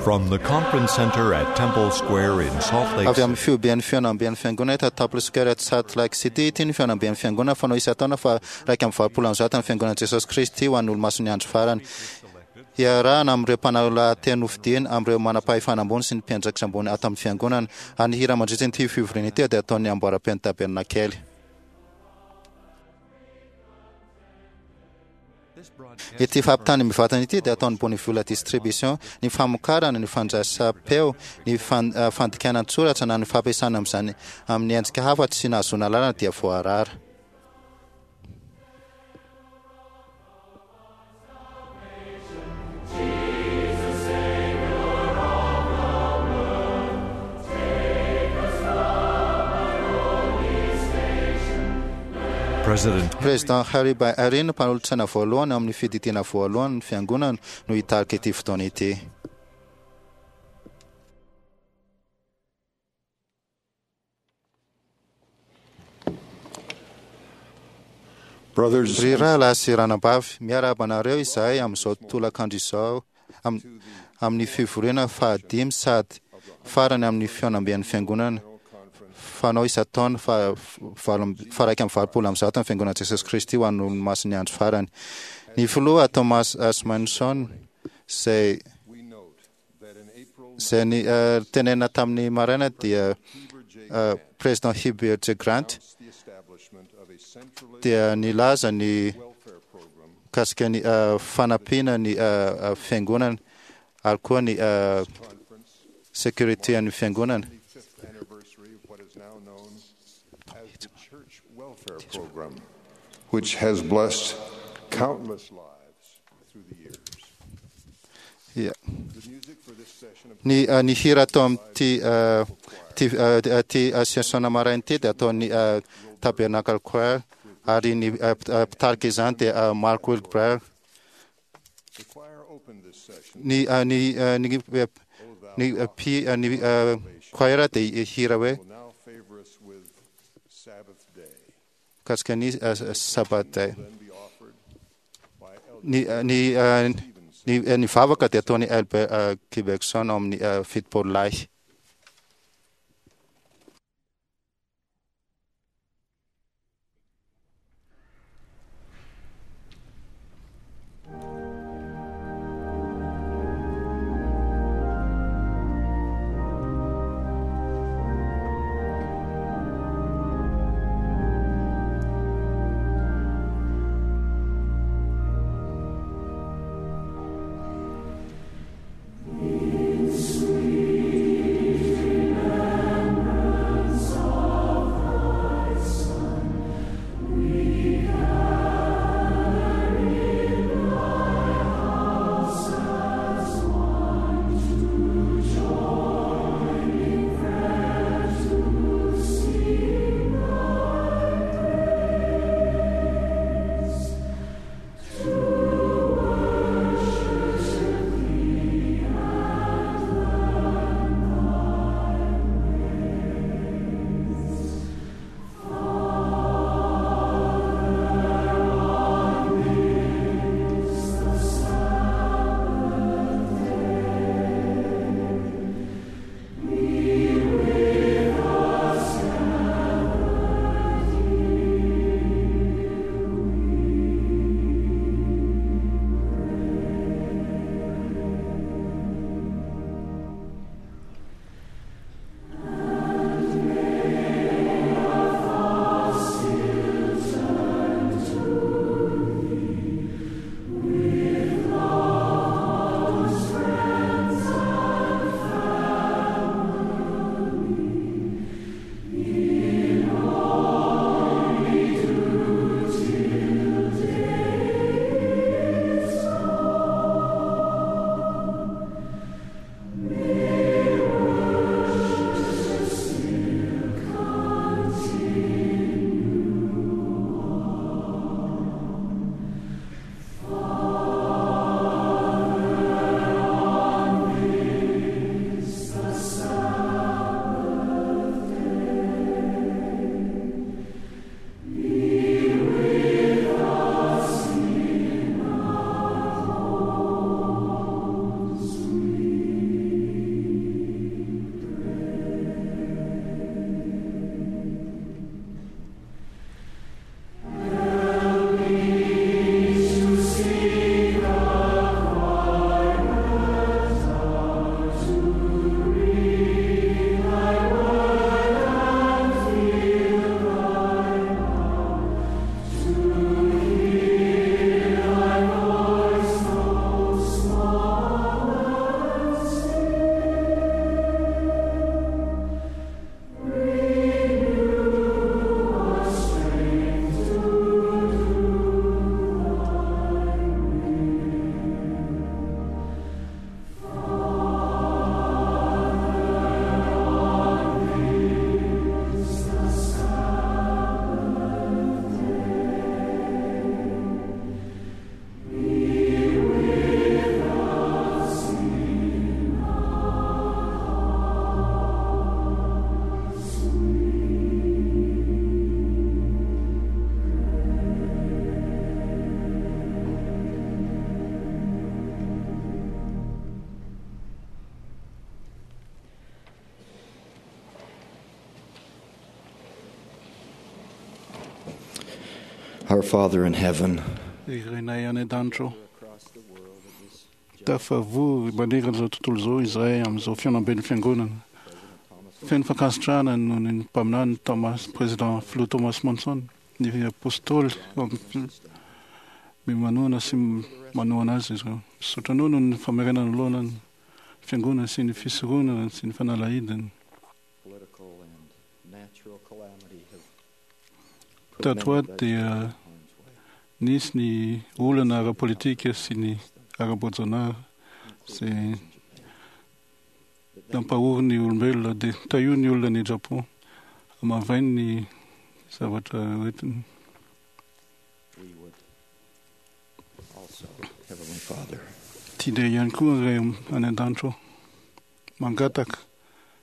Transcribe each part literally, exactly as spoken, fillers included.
From the Conference Center at Temple Square in Salt Lake Avy amin'ny fihobian'ny fihaonamben'ny fiangonana eto Temple Square at Salt Lake City ity ny fihaonamben'ny fiangonana fanao isan-taona fa iraika amby valopolo amby zato ny fiangonan'i Jesosy Kristy ho an'ny olomasin'ny andro farany. Iarahana amin'ireo mpanao lahateny nofidina, amin'ireo manam-pahefana ambony sy ny mpiandraikitra ambony ato amin'ny fiangonana. Ary ny hira mandritra ity fivoriana ity dia ataon'ny amboaram-pen'ny Tabernakely. Ity fampitana mivantana ity dia ataon'ny Boniviola Distribution. Ny famokarana, ny fandraisam-peo, ny fandikana an-tsoratra na ny fampiasana amin'izany amin'ny endrika hafa tsy nahazoana alalana dia voarara. President Harry B. Eyring, mpanolotsaina voalohany ao amin'ny Fiadidiana Voalohany ny Fiangonana, no hitarika ity fotoana ity. Ry rahalahy sy ranabavy, miarahaba anareo izahay amin'izao tolakandro izao amin'ny fivoriana fahadimy sady farany amin'ny fihaonamben'ny Fiangonana fanao isan-taona faha iraika amby valopolo amby zato ny Fiangonan'i Jesosy Kristy ho an'ny Olomasin'ny Andro Farany. Ny Filoha Thomas S. Monson izay izay ny tenenina tamin'ny maraina dia President Heber J. Grant dia nilaza ny mikasika ny fanampiana ny fiangonana ary koa ny sécurité an'ny fiangonana. Which has blessed countless lives through the years. Yeah. Ny ny hira atao amin'ity ity ity session maraina ity dia ataon'ny Tabernacle Choir ary ny mpitarika izany dia Mark Wilbur. Ny ny ny ny ny choir dia hira hoe mikasika ny Sabbath day. Ny ny ny ny vavaka dia ataon'i Albert Gibson ao amin'ny fitopolo lahy. Our Father in heaven, Ry Rainay any an-danitra ao, tafavory manerana izao tontolo izao izahay amin'izao fihaonamben'ny fiangonana. Feno fankasitrahana noho ny mpaminany Thomas, président filoha Thomas Monson, ny apôstôly manohana sy manohana azy izy ireo. Misaotra anao noho ny famerenana lohana ny fiangonana sy ny fisoronana sy ny fanalahidiny. political and natural calamity have put Tato many ato dia harm's way. nisy ny olana ara-politika sy ny ara-boajanahary izay nampahory ny olombelona dia tahio ny olona ny Japon hamavainy ny zavatra hoentiny. We would also, Heavenly Father, Tianay ihany koa ray any an-danitra ao mangataka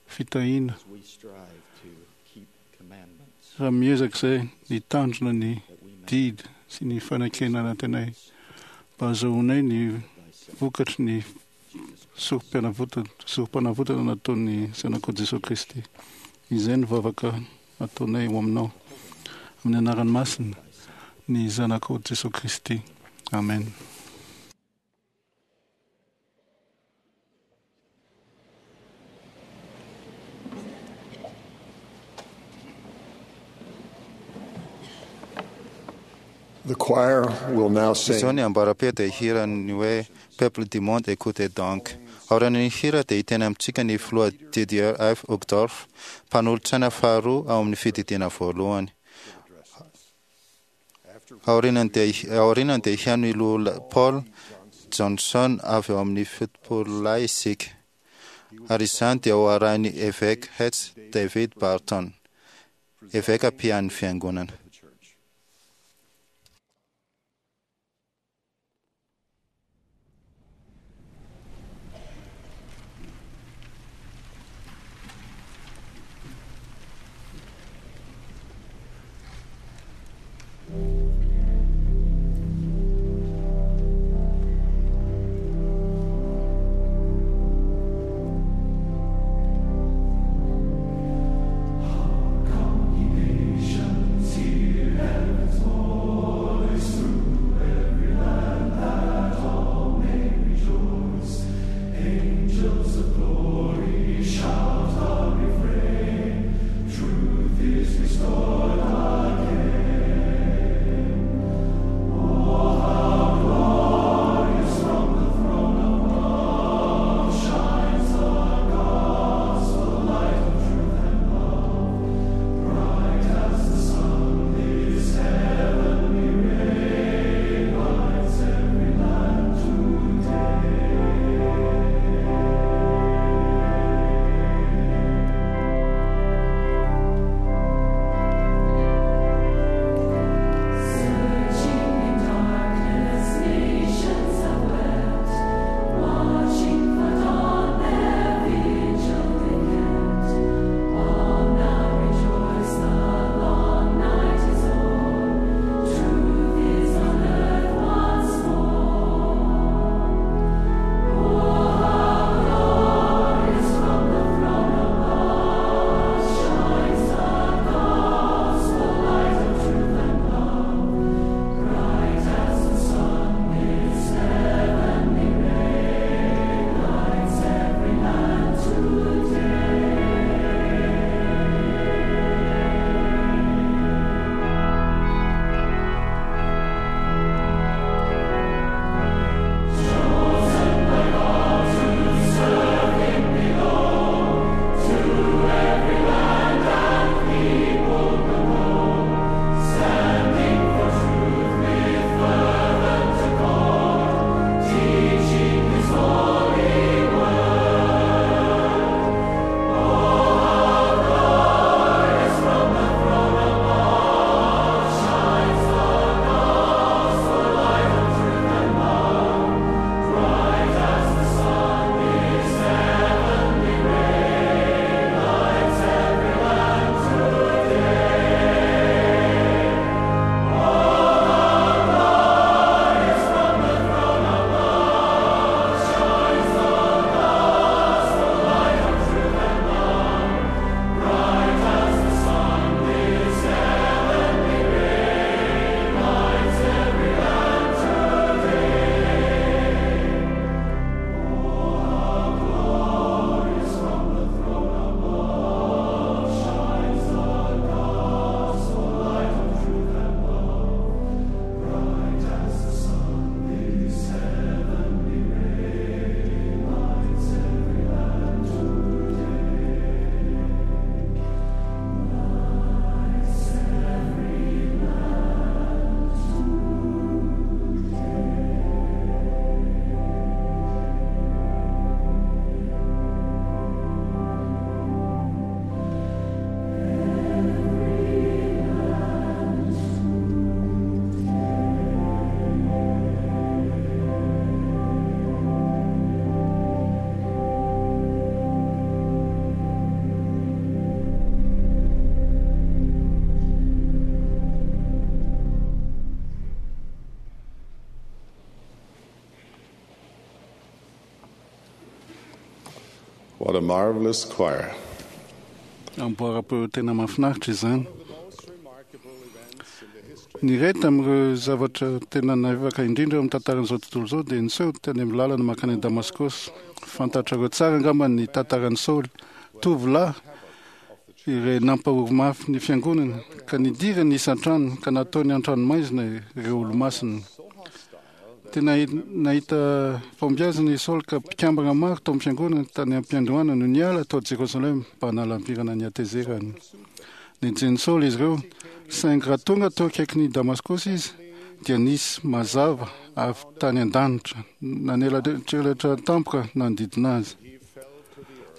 fitahiana as we strive to keep commandments, raha miezaka izay ny tanjona ny that we may didy sy ny fanekena anatinay mba hahazoanay ny thyself, vokatry ny Jesus Christ. sorom-pianavotana sorom-panavotana nataon'ny zanakao Jesosy Kristy. Izay ny vavaka ataonay ho aminao amin'ny anarany masina ny zanakao Jesosy Kristy. Amen. The choir will now Izao sing ny ambaram-peo dia hira ny hoe Peuple du monde écoutez donc. Aorian'ny hira dia hiteny amintsika ny filoha Didier F. Uchtdorf, mpanolotsaina faharoa ao amin'ny fididiana voalohany. Aorianany dia aorianany dia hihaino i Lola Paul Johnson avy ao amin'ny fitopololahy isika. Ary izany dia ho arahin'ny évêque Hetz David Barton, évêque mpian'ny fiangonana. the church. Nations, hear What a marvelous choir. Amboara-peo tena mahafinaritra izany. Ny iray tamin'ireo zavatra tena navivaka indrindra eo amin'ny tantaran'izao tontolo izao dia niseho tany amin'ny lalana mankany Damaskosy. Fantatrareo tsara angamba ny tantaran'i Saoly, tovolahy iray nampahory mafy ny fiangonana ka nidirany isan-trano ka nataony an-tranomaizina ireo olomasina. Tena nahita fahombiazana i Saoly ka mpikambana maro tao amin'ny fiangonana tany am-piandohana no niala tao Jerosalema mba hanalavirana ny hatezerany. Nenjehin'i Saoly izy ireo, saingy raha tonga teo akaikin'i Damaskosy izy dia nisy mazava avy tany an-danitra nanelatrelatra tampoka nanodidina azy.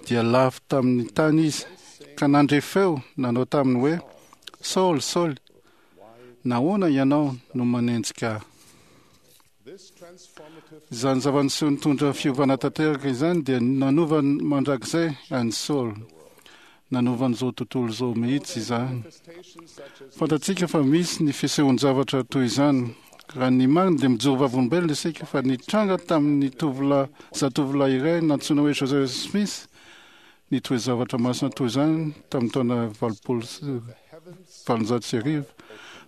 Dia lavo tamin'ny tany izy ka nandre feo nanao taminy hoe: Saoly, Saoly, nahoana ianao no manenjika ahy? Izany zava-niseho nitondra fiovana tanteraka izany dia nanova mandrakizay an'i Saoly. Nanova an'izao tontolo izao mihitsy izany. Fantatsika fa misy ny fisehoan-javatra toy izany. Raha ny marina dia mijoro vavolombelona isika fa nitranga tamin'ny tovolahy zatovolahy iray nantsoina hoe Joseph Smith ny toe-zavatra masina toy izany tamin'ny taona valopolo sy valonjato sy arivo.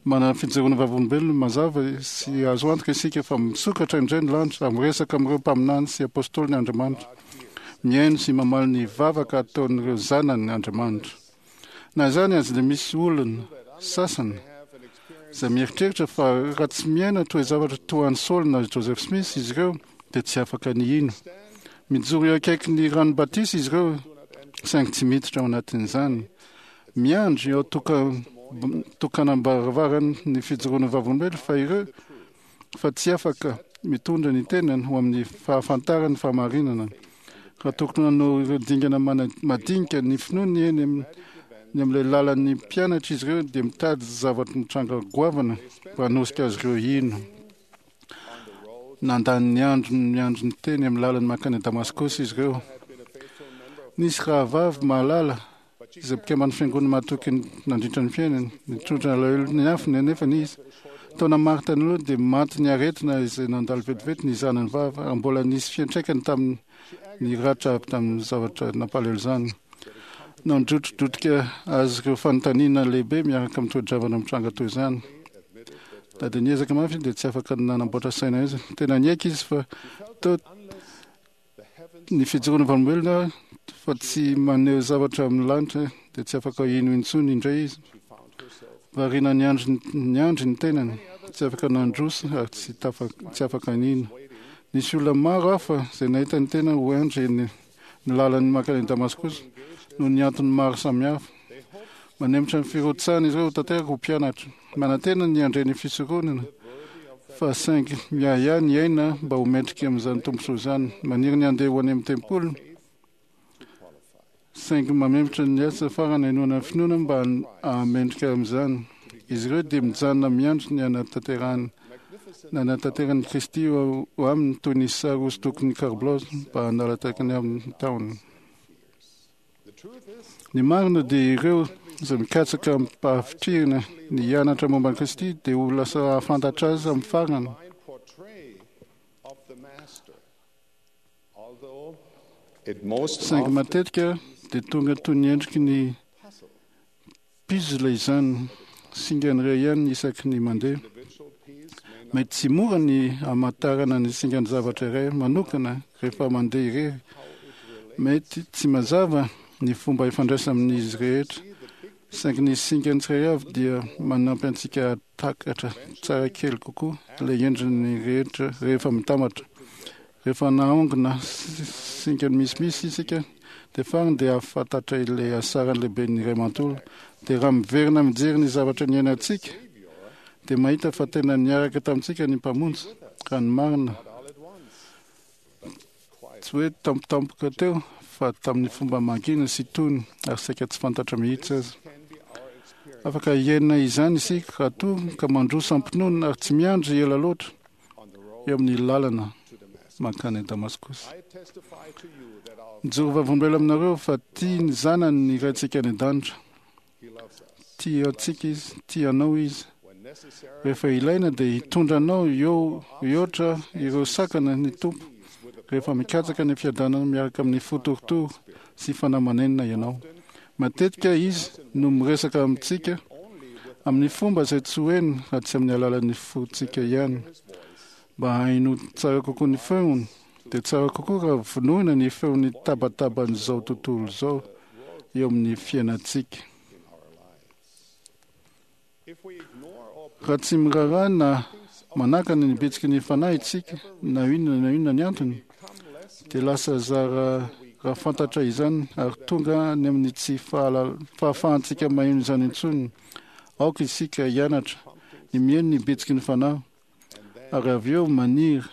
Manana fijoroana vavolombelona mazava sy azo antoka isika fa misokatra indray ny lanitra ary miresaka amin'ireo mpaminany sy apôstôliny Andriamanitra. Mihaino sy mamaly ny vavaka ataon'ireo zanany Andriamanitra. Na izany aza dia misy olona sasany izay mieritreritra fa raha tsy miaina toe-zavatra toa an'i Saoly na Joseph Smith izy ireo dia tsy afaka ny hino. Mijoro eo akaiky ny rano batisa izy ireo saingy tsy miditra ao anatin'izany. Miandry eo toka tokanam-baravarany ny fijoroana vavolombelona fa ireo fa tsy afaka mitondra ny tenany ho amin'ny fahafantarany fahamarinana. Raha tokony hanao ireo dingana mana- madinika ny finoany eny amin'ny ny amin'ilay lalan'ny mpianatra izy ireo dia mitady zavatra mitranga goavana mba hanosika azy ireo hino. Nandany ny andro miandry ny teny amin'ny lalany mankany Damaskosy izy ireo. Nisy rahavavy mahalala izay mpikamban'ny fiangonana mahatoky nandritra ny fiainany. Nitondra alahelo ny afony anefa izy. Taona maro tany aloha dia maty ny aretina izay nandalo vetivety ny zanany vavy ary mbola nisy fiantraikany tamin'ny ny ratra avy tamin'ny zavatra nampalahelo izany. Nandrotrodrotika azy ireo fanontaniana lehibe miaraka amin'ny toe-javatra mitranga toy izany. Na dia niezaka mafy izy dia tsy afaka nanamboatra saina izy. Tena niaiky izy fa teo ny fijoroana vavolombelona fa tsy maneho zavatra amin'ny lanitra dia tsy afaka hino intsony indray izy. Variana niandry niandry ny tenany, tsy afaka nandroso ary tsy tafa tsy afaka nino. Nisy olona maro hafa izay nahita ny tena ho andry ny ny lalan'ny mankany Damaskosy noho ny antony maro samihafa. Manemitra ny firotsahana izy ireo ho tanteraka ho mpianatra. Manantena ny handre ny fisoronana fa saingy miahiahy ny aina mba ho mendrika amin'izany tombontsoa izany. Maniry ny handeha ho any amin'ny tempoly saingy mamemotra ny asa farany hainoana ny finoana mba hahamendrika amin'izany. Izy ireo dia mijanona miandry ny hanatanterahany nanatanteran'i Kristy ho aminy toy ny sary hosodokon'ny Carl mba hanalatakany amin'ny tahony. Ny marina dia ireo izay mikatsaka amim-pahavitrihana ny hianatra momba an'i Kristy dia ho lasa hahafantatra azy amin'ny farany. It most Saingy often matetika dia tonga toy ny endriky ny puzzle izany, singany iray ihany isaky ny mandeha. Mety tsy mora ny hamantarana ny singan'ny zavatra iray manokana rehefa mandeha irery. Mety tsy mazava ny fomba ifandraisana amin'izy rehetra, saingy ny singany tsirairay avy dia manampy antsika hahatakatra tsara kely kokoa ilay endriny rehetra rehefa mitambatra. Rehefa naongona singany misimisy isika dia farany dia hahafantatra ilay hasarany lehiben'ny iray manontolo. Dia raha miverina mijery ny zavatra niainantsika dia mahita fa tena niaraka tamintsika ny Mpamonjy, raha ny marina. Tsy hoe tampotampoka teo fa tamin'ny fomba mangina sy tony ary saika tsy fantatra mihitsy aza. Afaka hiaina izany isika raha toa ka mandroso am-pinoana ary tsy miandry ela loatra eo amin'ny lalana mankany Damaskosy. Mijoro vavolombelona aminareo fa tia ny zanany ny Raintsika any an-danitra. Tia antsika izy, tia anao izy. Rehefa ilaina dia hitondra anao eo hihoatra ireo sakana ny Tompo. Rehefa mikatsaka ny fiadanana miaraka amin'ny fo torotoro sy fanahy manenina ianao. Matetika izy no miresaka amintsika amin'ny fomba izay tsy ho heno raha tsy amin'ny alalan'ny fontsika ihany. Mba hahaino tsara kokoa ny feony, dia tsara kokoa raha vonoina ny feon'ny tabataban'izao tontolo izao eo amin'ny fiainantsika. Raha tsy miraharaha na manakana ny bitsiky ny fanahy isika, na inona na inona ny antony, dia lasa zara raha fantatra izany ary tonga any amin'ny tsy fahafahantsika maheno izany intsony. Aoka isika hianatra ny mihaino ny bitsiky ny fanahy ary avy eo maniry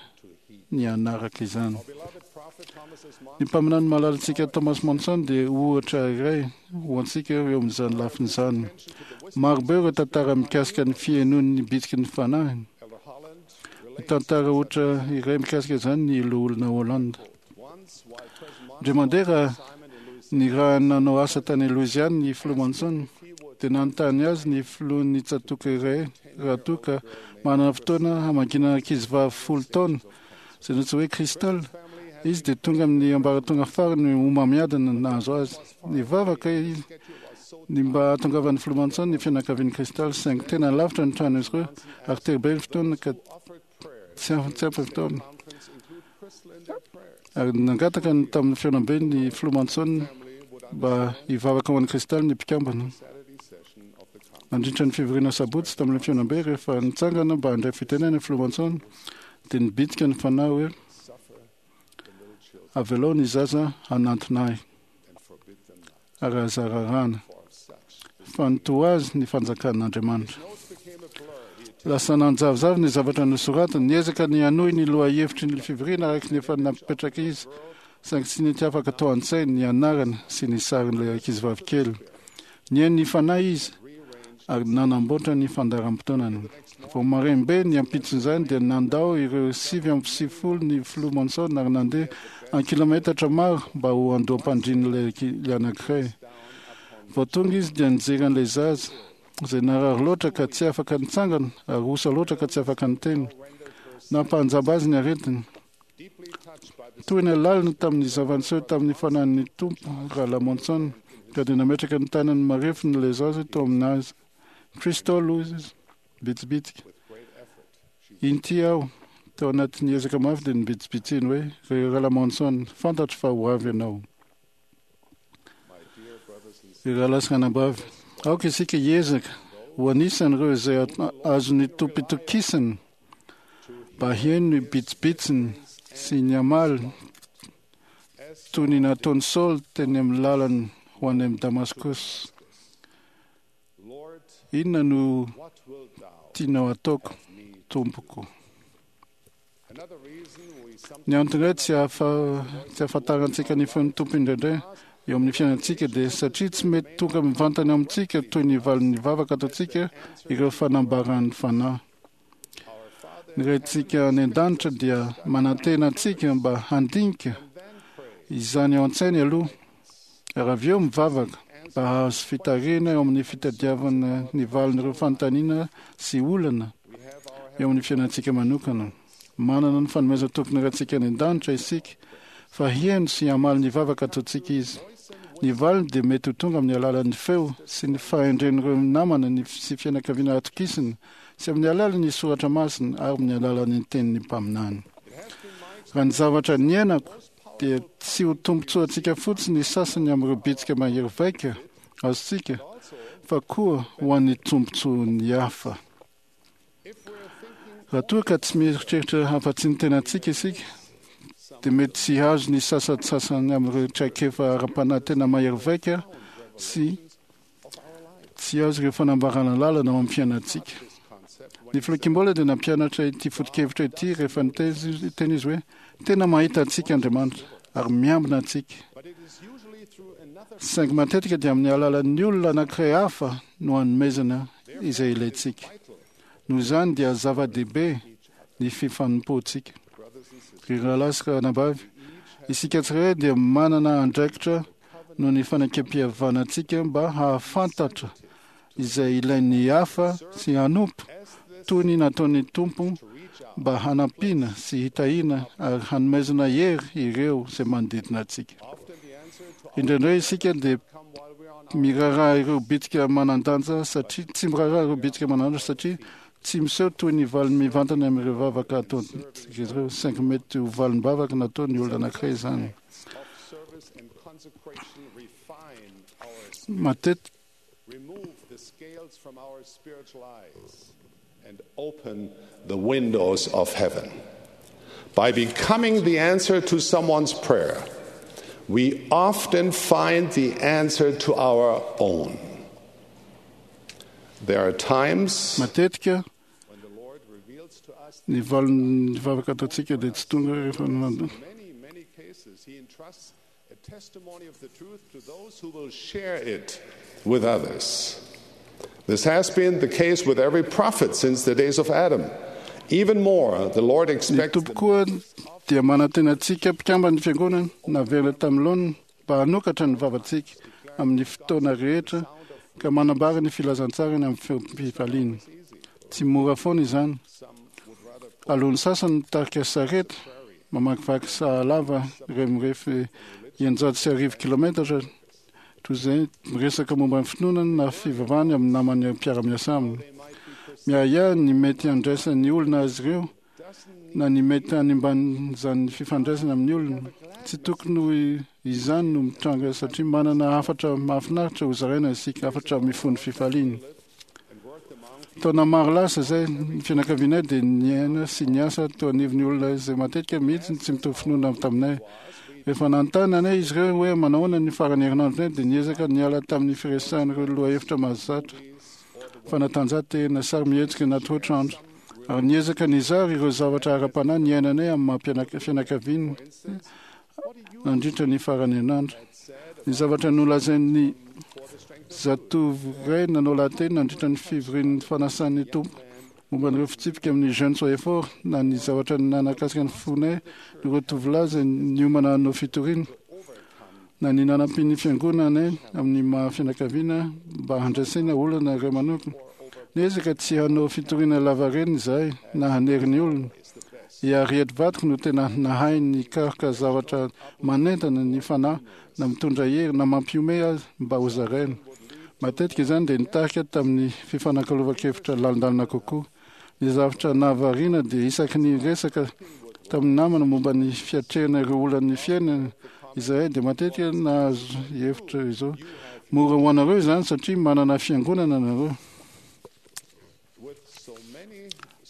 ny hanaraka izany. Ny mpaminany malalantsika Thomas Monson dia ohatra iray ho antsika eo amin'izany lafiny izany. Marobe ireo tantara mikasika ny fihainoan'ny bitsiky ny fanahy. Ny tantara ohatra iray mikasika izany ny loholona Hollande. Indray mandeha raha ny raha nanao asa tany Louisiane ny filoha Monson, dia nanontany azy ny filohan'ny tsatòka iray raha toa ka manana fotoana hamakiana ankizivavy folo taona izay nantsoina hoe Crystal. Izy dia tonga amin'ny ambaratonga farany homamiadana nahazo azy. Nivavaka izy ny mba hahatongavan'ny filoha Monson ny fianakavian'ny Crystal, saingy tena lavitra ny trano izy ireo ary tery be ny fotoana ka tsy ampy ny fotoana. Ary nangataka ny tamin'ny fihaonambe ny filoha Monson mba hivavaka ho an'ny Crystal ny mpikambana. Nandritra ny fivoriana sabotsy tamin'ny fihaonambe, rehefa nitsangana mba handray fitenenana ny filoha Monson, dia nibitsika ny fanahy hoe: avelao ny zaza hanantona ahy ary aza raràna, fa ny toa azy ny fanjakan'Andriamanitra. Lasa nanjavozavo ny zavatra nosoratany, niezaka ny hanohy ny lohahevitry ny fivoriana araka ny efa napetraka izy, saingy tsy nety afaka tao an-tsainy ny anarana sy ny sarin'ilay ankizivavy kely. Nihaino ny fanahy izy ary nanamboatra ny fandaharam-potoanany. Vao maraim-be ny ampitson'izany dia nandao ireo sivy amby sivifolo ny filoha Monson ary nandeha an-kilometatra maro mba ho andoham-pandrian'ilay anankiray. Vao tonga izy dia nijery an'ilay zaza izay narary loatra ka tsy afaka nitsangana ary osa loatra ka tsy afaka niteny. Nampanjamba azy ny aretiny. Toy ny lalina tamin'ny zava-niseho tamin'ny fanahin'ny Tompo Rahalahy Monson, ka dia nametraka ny tanany marefony ilay zaza tao aminazy. Crystal, hoy izy bitsibitsika, inty aho. Tao anatin'ny ezaka mafy dia nibitsibitsiny hoe: ry Rahalahy Monson, fantatro fa ho avy ianao. Ry rahalahy sy ranabavy, aoka isika hiezaka ho anisan'ireo izay azon'ny Tompo itokisana mba hihaino ny bitsibitsiny sy ny hamaly toy ny nataon'i Saoly teny amin'ny lalany ho any amin'ny Damaskosy. Inona no tianao ataoko, Tompoko? Ny antony iray tsy ahafantarantsika ny feon'ny Tompo indraindray eo amin'ny fiainantsika dia satria tsy mety tonga mivantana amintsika toy ny valin'ny vavaka ataontsika ireo fanambaran'ny fanahy. Ny Raintsika any an-danitra dia manantena antsika mba handinika izany ao an-tsainy aloha ary avy eo mivavaka mba hahazo fitarihana eo amin'ny fitadiavana ny valin'ireo fanontaniana sy olana eo amin'ny fiainantsika manokana. Manana ny fanomezana tompony Raintsika any an-danitra isika fa hihaino sy hamaly ny vavaka ataontsika izy. Ny valiny dia mety ho tonga amin'ny alalan'ny feo sy ny fahendren'ireo namana ny sy fianakaviana atokisana sy amin'ny alalan'ny soratra masina ary amin'ny alalan'ny tenin'ny mpaminany. Raha ny zavatra niainako dia tsy ho tombontsoantsika fotsiny ny sasany amin'ireo bitsika mahery vaika azontsika fa koa ho an'ny tombontsoan'ny hafa. Raha toa ka tsy mieritreritra afa-tsy ny tenantsika isika, dia mety tsy hahazo ny sasantsasany amin'ireo traikefa ara-panahy tena mahery vaika sy tsy hahazo ireo fanambarana lalana ao amin'ny fiainantsika. Ny filoha Kimball dia nampianatra ity foto-kevitra ity rehefa niteny izy hoe: tena mahita antsika Andriamanitra ary miambina antsika. Saingy matetika dia amin'ny alalan'ny olona anankiray hafa no hanomezana izay ilaintsika. Noho izany dia zava-dehibe ny fifanompoantsika. Ry rahalahy sy ranabavy, isika tsirairay dia manana andraikitra noho ny fanekempihavanantsika mba hahafantatra izay ilain'ny hafa sy hanompo toy ny nataon'ny Tompo mba hanampiana sy hitahiana ary hanomezana hery ireo izay manodidina antsika. Indraindray isika dia miraharaha ireo bitsika manan-danja satria tsy miraharaha ireo bitsika manan-danja satria tsy miseho toy ny valiny mivantana amin'ireo vavaka ataontsika ireo, saingy mety ho valim-bavaka nataon'ny olona anankiray izany. Matetika Remove the scales from our spiritual eyes and open the windows of heaven. By becoming the answer to someone's prayer, we often find the answer to our own. There are times matetika when the Lord reveals to us ny valin'ny vavaka ataontsika dia tsy tonga rehefa in many, many cases, He entrusts a testimony of the truth to those who will share it with others. This has been the case with every prophet since the days of Adam. Even more, the Lord Ny expects Tompo koa dia manantena antsika mpikambana ny fiangonana naverina tamin'ny laoniny mba hanokatra ny vavantsika amin'ny fotoana rehetra ka manambara ny filazantsarany amin'ny feom-pifaliana. Tsy mora foana izany. Alohan'ny sasany mitarika sarety mamakivaky sahalava iray mirefy eninjato sy arivo kilometatra toy izay miresaka momba ny finoana na fivavahany amin'ny namany mpiara-miasa aminy. Miahiahy ny mety handraisan'ny olona azy ireo na ny mety hanimban'izany fifandraisana amin'ny olona. Tsy tokony ho izany no mitranga satria manana hafatra mahafinaritra ho zaraina isika, hafatra mifono fifaliana. Taona maro lasa izay ny fianakavianay dia niaina sy niasa teo anivon'ny olona izay matetika mihitsy tsy mitovy finoana taminay. Rehefa nanontany anay izy ireo hoe manahoana ny faran'ny herinandronay dia niezaka niala tamin'ny firesahana ireo lohahevitra mahazatra, fanatanjahantena, sary mihetsika anaty ohatrandro, ary niezaka nizara ireo zavatra ara-panahy niainanay amin'ny maha fianakaviana nandritra ny faran'ny herinandro. Ny zavatra nolazain'ny zatovo iray nanao lahateny nandritra ny fivorian'ny fanasan'ny Tompo momba ireo fitsipika amin'ny Jeunes Soyez Forts na ny zavatra nanakasika ny fonay ireo tovolahy izay niomana hanao fitoriana na ny nanampian'ny fiangonanay amin'ny maha fianakaviana mba handraisana olana iray manokana. Niezaka tsy hanao fitoriana lavareny izahay na hanery ny olona. I Harriet vadiko no tena nahay nikaroka zavatra manentana ny fanahy na mitondra hery na mampihomehy azy mba ho zaraina. Matetika izany dia nitarika tamin'ny fifanakalovan-kevitra lalindalina kokoa. Ny zavatra nahavariana dia isaky ny resaka tamin'ny namana momba ny fiatrehana ireo olan'ny fiainana izahay dia matetika nahazo hevitra izao: mora ho anareo izany satria manana fiangonana nareo.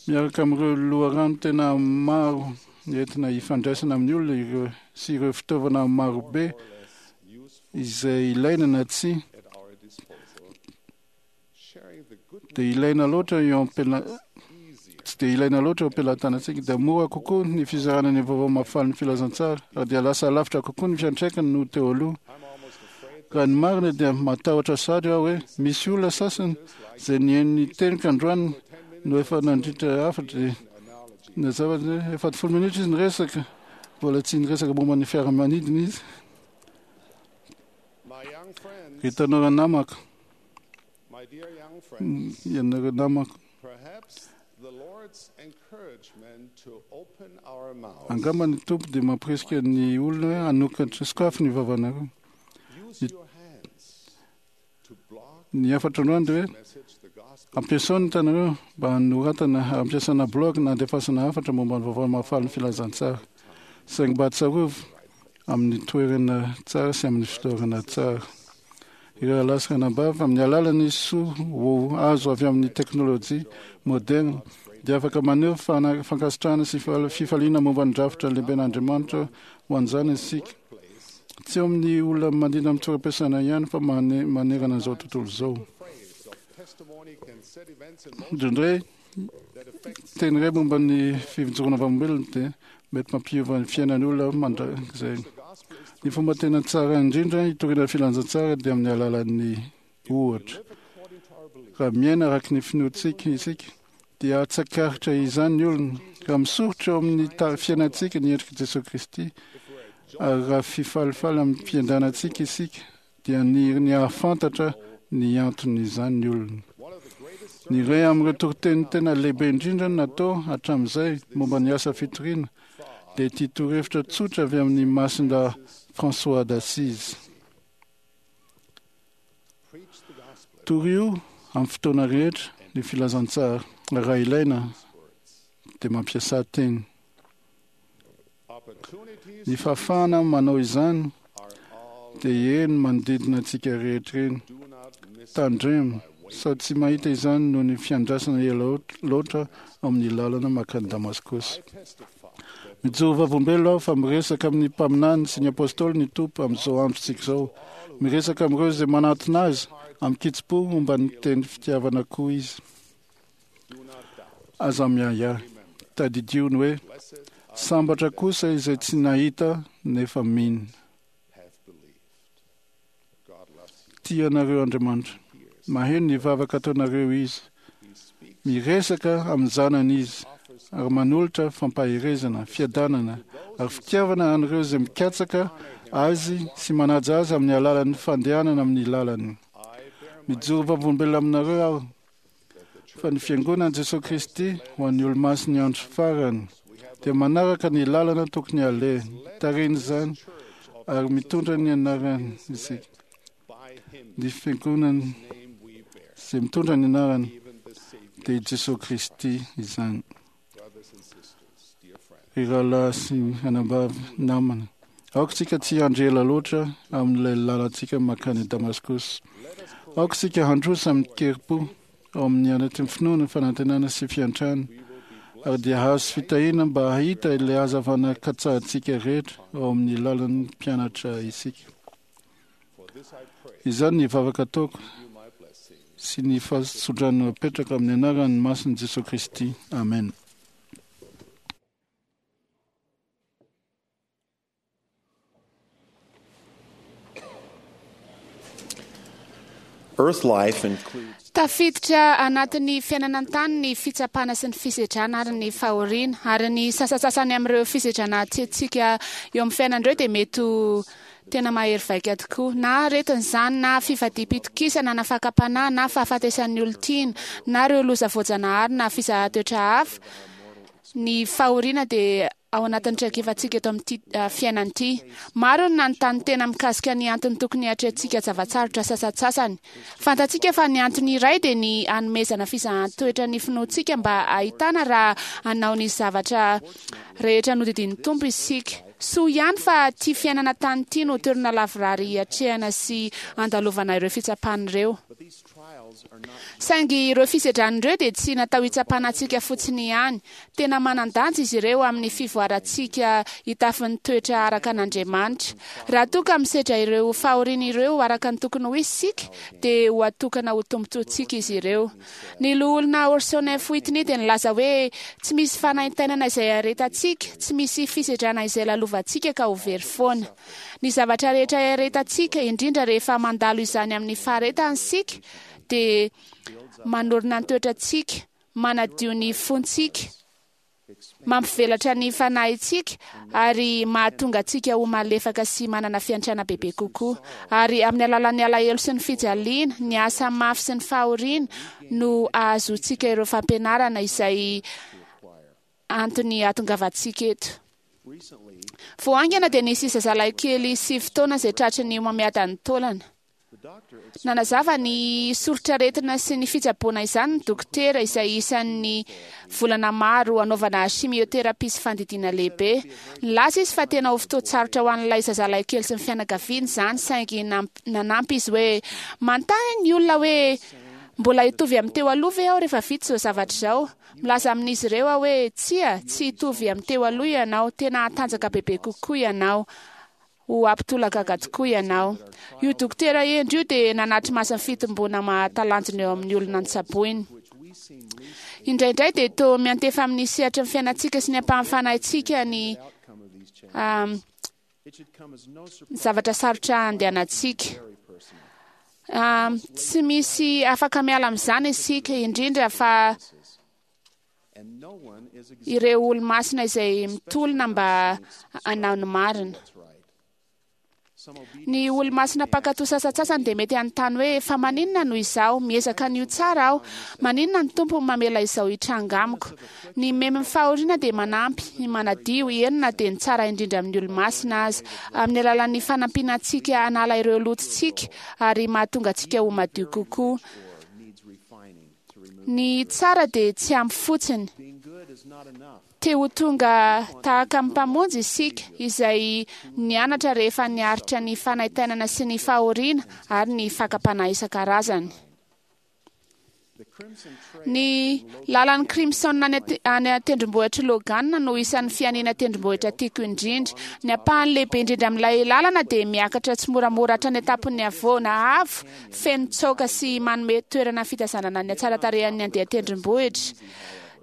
Miaraka amin'ireo loharano tena maro entina hifandraisana amin'ny olona ireo sy ireo fitaovana marobe izay ilaina na tsy dia ilaina loatra eo am-pela tsy dia ilaina loatra eo am-pelatanantsika, dia mora kokoa ny fizarana ny vaovao mahafaly ny filazantsara ary dia lasa lavitra kokoa ny fiantraikany no teo aloha. Raha ny marina dia matahotra sary aho hoe misy olona sasany izay nihaino ny teniko androany no efa nandritra hafatra dia nazava efa folo minitra izy niresaka, mbola tsy niresaka momba ny fiaramanidina izy. Ry tanora namako, ianareo namako, angamba ny Tompo dia mampirisika ny olona hoe hanokatra sokafy ny vavanareo. Ny hafatra androany dia hoe ampiasao ny tanareo mba hanoratana, hampiasana blog na handefasana hafatra momba ny vaovao mahafaly ny filazantsara, saingy mba tsarovy amin'ny toerana tsara sy amin'ny fotoana tsara. Ireo rahalahy sy ranabavy, amin'ny alalan'ny soa ho azo avy amin'ny teknôlôjia moderna dia afaka maneho fankasitrahana sy fifaliana momba ny drafitra lehiben'Andriamanitra ho an'izany isika. Tsy eo amin'ny olona mandeha amin'ny toeram-piasana ihany fa manerana an'izao tontolo izao. Indraindray teny iray momba ny fijoroana vavolombelona dia mety mampiova ny fiainan'ny olona mandrakizay. Ny fomba tena tsara indrindra hitoriana filazantsara dia amin'ny alalan'ny ohatra. Raha miaina araka ny finoantsika isika dia hatsakaritra izany ny olona. Raha misoritra eo amin'ny fiainantsika ny endrik'i Jesosy Kristy ary raha fifalifaly amin'ny fiainantsika isika dia ny ny hahafantatra ny anton'izany ny olona. Ny iray amin'ireo toriteny tena lehibe indrindra natao hatramin'izay momba ny asa fitoriana dia ity torohevitra tsotra avy amin'ny Masindahy François d'Assise. Torio amin'ny fotoana rehetra ny filazantsara, raha ilaina dia mampiasa teny. Ny fahafahana manao izany dia eny manodidina antsika rehetra eny. Tandremo sao tsy mahita izany noho ny fiandrasana ela loatra amin'ny lalana mankany Damaskosy. Mijoro vavolombelona aho fa miresaka amin'ny mpaminany sy ny apôstôly ny Tompo amin'izao androntsika izao. Miresaka amin'ireo izay manatona azy amin'ny kitsim-po momba ny teny fitiavana koa izy. Aza miahiahy, tadidio ny hoe sambatra kosa izay tsy nahita nefa mino. Tia anareo Andriamanitra. Maheno ny vavaka ataonareo izy. Miresaka amin'ny zanany izy ary manolotra fampaherezana, fiadanana ary fitiavana an'ireo izay mikatsaka azy sy manaja azy amin'ny alalan'ny fandehanana amin'ny lalany. Mijoro vavolombelona aminareo aho fa ny fiangonan'i Jesosy Kristy ho an'ny olo-masin'ny andro farany dia manaraka ny lalana tokony aleha, tarihiny izany ary mitondra ny anarany isika. Ny fiangonany izay mitondra ny anarany dia i Jesosy Kristy izany. Ry rahalahy sy anabavy namana, aoka isika tsy hiandry ela loatra amin'ilay lalantsika mankany Damaskosy. Aoka isika handroso amin'ny kerim-po ao amin'ny anatin'ny finoana, fanantenana sy fiantrana, ary dia hahazo fitahiana mba hahita ilay hazavana katsahantsika rehetra ao amin'ny lalan'ny mpianatra isika. Izany ny vavaka ataoko sy ny fahasodrano apetraka amin'ny anaran'ny masin'i Jesosy Kristy. Amen. Earth life includes Tafiditra anatin'ny fiainana an-tany ny fitsapana sy ny fisedrana ary ny fahoriana, ary ny sasasasany amin'ireo fisedrana atrehintsika eo amin'ny fiainana ireo dia mety ho tena mahery vaika tokoa. Na aretina izany, na fivadiam-pitokisana, na fakam-panahy, na fahafatesan'ny olon-tiana, na ireo loza voajanahary, na fizahan-toetra hafa. Ny fahoriana dia ao anatin'ny traikefantsika eto amin'ity fiainana ity. Maro ny nanontany tena mikasika ny antony tokony hiatrehantsika zava-tsarotra sasantsasany. Fantatsika fa ny antony iray dia ny hanomezana fizahan-toetra ny finoantsika mba hahitana raha hanao ny zavatra rehetra nodidian'ny Tompo isika. Soa ihany fa ity fiainana tany ity no toerana lavorary hiatrehana sy andalovana ireo fitsapana ireo. Saingy ireo fisedrana ireo dia tsy natao hitsapana antsika fotsiny ihany. Tena manan-danja izy ireo amin'ny fivoarantsika hitafin'ny toetra araka an'Andriamanitra. Raha toa ka misedra ireo fahoriana ireo araka ny tokony ho izy isika, dia ho atokana ho tombontsoantsika izy ireo. Ny loholona Orson F. Whitney dia nilaza hoe tsy misy fanaintainana izay aretantsika, tsy misy fisedrana izay lalovantsika ka ho very foana. Ny zavatra rehetra iaretantsika, indrindra rehefa mandalo izany amin'ny faharetana isika, dia manorina ny toetrantsika, manadio ny fontsika, mampivelatra ny fanahintsika ary mahatonga antsika ho malefaka sy manana fiantrana bebe kokoa. Ary amin'ny alalan'ny alahelo sy ny fijaliana, ny asa mafy sy ny fahoriana no ahazoantsika ireo fampianarana izay antony hahatongavantsika eto. Vao haingana dia nisy zazalahy kely sivy taona izay tratry ny homamiadan'ny taolana. Nanazava ny soritr'aretina sy ny fitsaboana izany ny dokotera izay isan'ny volana maro hanaovana chimiothérapie sy fandidiana lehibe. Nilaza izy fa tena ho fotoan-tsarotra ho an'ilay zazalahy kely sy ny fianakaviany izany, saingy nanampy izy hoe manontany ny olona hoe mbola hitovy amin'ny teo aloha ve aho rehefa vita izao zavatra izao. Milaza amin'izy ireo aho hoe tsia, tsy hitovy amin'ny teo aloha ianao, tena hatanjaka bebe kokoa ianao. Ho ampitolagaga tokoa ianao. Io dokotera hendry io dia nanatri-maso ny fitomboana mahatalanjona eo amin'ny olona notsaboiny. Indraindray dia toa miantefa amin'ny sehatry ny fiainantsika sy ny ampahan'ny fanahintsika ny zavatra sarotra andehanantsika. Tsy misy afaka miala amin'izany isika, indrindra fa ireo olo-masina izay mitolona mba hanao ny marina. Ny olomasina mpankatò sasantsasany dia mety hanontany hoe fa maninona no izaho miezaka ny ho tsara aho, maninona ny Tompo mamela izao hitranga amiko. Ny memin'ny fahoriana dia manampy ny manadio, eny na dia ny tsara indrindra amin'ny olomasina aza, amin'ny alalan'ny fanampiana antsika hanala ireo lotontsika ary mahatonga antsika ho madio kokoa. Ny tsara dia tsy ampy fotsiny. Te ho tonga tahaka amin'ny Mpamonjy isika, izay nianatra rehefa niaritra ny fanaintainana sy ny fahoriana ary ny fakam-panahy isan-karazany. Ny lalan'ny Crimson any ate-, any an-tendrombohitr'i Logan no isan'ny fianiana tendrombohitra tiako indrindra. Ny ampahany lehibe indrindra amin'ilay lalana dia miakatra tsimoramora hatrany an-tampon'ny havoana avo, feno tsaoka sy manome toerana fitazanana ny hatsaran-tarehan'ny andian-tendrombohitra.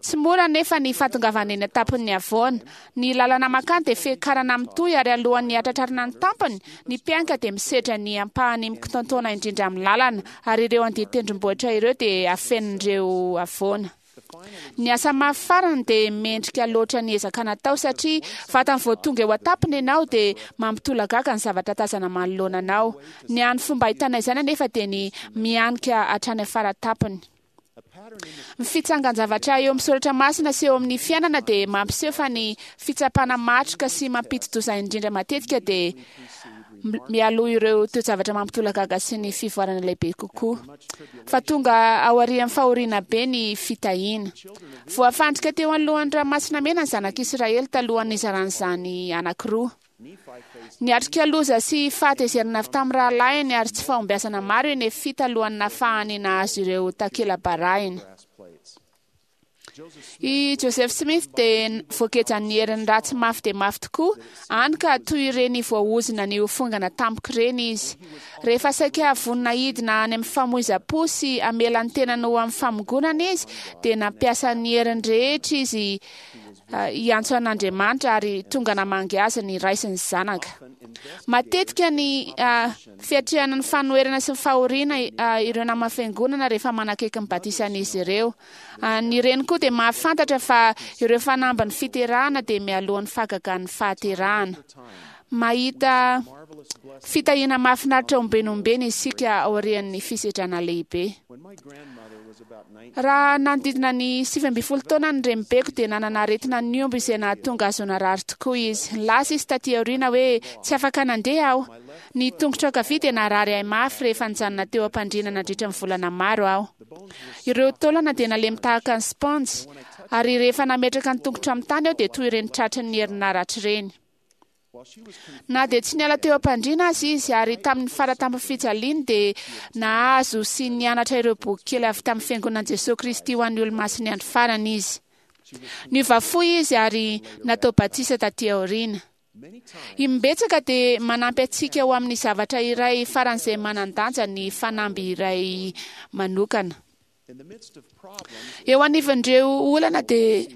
Tsy mora nefa ny fahatongavana eny an-tampon'ny havoana. Ny lalana mankany dia fiakarana mitohy ary alohan'ny hatratrarana ny tampony, ny mpianka dia misedra ny ampahany mikotontaona indrindra amin'ny lalana, ary ireo andian-tendrombohitra ireo dia afenin'ireo havoana. Ny asa mafy farany dia mendrika loatra ny ezaka natao satria vatany vao tonga eo an-tampony ianao dia mampitolagaga ny zavatra tazana manoloana anao. Ny hany fomba ahitana izany anefa dia ny mianika hatrany afara-tampony. Ny fitsangan-javatra eo amin'ny soratra masina sy eo amin'ny fiainana dia mampiseho fa ny fitsapana matroka sy mampidi-doza indrindra matetika dia mialoha ireo toe-javatra mampitolagaga sy ny fivoarana lehibe kokoa. Fa tonga aorian'ny fahoriana be ny fitahiana. Voafandrika teo anoloan'ny ranomasina mena ny zanak'Israely talohan'ny nizaran'izany anankiroa. Niatrika loza sy fahatezerana avy tamin'ny rahalahiny ary tsy fahombiazana maro i Nefy talohan'ny nahafahany nahazo ireo takela-barahina. I Joseph Smith dia voagejan'ny herin'ny ratsy mafy dia mafy tokoa, hany ka toy ireny voaozona ny ho fongana tampoka ireny izy. Rehefa saika vonona hidina any amin'ny famoizam-po sy hamela ny tenany ho amin'ny famongonana izy, dia nampiasa ny heriny rehetra izy hiantso an'Andriamanitra ary tonga namangy azy ny ray sy ny zanaka. Matetika ny fiatrehana ny fanoherana sy ny fahoriana ireo nama fiangonana rehefa manakaiky ny batisan'izy ireo. Ny reny koa dia mahafantatra fa ireo fanamby ny fiterahana dia mialohan'ny fahagagan'ny fahaterahana. Mahita fitahiana mahafinaritra ombenombeny isika aorian'ny fisedrana lehibe. Raha nanodidina ny sivy ambin'ny folo taona ny renibeko dia nanana aretina niombo izay nahatonga azy ho narary tokoa izy. Lasa izy taty aoriana hoe tsy afaka nandeha aho. Ny tongotro ankavia dia narary ahy mafy rehefa nijanona teo am-pandriana nandritra ny volana maro aho. Ireo taolana dia nalemy tahaka ny sponjy, ary rehefa nametraka ny tongotro amin'ny tany aho dia toy ireny tratry ny herinaratra ireny. Na dia tsy niala teo am-pandriana aza izy, ary tamin'ny faratampony fijaliany dia nahazo sy nianatra ireo boky kely avy tamin'ny fiangonan'i Jesosy Kristy ho an'ny olomasin'ny andro farany izy. Niova fo izy ary natao batisa taty aoriana. Imbetsaka dia manampy antsika ho amin'ny zavatra iray faran'izay manan-danja ny fanamby iray manokana. Eo anivon'ireo olana dia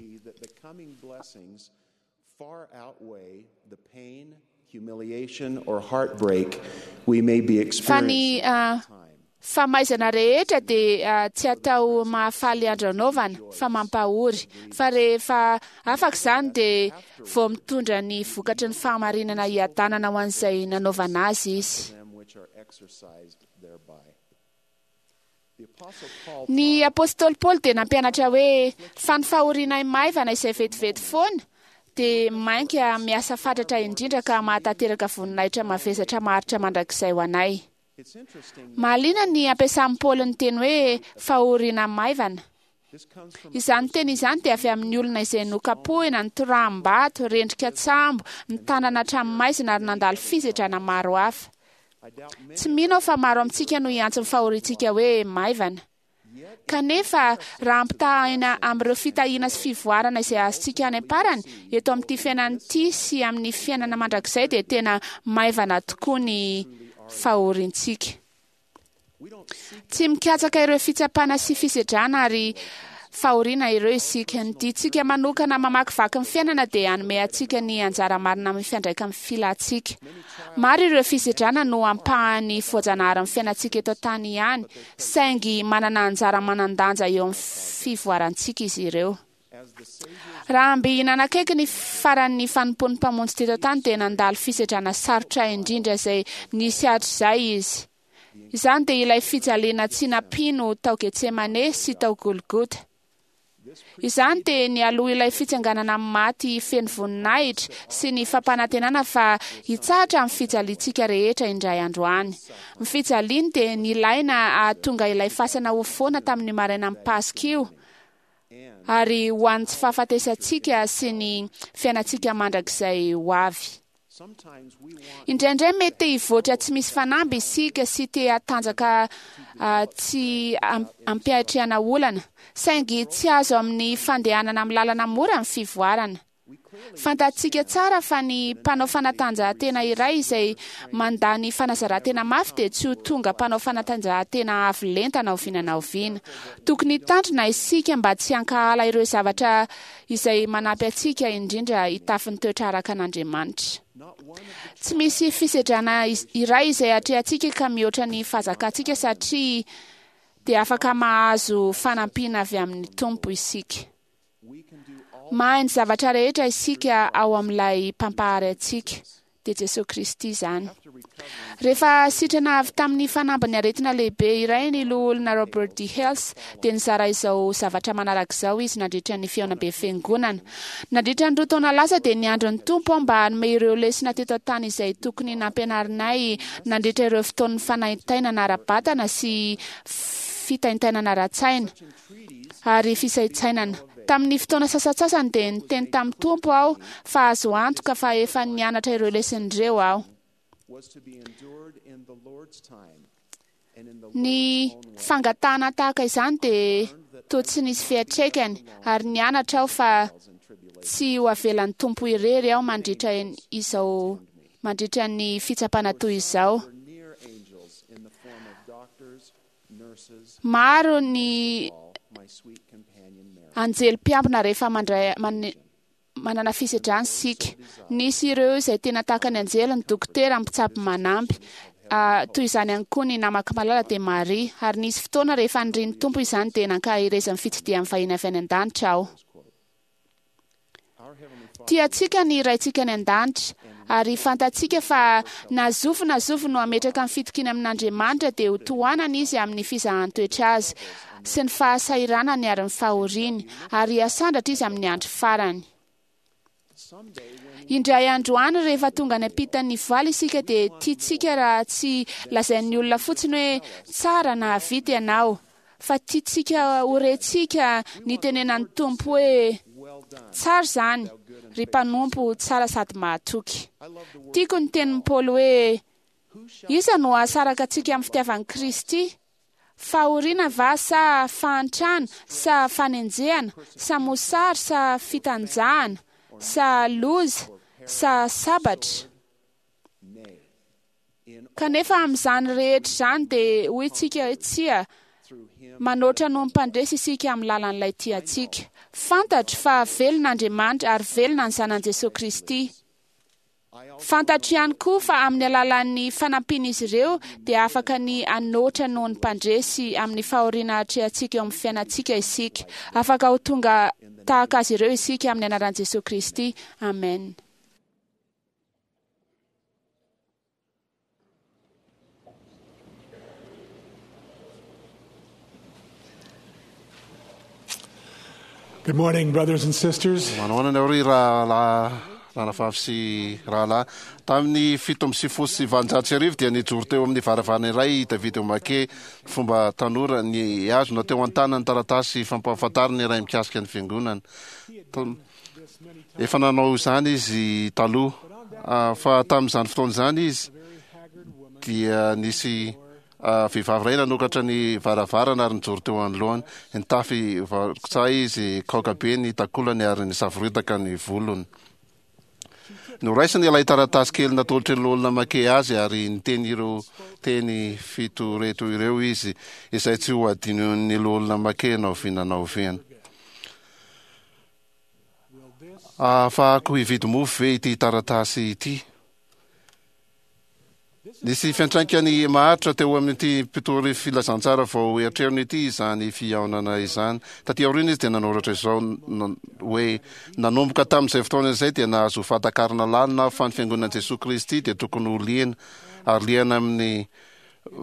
far outweigh the pain, humiliation, or heartbreak we may be fa ny experiencing at the time. famaizana rehetra dia tsy atao mahafaly andro anaovana fa mampahory, fa rehefa afaka izany dia vao mitondra ny vokatry ny fahamarinana hiadanana ho an'izay nanaovana azy izy. Them which are exercised thereby. The Apostle Paul Ny apôstôly Paoly dia nampianatra hoe fa ny fahoriana maivana izay vetivety foana dia mainka miasa fatratra indrindra ka mahatanteraka voninahitra mavesatra maharitra mandrakizay ho anay. It's interesting Mahaliana ny ampiasan'i Paoly ny teny hoe fahoriana maivana. this comes from Izany teny izany dia avy amin'ny olona izay nokapohina, nitoraham-bato, rendrika tsambo, nitanana hatramin'ny maizina ary nandalo fisedrana maro hafa. I doubt many Tsy mino aho fa maro amintsika no hiantso ny fahoriantsika hoe maivana. Kanefa raha ampitahaina amin'ireo fitahiana sy fivoarana izay azontsika any am-parany eto amin'ity fiainana ity sy amin'ny fiainana mandrakizay dia tena maivana tokoa ny fahoriantsika. we don't seek Tsy mikatsaka ireo fitsapana sy fisedrana ary fahoriana ireo isika. Ny diantsika manokana mamakivaky ny fiainana dia hanome antsika ny anjara marina amin'ny fiandraika amin'ny filantsika. Maro ireo fisedrana no ampahany voajanahary amin'ny fiainantsika eto an-tany ihany, saingy manana anjara manan-danja eo amin'ny fivoarantsika izy ireo. Raha mby nanakaiky ny faran'ny fanompoan'ny Mpamonjy teto an-tany dia nandalo fisedrana sarotra indrindra izay nisy hatrizay izy. Izany dia ilay fijaliana tsy nampino tao Getsemane sy tao Golgota. Izany dia nialoha ilay fitsanganana amin'ny maty feno voninahitra sy ny fampanantenana fa hitsahatra amin'ny fijaliantsika rehetra indray andro any. Ny fijaliany dia nilaina hahatonga ilay fasana ho foana tamin'ny marainan'ny Paska io, ary ho an'ny tsy fahafatesantsika sy ny fiainantsika mandrakizay ho avy. Indraindray mety te hivoatra tsy misy fanamby isika sy te hatanjaka tsy ampiatrehana olana, saingy tsy azo amin'ny fandehanana amin'ny lalana mora ny fivoarana. Fantatsika tsara fa ny mpanao fanatanjahantena iray izay mandany fanazaran-tena mafy dia tsy ho tonga mpanao fanatanjahantena avo lenta na oviana na oviana. Tokony hitandrina isika mba tsy hankahala ireo zavatra izay manampy antsika indrindra hitafy ny toetra araka an'Andriamanitra. Tsy misy fisedrana iray izay atrehantsika ka mihoatra ny fahazakantsika satria dia afaka mahazo fanampiana avy amin'ny Tompo isika. Mahay ny zavatra rehetra isika ao amin'ilay mpampahary antsika, dia Jesosy Kristy izany. Rehefa sitrana avy tamin'ny fanambin'ny aretina lehibe iray ny loholona Robert D. Hales, dia nizara izao zavatra manaraka izao izy nandritra ny fihaonambe fiangonana. Nandritra ny roa taona lasa dia niandry ny Tompo aho mba hanome ireo lesona teto an-tany izay tokony nampianarinay nandritra ireo fotoan'ny fanaintainana ara-batana sy fitaintainana ara-tsaina ary fisaintsainana. Tamin'ny fotoana sasantsasany dia niteny tamin'ny Tompo aho fa azo antoka fa efa nianatra ireo lesona ireo aho. Ny fangatahana tahaka izany dia toa tsy nisy fiantraikany, ary nianatra aho fa tsy ho avelan'ny Tompo irery aho mandritra izao mandritra ny fitsapana toy izao. Maro ny anjely mpiambina rehefa mandray man, manana fisedrana isika. Nisy ireo izay tena tahaka ny anjely, ny dokotera, ny mpitsabo manampy. Uh, toy izany ihany koa ny namako malala dia Maria, ary nisy fotoana rehefa nirian'ny Tompo izany dia nankaherezan'ny fitsidihan'ny vahiny avy any an-danitra aho. Tiantsika ny Raintsika any an-danitra, ary fantatsika fa na zovy na zovy no hametraka ny fitokiana amin'Andriamanitra dia ho tohanana izy amin'ny fizahan-toetra azy sy ny fahasahiranany ary ny fahoriany, ary hiasandratra izy amin'ny andro farany. Indray andro any rehefa tonga any ampitan'ny voaly isika dia tiantsika raha tsy lazain'ny olona fotsiny hoe tsara na vita ianao, fa tiantsika ho rentsika ny tenenan'ny Tompo hoe tsara izany, ry mpanompo tsara sady mahatoky. Tiako ny tenin'i Paoly hoe iza no hahasaraka antsika amin'ny fitiavan'i Kristy? Fahoriana va sa fahantrana sa fanenjehana sa mosary sa fitanjahana sa loza sa sabatra? Kanefa amin'izany rehetra izany dia hoy isika hoe tsia, manoatra noho ny mpandresy isika amin'ny lalan'ilay tiantsika. Fantatro fa velona Andriamanitra ary velona ny zanany Jesosy Kristy. Fantatro ihany koa fa amin'ny alalan'ny fanampian'izy ireo dia afaka ny hanoatra noho ny mpandresy amin'ny fahoriana atrehantsika eo amin'ny fiainantsika isika. Afaka ho tonga tahaka azy ireo isika amin'ny anaran'i Jesosy Kristy. Amen. Good morning, brothers and sisters. Manahoana nareo ry rahalahy ranavavy sy rahalahy. Tamin'ny fito amby sivifolo sy valonjato sy arivo dia nijoro teo amin'ny varavarana iray i David O'Mackey, fomba tanora, nihazona teo an-tanany taratasy fampahafantarana iray mikasika ny fiangonana. Efa nanao izany izy taloha, fa tamin'izany fotoana izany izy dia nisy vehivavy iray nanokatra ny varavarana ary nijoro teo anoloany. Nitafy varokotsa izy, kaoka be ny takolany ary nisavoritaka ny volony. Noraisiny ilay taratasy kely natolotry ny loholona Mackay azy ary niteny ireo teny fito reto ireo izy, izay tsy ho adinon'ny loholona Mackay na oviana na oviana. Ahafahako hividy mofo ve ity taratasy ity? Nisy fiantraikany maharitra teo amin'ity mpitory filazantsara vao eritreriny ity izany fihaonana izany. Taty aoriana izy dia nanoratra izao hoe: "Nanomboka tamin'izay fotoana izay dia nahazo fahatakarana lalina aho fa ny fiangonan'i Jesoa Kristy dia tokony ho liana ary liana amin'ny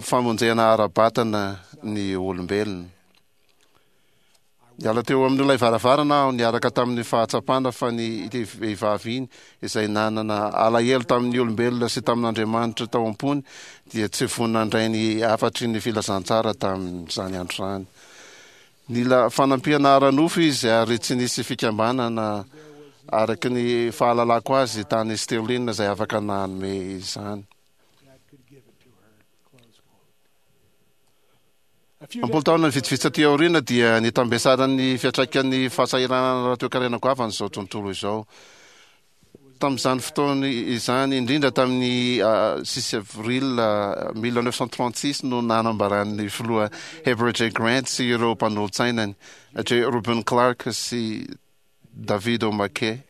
famonjena ara-batana ny olombelona. Niala teo amin'ilay varavarana aho niaraka tamin'ny fahatsapana fa ny ity vehivavy iny izay nanana alahelo tamin'ny olombelona sy tamin'Andriamanitra tao am-pony dia tsy vonona handray ny hafatry ny filazantsara tamin'izany andro izany. Nila fanampiana ara-nofo izy ary tsy nisy fikambanana araka ny fahalalako azy tany Sterling izay afaka nanome izany. Am-polo taona vitsivitsy taty aoriana dia nitambesaran'ny fiantraikan'ny fahasahiranana ara-toekarena goavana izao tontolo izao. Tamin'izany fotoana izany indrindra, tamin'ny six avril mille neuf cent trente-six, no nanambaran'ny filoha Heber J. Grant sy ireo mpanolotsainany, J. Reuben Clark sy David O. McKay,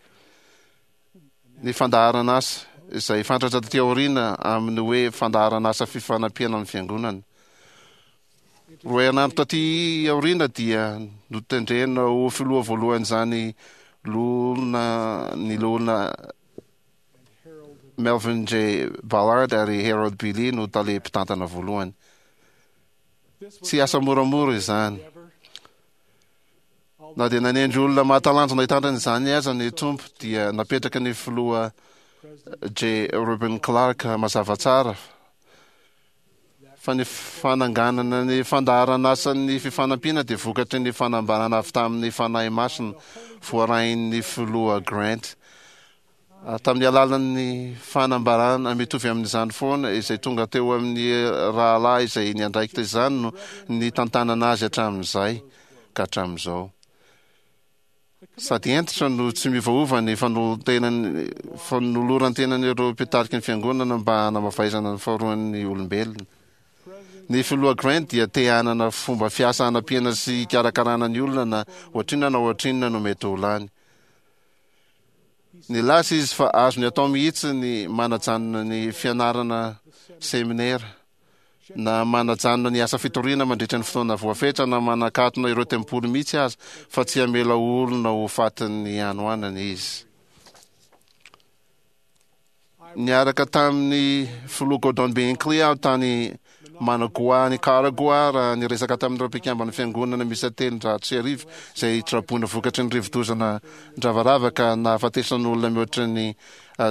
ny fandaharan'asa izay fantatra taty aoriana amin'ny hoe fandaharan'asa fifanampiana amin'ny fiangonana. Roa herinandro taty aoriana dia notendrena ho filoha voalohan'izany loholona ny loholona Melvin J. Ballard ary Harold B. Lee no tale mpitantana voalohany. Tsy asa moramora izany. Na dia nanendry olona mahatalanjona hitantana izany aza ny Tompo, dia napetraka ny filoha J. Reuben Clark mazava tsara fa ny fananganana ny fandaharan'asan'ny fifanampiana dia vokatry ny fanambarana avy tamin'ny Fanahy Masina voarain'ny filoha Grant. Ary tamin'ny alalan'ny fanambarana mitovy amin'izany foana izay tonga teo amin'ny rahalahy izay niandraikitra izany no nitantanana azy hatramin'izay ka hatramin'izao. Sady hentitra no tsy miovaova ny fanoloran-tenan'ireo mpitarika ny fiangonana mba hanamavaizana ny faharoan'ny olombelona. Ny filoha Grant dia te hanana fomba fiasa hanampiana sy hikarakarana ny olona na ohatrinona na ohatrinona no mety ho lany. Nilaza izy fa azony atao mihitsy ny manajanona ny fianarana seminera, na manajanona ny asa fitoriana mandritra ny fotoana voafetra, na manakatona ireo tempoly mihitsy aza, fa tsy hamela olona ho fatin'ny hanoanana izy. Niaraka tamin'ny filoha Gordon B. Hinckley aho tany Managua, Nicaragua, raha niresaka tamin'ireo mpikamban'ny fiangonana miisa telonjato sy arivo izay traboina vokatry ny rivodoza nandravarava ka nahafatesan'olona mihoatra ny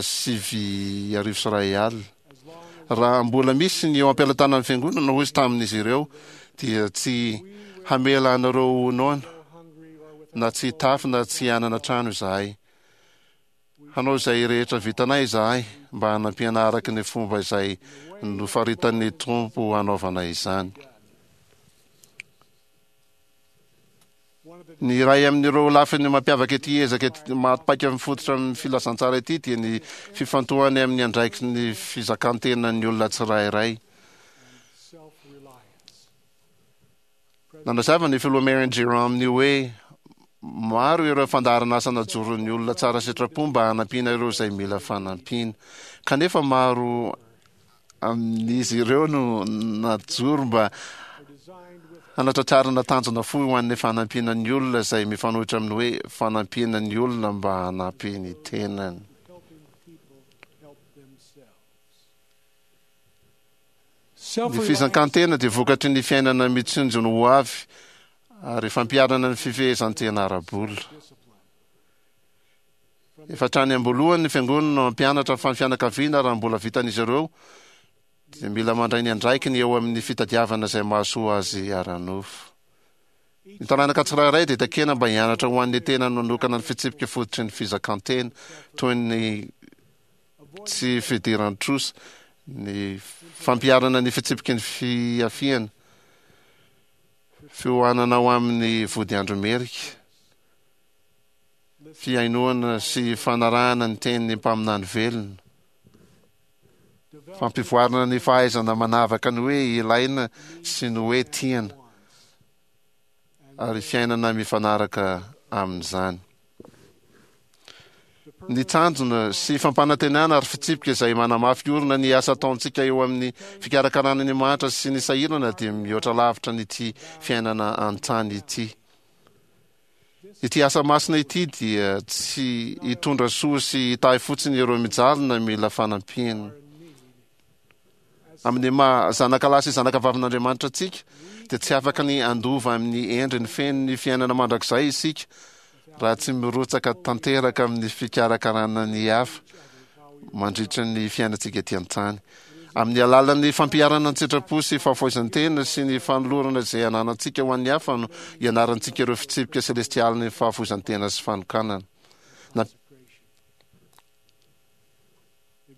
sivy arivo sy iray alina. Raha mbola misy ny eo am-pelatanan'ny fiangonana, hoy izy tamin'izy ireo, dia tsy hamela anareo ho noana, na tsy hitafy na tsy hanana trano izahay. Hanao izay rehetra vitanay izahay mba hanampiana araka ny fomba izay nofaritan'ny Tompo hanaovana izany. Ny iray amin'ireo lafiny mampiavaka ity ezaka maty paika mifototra amin'ny filazantsara ity dia ny fifantohany amin'ny andraikitry ny fizakan-tenan'ny olona tsirairay. Nanazava ny filoha Marion Jerome ny hoe maro ireo fandaharan'asa najoron'ny olona tsara sitrapo mba hanampiana ireo izay mila fanampiana. Kanefa maro amin'izy ireo no najoro mba hanatratrarana tanjona fohy ho an'ny fanampiana ny olona izay mifanohitra amin'ny hoe fanampiana ny olona mba hanampy ny tenany. Ny fizakan-tena dia vokatry ny fiainana mitsinjo ny ho avy ary fampiharana ny fifehezan-tena ara-bola. Efa hatrany am-boalohany ny fiangonana no hampianatra fa ny fianakaviana raha mbola vitan'izy ireo dia mila mandray ny andraikiny eo amin'ny fitadiavana izay mahasoa azy ara-nofo. Ny taranaka tsirairay dia takiana mba hianatra ho an'ny tenany manokana ny fitsipika fototry ny fizakan-tena toy ny tsy fidiran-trosa, ny fampiharana ny fitsipiky ny fihafiana, fihohanana ho amin'ny vodiandro merika, fihainoana sy fanarahana ny tenin'ny mpaminany velona, fampivoarana ny fahaizana manavaka ny hoe ilaina sy ny hoe tiana, ary fiainana mifanaraka amin'izany. Ny tanjona sy fampanantenana ary fitsipika izay manamafy orina ny asa ataontsika eo amin'ny fikarakarana ny mahantra sy ny sahirana dia mihoatra lavitra an'ity fiainana an-tany ity. Ity asa masina ity dia tsy hitondra soa sy hitahy fotsiny ireo mijaly na mila fanampiana. Amin'ny maha zanaka lahy sy zanaka vavin'Andriamanitra antsika, dia tsy afaka ny handova amin'ny endriny feno ny fiainana mandrakizay isika raha tsy mirotsaka tanteraka amin'ny fikarakarana ny hafa mandritra ny fiainantsika ety an-tany. Amin'ny alalan'ny fampiharana ny sitrapo sy fahafoizan-tena sy ny fanolorana izay ananantsika ho an'ny hafa no ianarantsika ireo fitsipika selestialin'ny fahafoizan-tena sy fanokanana.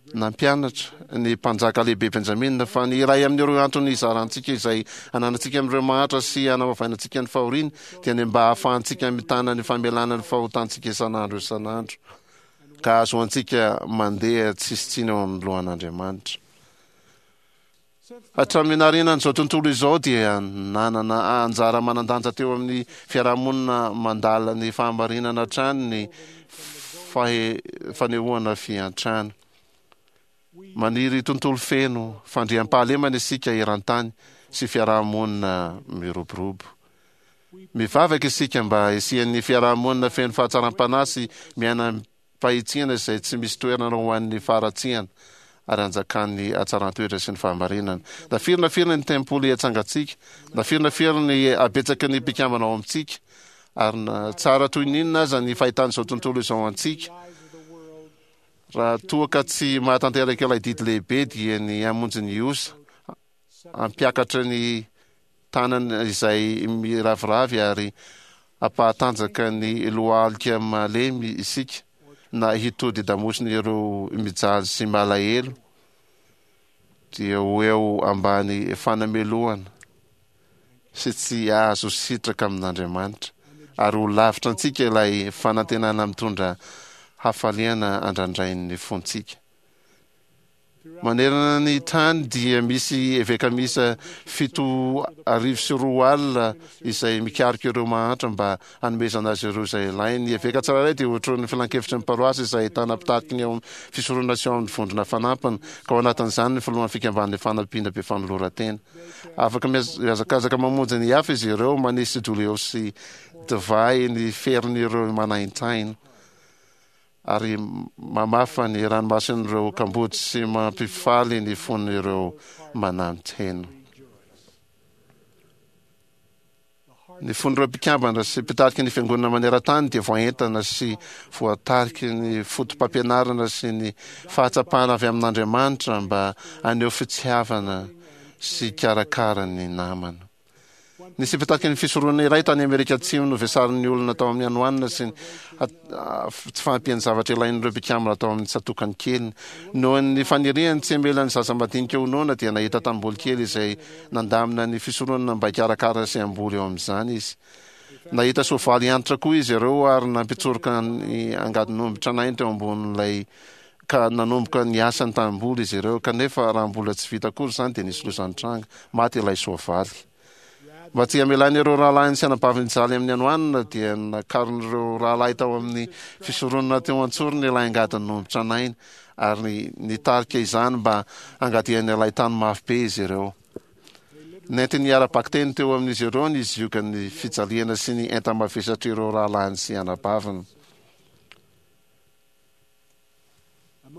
Nampianatra ny mpanjaka lehibe Benjamina fa ny iray amin'ireo antony izarantsika izay ananantsika amin'ireo mahantra sy anamavainantsika ny fahoriany dia ny mba hahafahantsika mitana ny famelana ny fahotantsika isan'andro isan'andro ka hahazoantsika mandeha tsisy tsiny eo amin'ny lohan'Andriamanitra. Hatramin'ny naharianan'izao tontolo izao dia nanana anjara manan-danja teo amin'ny fiarahamonina mandala ny fahamarinana hatrany ny fanehoana fiantrana. Maniry tontolo feno fandriampahalemana isika eran-tany sy fiarahamonina miroborobo. Mivavaka isika mba hisian'ny fiarahamonina feno fahatsaram-panahy sy miaina fahitsiana izay tsy misy toerana ho an'ny faharatsiana ary anjakan'ny hatsaran-toetra sy ny fahamarinana. Na firy na firy ny tempoly atsangantsika, na firy na firy ny habetsaky ny mpikambana ao amintsika, ary na tsara toy ny inona aza ny fahitan'izao tontolo izao antsika, raha toa ka tsy mahatanteraka ilay didy lehibe dia ny hamonjy ny osa, hampiakatra ny tanana izay miraviravy ary hampahatanjaka ny lohalika malemy isika na hitody damosina ireo mijaly sy malahelo dia ho eo ambany fanamelohana sy tsy hahazo sitraka amin'Andriamanitra ary ho lavitra antsika ilay fanantenana mitondra hafaliana andrandrain'ny fontsika. Manerana ny tany dia misy eveka miisa fito arivo sy roa alina izay mikaroka ireo mahantra mba hanomezana azy ireo izay ilainy. Ny eveka tsirairay dia otronin'ny filankevitry ny paroasy izay ahitana mpitariky ny ao amin'ny fisoronana sy ao amin'ny vondrona fanampiny, ka ao anatin'izany ny filohan'ny fikamban'ny fanampiana be fanoloran-tena. Afaka mihazakazaka mamonjy ny hafa izy ireo, manisy doliao sy divay ny ferin'ireo manaintaina. Ary mamafa ny ranomason'ireo kamboty sy mampifaly ny fon'ireo manantena. Ny fon'ireo mpikambana sy mpitarika ny Fiangonana maneran-tany dia voaentana sy voatariky ny fotopampianarana sy ny fahatsapana avy amin'Andriamanitra mba haneho fitiavana sy hikarakara ny namana. Nisy mpitaky ny fisoronana iray tany Amerika Atsimo novesarin'ny olona tao amin'ny hanoanana sy ny tsy fahampian'ny zavatra ilain'ireo mpikambana tao amin'ny tsatòkany keliny. Noho ny faniriany tsy hamela ny zaza madinika ho noana dia nahita tanimboly kely izay nandamina ny fisoronana mba hikarakara sy hamboly eo amin'izany izy. Nahita soavaly antitra koa izy ireo ary nampitsoroka ny angadin'omby tranainy teo ambonin'ilay ka nanomboka niasa ny tanimboly izy ireo, kanefa raha mbola tsy vita akory izany dia nisy loza nitranga, maty ilay soavaly. Mba tsy hamelany ireo rahalahiny sy anabaviny hijaly amin'ny hanoanana dia nakarin'ireo rahalahy tao amin'ny fisoronana teo an-tsorony ilay angadin'omby tranainy ary nitarika izany mba hangadiany ilay tany mafy be izy ireo. Nentiny ara-bakiteny teo amin'izy ireo ny ziogan'ny fijaliana sy ny enta-mavesatr'ireo rahalahiny sy anabaviny.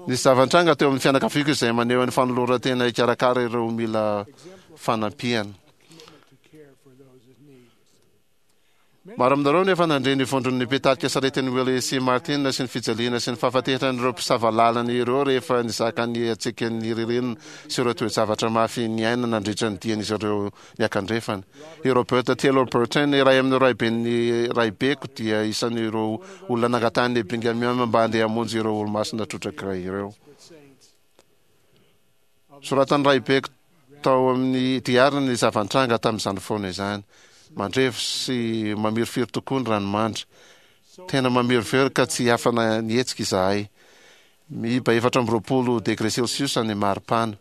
Nisy zava-nitranga teo amin'ny fianakaviako izay maneho ny fanoloran-tena hikarakara ireo mila fanampiana. Maro aminareo no efa nandre ny vondron'ny mpitarika saretin'i Willie sy Martin sy ny fijaliana sy ny fahafatesan'ireo mpisava lalana ireo rehefa nizaka ny hatsiakan'ny ririnina sy ireo toe-javatra mafy niainana nandritra ny dian'izy ireo niakandrefana. I Robert Taylor Burton, iray amin'ireo raiben'ny raibeko, dia isan'ireo olona nangatahin'i Brigham Young mba handeha hamonjy ireo Olomasina trotraka ireo. Soratan'ny raibeko tao amin'ny diariny ny zava-nitranga tamin'izany fotoana izany. Mandrevo sy mamirifiry tokoa ny ranomandry. Tena mamirifiry ka tsy afana nihetsika izahay. Miiba efatra amby roapolo degre celsius ny maripana.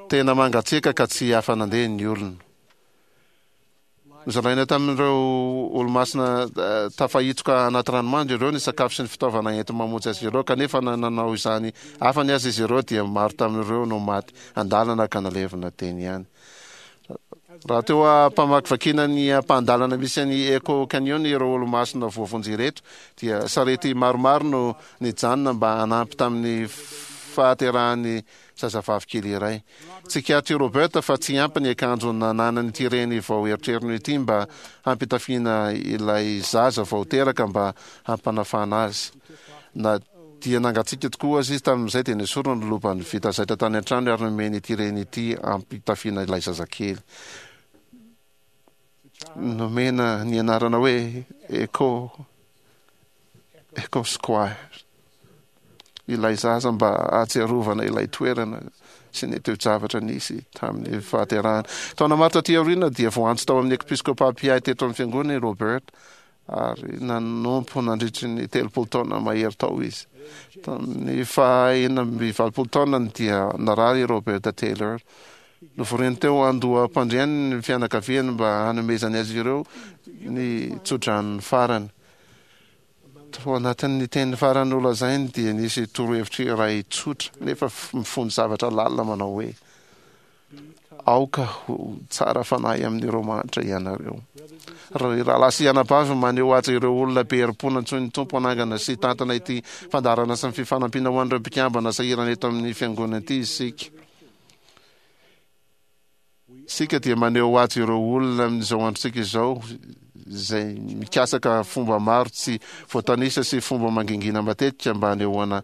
Tena mangatsiaka ka tsy afa-nandeha ny olona. Nozaraina tamin'ireo olomasina tafahitsoka anaty ranomandry ireo ny sakafo sy ny fitaovana enti-mamonjy azy ireo, kanefa na nanao izany afany aza izy ireo dia maro tamin'ireo no maty an-dalana ka nalevina teny ihany. Raha teo am-pamakivakiana ny ampahan-dalana misy an'i Echo Canyon ireo olomasina voavonjy ireto dia sarety maromaro no nijanona mba hanampy tamin'ny fahaterahan'ny zazavavy kely iray. Tsikaritr'i Robert fa tsy ampy ny akanjo nananan'ity reny vao eritreriny ity mba hampitafiana ilay zaza vao teraka mba hampanafana azy. Na dia nangatsiaka tokoa aza izy tamin'izay dia nesoriny ny lobany vita zaitra tany an-trano ary nomeny ity reny ity hampitafiana ilay zazakely. Nomena ny anarana hoe Echo Echo Square ilay zaza mba hahatsiarovana ilay toerana sy ny toe-javatra nisy tamin'ny fahaterahany. Taona maro taty aoriana dia voantso tao amin'ny episkôpà mpiahy teto amin'ny fiangonana i Robert ary nanompo nandritry ny telopolo taona mahery tao izy. Tamin'ny faha enina amby valopolo taonany dia narary i Robert Taylor. Novoriny teo andoham-pandriany ny fianakaviany mba hanomezany azy ireo ny tsodranony farany. Tao anatin'ny teny farany nolazainy dia nisy torohevitra iray tsotra nefa mifono zavatra lalina manao hoe, Aoka ho tsara fanahy amin'ireo mahantra ianareo. Ry rahalahy sy anabavy, maneho haja ireo olona be herim-po nantsoin'ny Tompo hanangana sy hitantana ity fandaharana sy ny fifanampiana ho an'ireo mpikambana sahirana eto amin'ny Fiangonana ity isika. Isika dia maneho haja ireo olona amin'izao androntsika izao izay mikasaka fomba maro tsy voatanisa sy fomba mangingina matetika mba hanehoana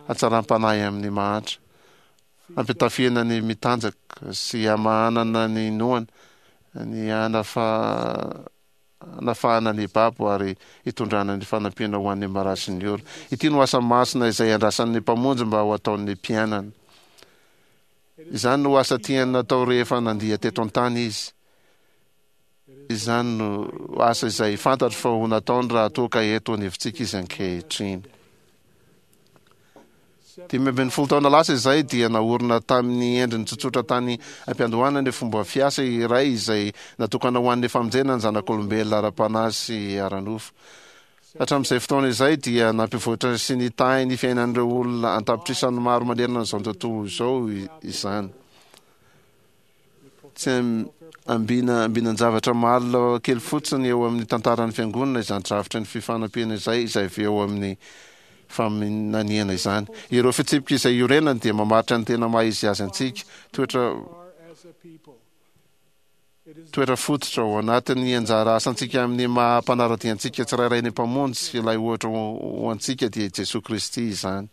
hatsaram-panahy amin'ny mahantra, hampitafiana ny mitanjaka sy hamahanana ny noana, ny hanafahana ny babo ary hitondrana ny fanampiana ho an'ny marary sy ny ory. Ity no asa masina izay andrasan'ny Mpamonjy mba ho ataon'ny mpianany. Izany no asa tiany natao rehefa nandia teto an-tany Izy. Izany no asa izay fantatro fa ho nataony raha toa ka eto anivontsika Izy ankehitriny. Dimy ambin'ny folo taona lasa izay dia naorina tamin'ny endriny tsotsotra tany am-piandohana ny fomba fiasa iray izay natokana ho an'ny famonjena ny zanak'olombelona ara-panahy sy ara-nofo. Hatramin'izay fotoana izay dia nampivoatra sy nitahy ny fiainan'ireo olona an-tapitrisany maro manerana an'izao tontolo izao izany. Tsy ambina ambinan-javatra malina kely fotsiny eo amin'ny tantaran'ny Fiangonana izany drafitry ny fifanampiana izay, izay avy eo amin'ny faminaniana izany. Ireo fitsipika izay iorenany dia mamaritra ny tena maha izy azy antsika, toetra Toetra fototra ao anatin'ny anjara asantsika amin'ny maha mpanara-dia antsika tsirairay ny Mpamonjy sy ilay ohatra ho antsika dia i Jesoa Kristy izany.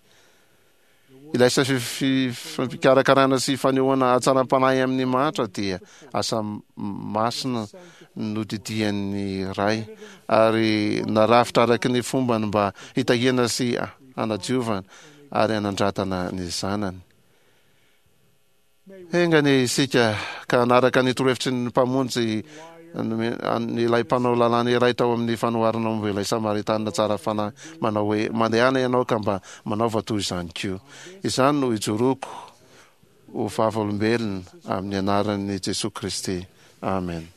Ilay asa fikarakarana sy fanehoana hatsaram-panahy amin'ny mahantra dia asa masina nodidian'ny Ray ary narafitra araka ny fombany mba hitahiana sy hanadiovana ary hanandratana ny zanany. Enga anie isika ka hanaraka ny torohevitry ny Mpamonjy ilay mpanao lalàna iray tao amin'ny fanoharana momba ilay Samaritanina tsara fanahy manao hoe, Mandehana ianao ka mba manaova toy izany koa. Izany no ijoroako ho vavolombelona amin'ny anaran'i Jesoa Kristy. Amen.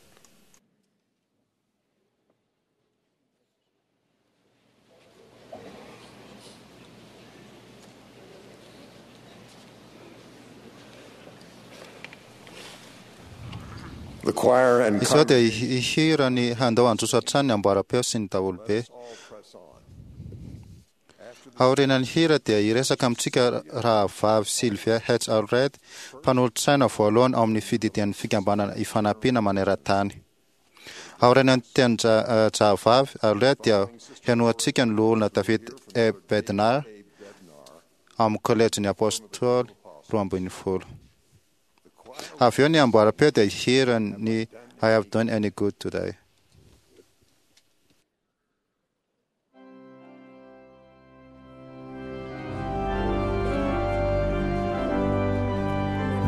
Izao dia hihira ny Handao handroso hatrany ny amboaram-peo sy ny daholobe. Aorianan'ny hira dia hiresaka amintsika Rahavavy Sylvia H. Allred, mpanolotsaina voalohany ao amin'ny fididian'ny Fikambanana Ifanampiana maneran-tany. Aorianan'ny tenin-drahavavy Allred dia henoantsika ny Loholona David E. Bednar ao amin'ny Kôlejin'ny Apôstôly Roa ambin'ny folo. Avy eo ny amboaram-peo dia hihira ny I Have Done Any Good Today.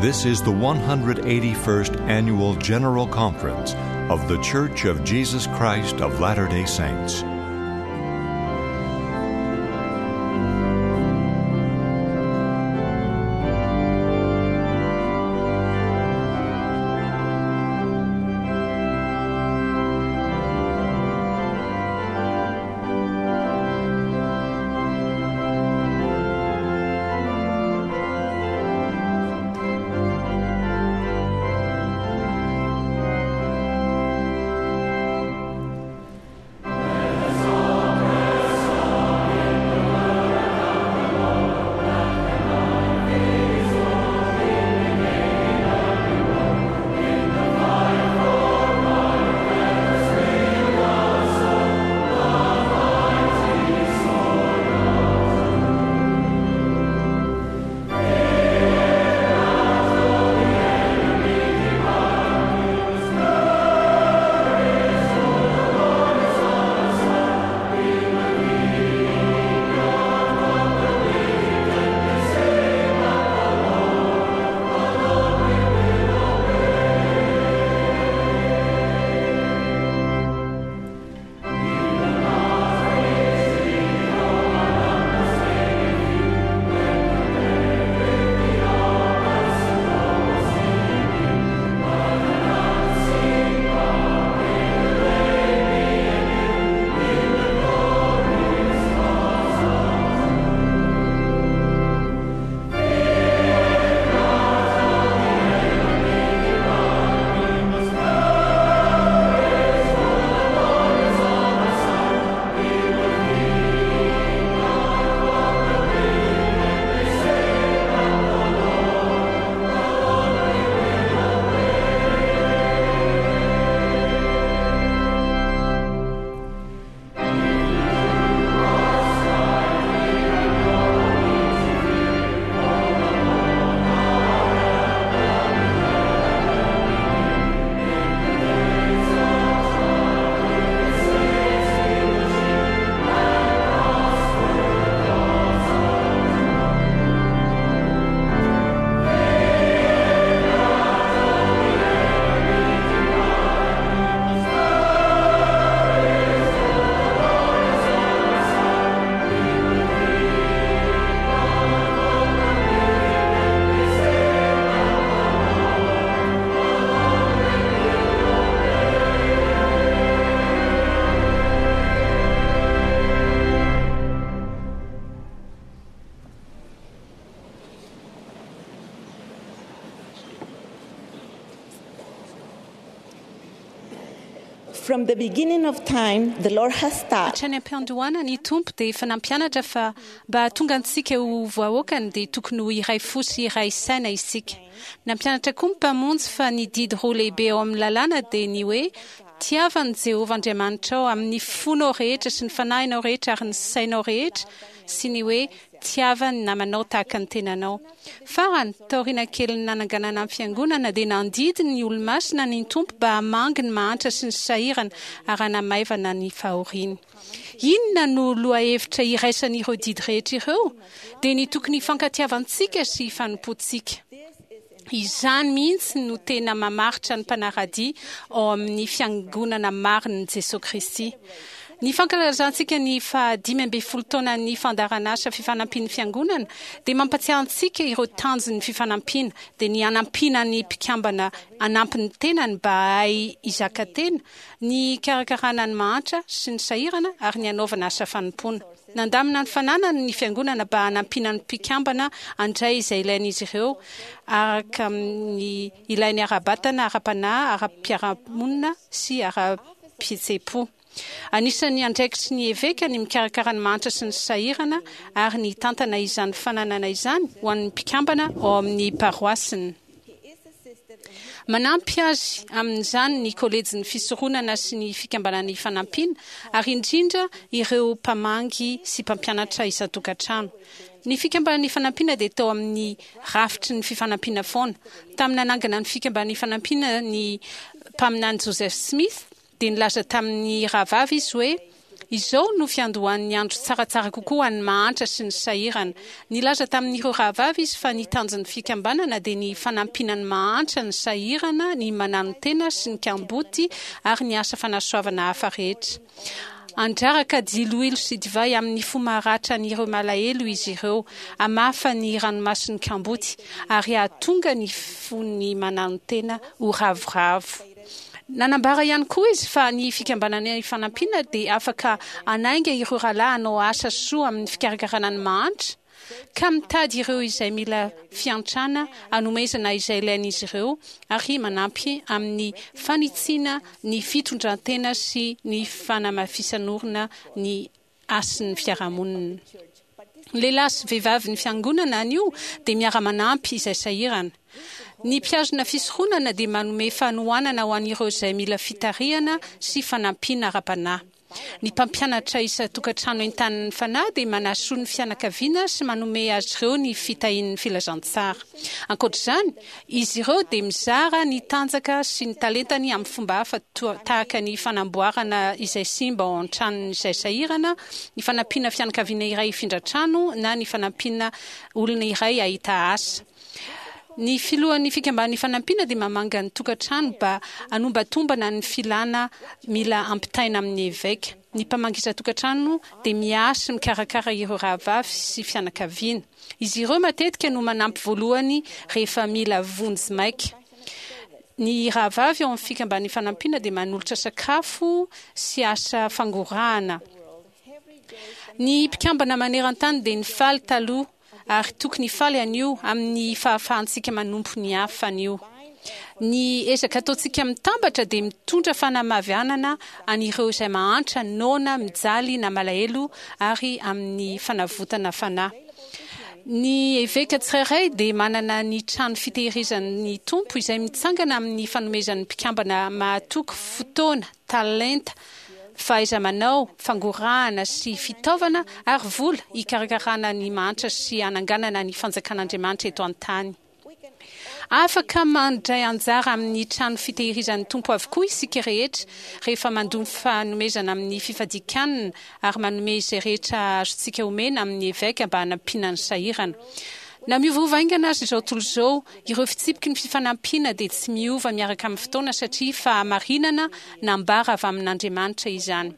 This is the one hundred eighty-first Annual General Conference of The Church of Jesus Christ of Latter-day Saints. From the beginning of time, the Lord has taught Hatrany am-piandohana ny Tompo dia efa nampianatra fa mba hahatonga antsika ho vahoakany dia tokony ho iray fo sy iray saina isika. Nampianatra koa ny Mpamonjy fa ny didy roa lehibe ao amin'ny lalàna dia ny hoe tiava an'i Jehovah Andriamanitrao amin'ny fonao rehetra sy ny fanahinao rehetra ary ny sainao rehetra sy ny hoe tiava ny namanao tahaka ny tenanao. Farany, taoriana kelin'ny nananganana ny Fiangonana, dia nandidy ny Olomasina ny Tompo mba hamangy ny mahantra sy ny sahirana ary hanamaivana ny fahoriany. Inona no lohahevitra iraisan'ireo didy rehetra ireo? Dia ny tokony hifankatiavantsika sy hifanompoantsika. Izany mihitsy no tena mamaritra ny mpanara-dia ao amin'ny Fiangonana marin'i Jesoa Kristy. Ny fankalazantsika ny fahadimy ambin'ny folo taonan'ny fandaharanasa Fifanampian'ny Fiangonana dia mampatsiahy antsika ireo tanjon'ny fifanampiana, dia ny hanampiana ny mpikambana hanampy ny tenany mba hahay hizaka tena, ny hikarakarana ny mahantra sy ny sahirana ary ny hanaovana asa fanompoana. Nandamina ny fananany ny Fiangonana mba hanampiana ny mpikambana handray izay ilain'izy ireo araka ny ilainy ara-batana, ara-panahy, ara-piarahamonina sy ara-pihetseham-po. Anisan'ny andraikitry ny eveka ny mikarakara ny mahantra sy ny sahirana ary ny hitantana izany fananana izany ho an'ny mpikambana ao amin'ny paroasiny. Manampy azy amin'izany ny kolejin'ny fisoronana sy ny Fikambanana Ifanampiana ary indrindra ireo mpamangy sy mpampianatra isan-tokantrano. Ny Fikambanana Ifanampiana dia tao amin'ny rafitry ny fifanampiana foana. Tamin'ny nanangana ny Fikambanana Ifanampiana ny Mpaminany Joseph Smith dia nilaza tamin'ny rahavavy izy hoe, Izao no fiandohan'ny andro tsaratsara kokoa ho an'ny mahantra sy ny sahirana. Nilaza tamin'ireo rahavavy izy fa ny tanjon'ny fikambanana dia ny fanampiana ny mahantra, ny sahirana, ny mananotena sy ny kamboty ary ny asa fanasoavana hafa rehetra. Handraraka diloilo sy divay amin'ny fo maratra an'ireo malahelo izy ireo, hamafa ny ranomason'ny kamboty, ary hahatonga ny fon'ny mananotena ho ravoravo. Nanambara ihany koa izy fa ny Fikambanana Ifanampiana dia afaka hanainga ireo rahalahy hanao asa soa amin'ny fikarakarana ny mahantra, ka mitady ireo izay mila fiantrana hanomezana izay ilain'izy ireo ary manampy amin'ny fanitsiana ny fitondran-tena sy ny fanamafisan'orina ny hasin'ny fiarahamonina. Ny lehilahy sy vehivavin'ny Fiangonana anio dia miara-manampy izay sahirana. Ny mpihazona fisoronana dia manome fanohanana ho an'ireo izay mila fitarihana sy fanampiana ara-panahy. Ny mpampianatra isan-tokantrano entanin'ny Fanahy dia manasoa ny fianakaviana sy manome azy ireo ny fitahian'ny filazantsara. Ankoatra izany, izy ireo dia mizara ny tanjaka sy ny talentany amin'ny fomba hafa tahaka ny fanamboarana izay simba ao an-tranon'izay sahirana, ny fanampiana fianakaviana iray hifindra trano na ny fanampiana olona iray hahita asa. Ny filohan'ny Fikamban'ny Fanampiana dia mamanga ny tokantrano mba hanombatombana ny filana mila ampitaina amin'ny eveka. Ny mpamangy isan-tokantrano dia miahy sy mikarakara ireo rahavavy sy fianakaviana. Izy ireo matetika no manampy voalohany rehefa mila vonjy maika. Ny rahavavy ao amin'ny Fikamban'ny Fanampiana dia manolotra sakafo sy asa fangorahana. Ny mpikambana maneran-tany dia nifaly taloha ary tokony hifaly anio amin'ny fahafahantsika manompo ny hafa anio. Ny ezaka ataontsika mitambatra dia mitondra fanamavianana an'ireo izay mahantra, noana, mijaly na malahelo ary amin'ny fanavotana fanahy. Ny eveka tsirairay dia manana ny trano fitehirizan'ny Tompo izay mitsangana amin'ny fanomezan'ny mpikambana mahatoky fotoana, talenta, fahaiza-manao, fangorahana sy fitaovana ary vola hikarakarana ny mahantra sy hananganana ny fanjakan'Andriamanitra eto an-tany. Afaka mandray anjara amin'ny trano fitehirizan'ny Tompo avokoa isika rehetra rehefa mandoa ny fanomezana amin'ny fifadian-kanina ary manome izay rehetra azontsika omena amin'ny eveka mba hanampiana ny sahirana. Na miovaova haingana aza izao tontolo izao, ireo fitsipiky ny fifanampiana dia tsy miova miaraka amin'ny fotoana satria fahamarinana nambara avy amin'Andriamanitra izany.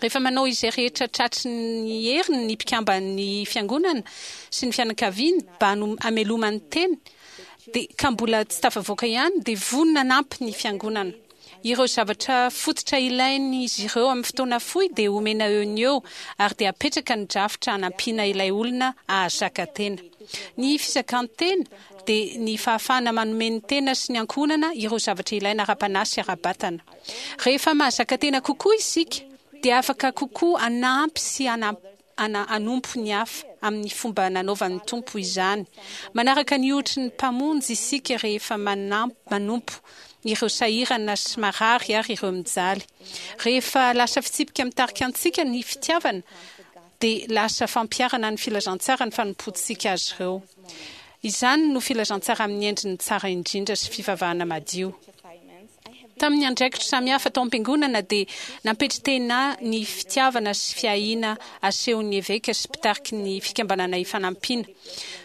Rehefa manao izay rehetra tratry ny heriny ny mpikamban'ny Fiangonana sy ny fianakaviany mba hamelomany tena, dia ka mbola tsy tafavoaka ihany, dia vonona hanampy ny Fiangonana. Ireo zavatra fototra ilain'izy ireo amin'ny fotoana fohy dia omena eo no eo, ary dia apetraka ny drafitra hanampiana ilay olona hahazaka tena. Ny fizakan-tena dia ny fahafahana manome ny tena sy ny ankohonana ireo zavatra ilaina ara-panahy sy ara-batana. Rehefa mahazaka tena kokoa isika dia afaka kokoa hanampy sy hanompo ny hafa amin'ny fomba nanaovan'ny Tompo izany. Manaraka ny ohatry ny Mpamonjy isika rehefa manompo ireo sahirana sy marary ary ireo mijaly. Rehefa lasa fitsipika mitarika antsika ny fitiavana dia lasa fampiharana ny filazantsara ny fanompoantsika azy ireo. Izany no filazantsara amin'ny endriny tsara indrindra sy fivavahana madio. Tamin'ny andraikitro samihafa tao am-piangonana dia nampetri-tena ny fitiavana sy fiahiana asehon'ny eveka sy mpitariky ny Fikambanana Ifanampiana.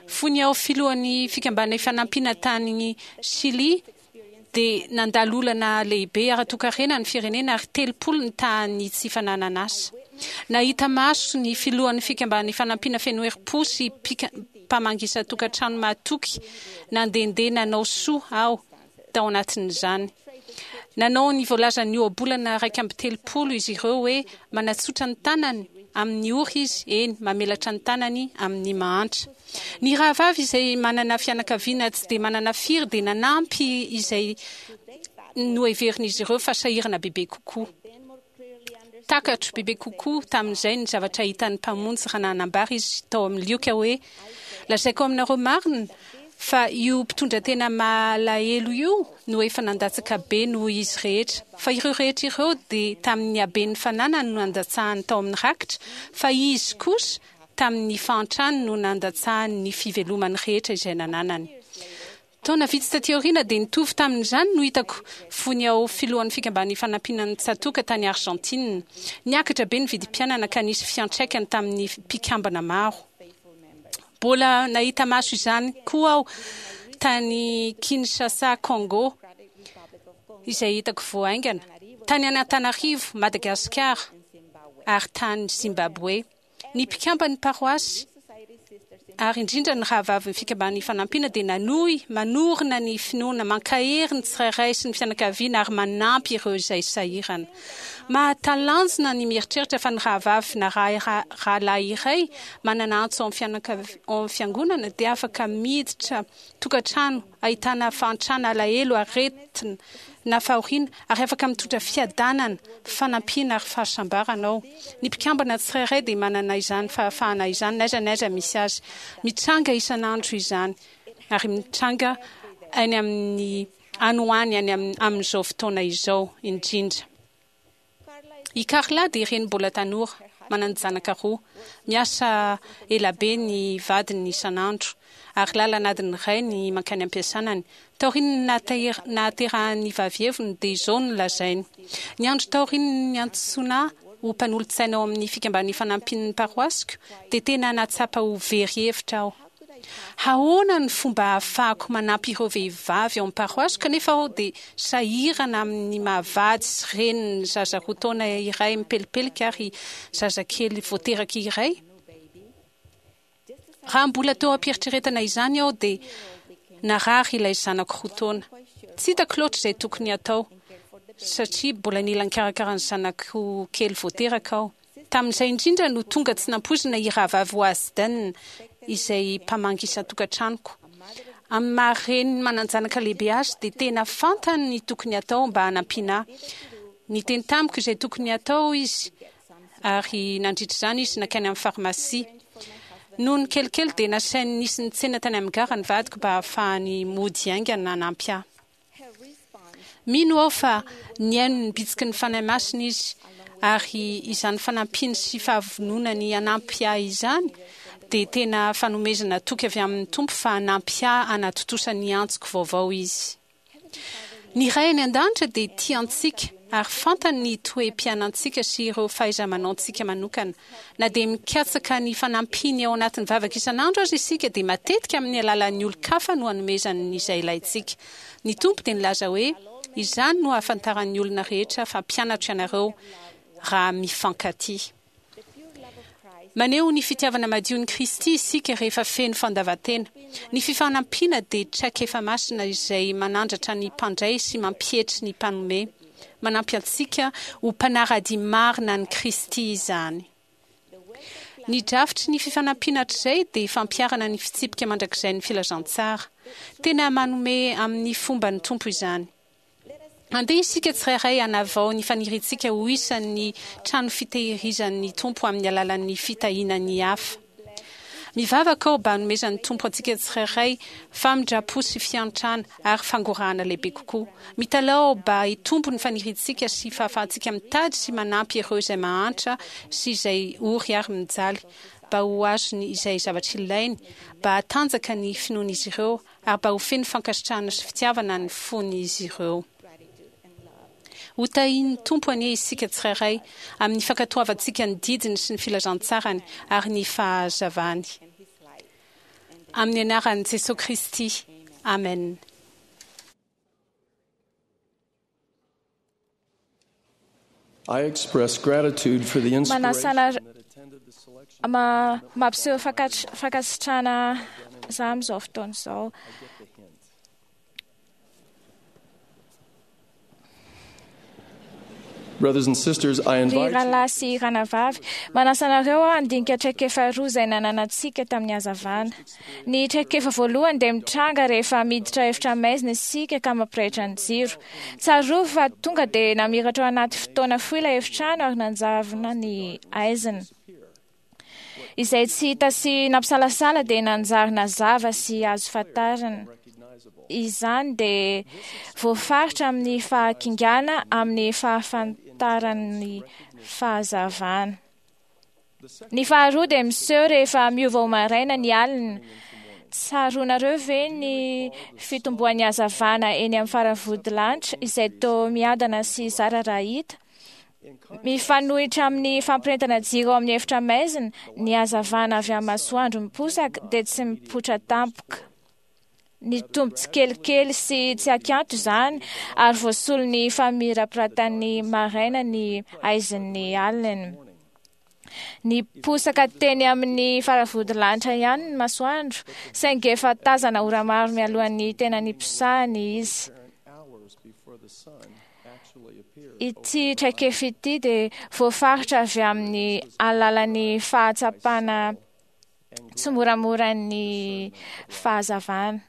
Fony aho filohan'ny Fikambanana Ifanampiana tany Chili dia nandalo olana lehibe ara-toekarena ny firenena ary telopolo ny tahan'ny tsy fananan'asa. Nahita maso ny filohan'ny Fikambanana Ifanampiana feno herim-po sy mpamangy isan-tokantrano mahatoky nandehandeha nanao soa aho tao anatin'izany. Nanao ny voalazan'ny ohabolana iraika amby telopolo izy ireo hoe manatsotra ny tanany amin'ny ory izy, eny, mamelatra ny tanany amin'ny mahantra. Ny rahavavy izay manana fianakaviana tsy dia manana firy dia nanampy izay noheverin'izy ireo fa sahirana bebe kokoa. Takatro bebe kokoa tamin'izay ny zavatra hitan'ny Mpamonjy raha nanambara izy tao amin'ny Lioka hoe, Lazaiko aminareo marina fa io mpitondratena malahelo io no efa nandatsaka be noho izy rehetra, fa ireo rehetra ireo dia tamin'ny haben'ny fananany no nandatsahany tao amin'ny rakitra, fa izy kosa tamin'ny fahantrany no nandatsahany ny fivelomany rehetra izay nananany. Taona vitsy taty aoriana dia nitovy tamin'izany no hitako fony aho filohan'ny Fikamban'ny Fanampiana ny Tsatòka tany Argentine. Niakatra be ny vidim-piainana ka nisy fiantraikany tamin'ny mpikambana maro. Mbola nahita maso izany koa aho tany Kinshasa, Congo, izay hitako vao haingana, tany Antananarivo, Madagasikara, ary tany Zimbabwe. Ny mpikamban'ny paroasy, ary indrindra ny rahavavin'ny Fikambanan'ny Fanampiana dia nanohy manorina ny finoana, mankahery ny tsirairay sy ny fianakaviana ary manampy ireo izay sahirana. Mahatalanjona ny mieritreritra fa ny rahavavy na rahalahy iray manana antso ao amin'ny fiangonana dia afaka miditra tokantrano ahitana fahantrana, alahelo, aretina na fahoriana ary afaka mitondra fiadanana, fanampiana ary fahasambarana ao. Ny mpikambana tsirairay dia manana izany fahafahana izany n'aiza n'aiza misy azy. Mitranga isan'andro izany ary mitranga any amin'ny any ho any any amin'izao fotoana izao indrindra. I Carla dia reny mbola tanora, manan-janaka roa. Miasa ela be ny vadiny isan'andro, ary lalana adiny iray ny mankany am-piasanany. Taorian'ny nahaterahan'ny vavy heviny dia izao no lazainy, Ny andro taorian'ny niantsoana ahy ho mpanolotsaina ao amin'ny Fikamban'ny Fanampian'ny paroasiko dia tena nahatsapa ho very hevitra aho. Ahoana ny fomba ahafahako manampy ireo vehivavy ao amin'ny paroasiko kanefa aho dia sahirana amin'ny maha-vady sy renin'ny zaza roa taona iray mipelipelika ary zazakely vao teraka iray? Raha mbola teo am-pieritreretana izany aho dia narary ilay zanako roa taona. Tsy hitako loatra izay tokony hatao satria mbola nila nikarakara ny zanako kely vao teraka aho. Tamin'izay indrindra no tonga tsy nampoizina i Rahavavy Wasden, izay mpamangy isan-tokantranoko. Amin'ny maha reny manan-janaka lehibe azy dia tena fantany ny tokony hatao mba hanampiana ahy. Niteny tamiko izay tokony hatao izy ary nandritra izany izy nankany amin'ny farmasia. Nony kelikely dia nasainy nisy nitsena tany amin'ny gara ny vadiko mba hahafahany mody haingana hanampy ahy. Mino aho fa nihaino ny bitsiky ny Fanahy Masina izy, ary izany fanampiany sy fahavononany hanampy ahy izany dia tena fanomezana toky avy amin'ny Tompo fa hanampy ahy hanatontosa ny antsoko vaovao Izy. Ny Ray any An-danitra dia tia antsika ary fantany ny toe-piainantsika sy ireo fahaiza-manaontsika manokana. Na dia mikatsaka ny fanampiany ao anatin'ny vavaka isan'andro aza isika dia matetika amin'ny alalan'ny olon-kafa no anomezany izay ilaintsika. Ny Tompo dia nilaza hoe, Izany no ahafantaran'ny olona rehetra fa mpianatro ianareo, raha mifankatia. Maneho ny fitiavana madion'i Kristy isika rehefa feno fandavan-tena. Ny fifanampiana dia traikefa masina izay manandratra ny mpandray sy mampietry ny mpanome. Manampy antsika ho mpanara-dia marina an'i Kristy izany. Ny drafitry ny fifanampiana hatrizay dia fampiharana ny fitsipika mandrakizay ny filazantsara. Tena manome amin'ny fomba ny Tompo izany. Andeha isika tsirairay hanavao ny faniriantsika ho isan'ny trano fitehirizan'ny Tompo amin'ny alalan'ny fitahiana ny hafa. Mivavaka aho mba hanomezan'ny Tompo antsika tsirairay famindram-po sy fiantrana ary fangorahana lehibe kokoa. Mitalaho aho mba hitombo ny faniriantsika sy fahafahantsika mitady sy manampy ireo izay mahantra sy izay ory ary mijaly mba ho azony izay zavatra ilainy, mba hatanjaka ny finoan'izy ireo ary mba ho feno fankasitrahana sy fitiavana ny fon'izy ireo. Ho tahian'ny Tompo anie isika tsirairay amin'ny fankatoavantsika ny didiny sy ny filazantsarany ary ny fahazavany. Amin'ny anaran'i Jesosy Kristy. Amen. I express gratitude for the Manasana inspiration that attended the selection. ma mampiseho fakatr- fankasitrahana za amin'izao fotoana izao. Brothers and sisters, I Ry invite you rahalahy sy ranavavy, manasa anareo aho handinika traikefa roa izay nananantsika tamin'ny hazavana. Ny traikefa voalohany dia mitranga rehefa miditra efitra maizina isika ka mampirehitra ny jiro. Tsarovy fa tonga dia namiratra ao anaty fotoana fohy ilay efitrano ary nanjavona ny aizina. Izay tsy hita sy nampisalasala dia nanjary nazava sy azo fantarina. Izany dia voafaritra amin'ny fahakingana amin'ny fahafantaran'ny fahazavana. Ny faharoa dia miseho rehefa miova ho maraina ny alina. Tsaroanareo ve ny fitomboan'ny hazavana eny amin'ny faravodilanitra izay toa miadana sy zara raha hita? Mifanohitra amin'ny fampirentana jiro ao amin'ny efitra maizina, ny hazavana avy amin'ny masoandro miposaka dia tsy mipoitra tampoka. Nitombo tsikelikely sy tsy ankianto izany ary voasolon'ny famirapiratan'ny maraina ny aizin'ny alina. Niposaka teny amin'ny faravodilanitra ihany ny masoandro, saingy efa tazana ora maro mialohan'ny tena niposahany izy. hours before the sun actually appeared. Ity traikefa ity dia voafaritra avy amin'ny alalan'ny fahatsapana tsimoramoran'ny fahazavana.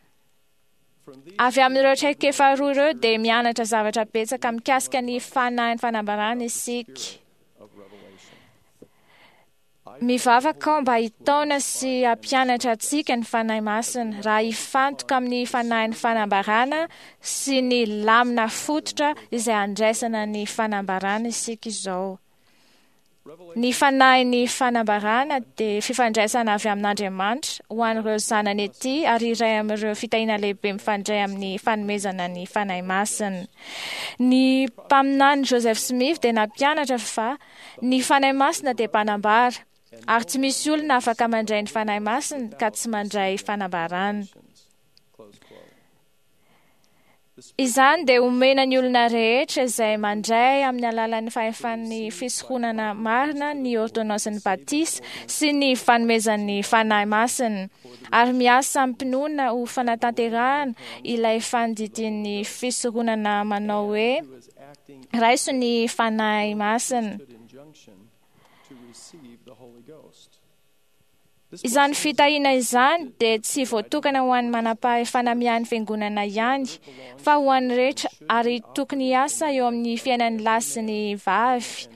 Avy amin'ireo traikefa roa ireo dia mianatra zavatra betsaka mikasika ny fanahin'ny fanambarana isika. Mivavaka aho mba hitaona sy hampianatra antsika ny Fanahy Masina raha hifantoka amin'ny fanahin'ny fanambarana sy ny lamina fototra izay handraisana ny fanambarana isika izao. Ny fanahin'ny fanambarana dia fifandraisana avy amin'Andriamanitra ho an'ireo zanany ety ary iray amin'ireo fitahiana lehibe mifandray amin'ny fanomezana ny Fanahy Masina. Ny mpaminany Joseph Smith dia nampianatra fa ny Fanahy Masina dia mpanambara ary tsy misy olona afaka mandray ny Fanahy Masina ka tsy mandray fanambarana. Izany dia omena ny olona rehetra izay mandray amin'ny alalan'ny fahefan'ny fisoronana marina ny ôrdônansin'ny batisa sy ny fanomezan'ny Fanahy Masina ary miasa amim-pinoana ho fanatanterahana ilay fandidian'ny fisoronana manao hoe raiso ny Fanahy Masina. Injunction to receive the Holy Ghost. Izany fitahiana izany dia tsy voatokana ho an'ny manam-pahefana miahy ny fiangonana ihany, fa ho an'ny rehetra ary tokony hiasa eo amin'ny fiainan'ny lahy sy ny vavy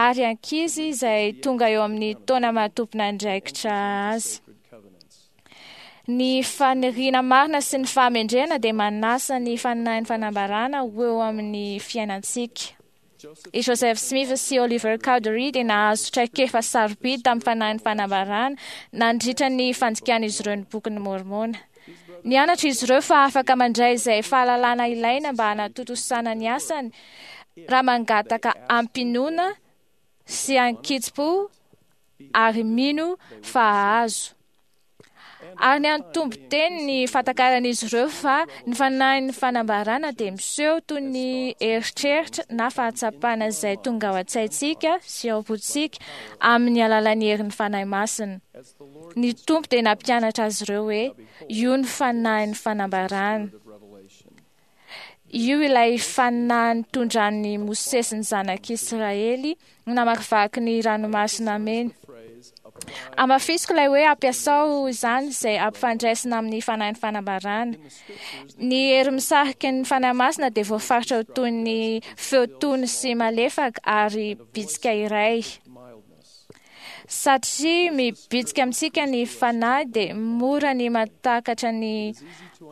ary ankizy izay tonga eo amin'ny taona maha-tompon'andraikitra azy. Ny faniriana marina sy ny fahamendrehana dia manasa ny fanahin'ny fanambarana ho eo amin'ny fiainantsika. I Joseph Smith sy Oliver Cowdery dia nahazo traikefa sarobidy tamin'ny fanahin'ny fanambarana nandritra ny fandikan'izy ireo ny bokin'ny Môrmôna. Nianatra izy ireo fa afaka mandray izay fahalalana ilaina mba hanatontosana ny asany raha mangataka am-pinoana sy an-kitsim-po ary mino fa hahazo. Ary niantombo teny ny fahatakaran'izy ireo fa ny fanahin'ny fanambarana dia miseho toy ny eritreritra na fahatsapana izay tonga ao an-tsaintsika sy ao am-pontsika amin'ny alalan'ny herin'ny Fanahy Masina. Ny Tompo dia nampianatra azy ireo hoe io ny fanahin'ny fanambarana. Io ilay fanahy nitondran'i Mosesy ny zanak'Israely namakivaky ny ranomasina mena. Amafisiko ilay hoe ampiasao izany izay ampifandraisina amin'ny fanahin'ny fanambarana. Ny hery misarika ny Fanahy Masina dia voafaritra ho toy ny feo tony sy malefaka ary bitsika iray. Satria mibitsika amintsika ny fanahy dia mora ny mahatakatra ny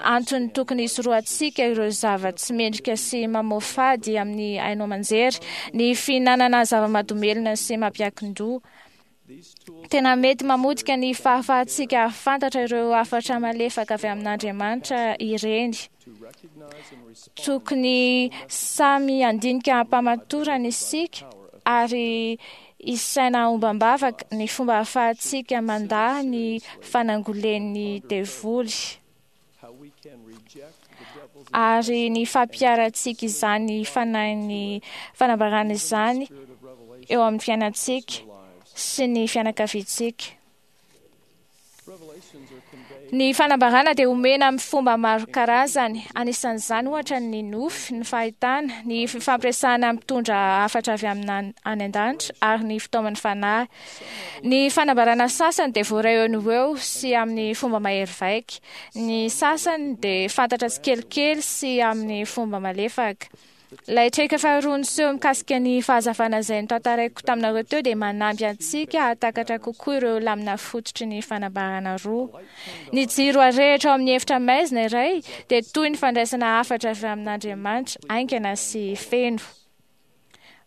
antony tokony hisorohantsika ireo zava-tsy mendrika sy mamoafady amin'ny haino aman-jery, ny fihinanana zava-mahadomelina sy mampiankin-doha. Tena mety mamotika ny fahafahantsika hahafantatra ireo hafatra malefaka avy amin'Andriamanitra ireny. Tokony samy handinika am-pamatorana isika ary hisaina ombam-bavaka ny fomba ahafahantsika mandà ny fanangolen'ny devoly ary ny fampiharantsika izany fanahin'ny fanambarana izany eo amin'ny fiainantsika sy ny fianakaviantsika. Ny fanambarana dia omena amin'ny fomba maro karazany, anisan'izany ohatra ny nofy, ny fahitana, ny fifampiresahana mitondra hafatra avy amina any an-danitra ary ny fitaoman'ny fanahy. Ny fanambarana sasany dia voaray eo no ho eo sy amin'ny fomba mahery vaika. Ny sasany dia fantatra tsikelikely sy amin'ny fomba malefaka. Ilay traikefa faharoa niseho mikasika ny fahazavana izay notantaraiko taminareo teo dia manampy antsika hahatakatra kokoa ireo lamina fototry ny fanambarana roa. Ny jiro arehitra ao amin'ny efitra maizina iray dia toy ny fandraisana hafatra avy amin'Andriamanitra haingana sy feno.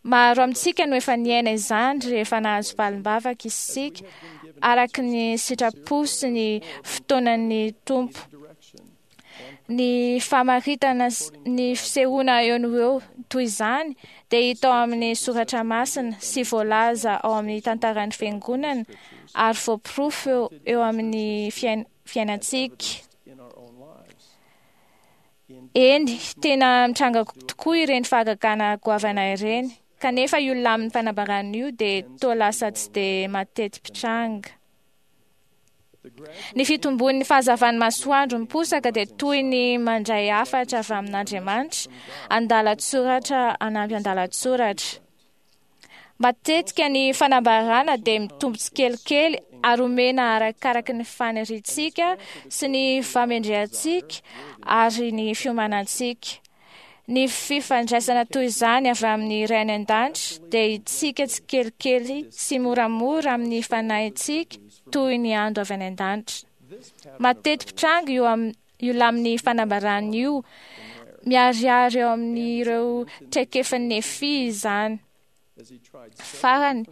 Maro amintsika no efa niaina izany rehefa nahazo valim-bavaka isika araka ny sitrapo sy ny fotoanan'ny Tompo. Ny famaritana ny fisehoana eo no eo toy izany dia hita ao amin'ny soratra masina sy voalaza ao amin'ny tantaran'ny fiangonana ary voaporofo eo amin'ny fiainantsika. Eny, tena mitranga tokoa ireny fahagagana goavana ireny, kanefa io lamin'ny fanambarana io dia toa lasa tsy dia mateti-pitranga. Ny fitombon'ny fahazavan'ny masoandro miposaka dia toy ny mandray hafatra avy amin'Andriamanitra, andalan-tsoratra anampy andalan-tsoratra. Matetika ny fanambarana dia mitombo tsikelikely ary omena arakaraka ny faniriantsika sy ny famendrehantsika ary ny fiomanantsika. Ny fifandraisana toy izany avy amin'ny Ray any an-danitra dia hitsika tsikelikely sy moramora amin'ny fanahintsika toy ny ando avy any an-danitra. Mateti-pitranga io am- io lamin'ny fanambarana io, miharihary eo amin'ireo traikefan'ny Nefia izany. Farany,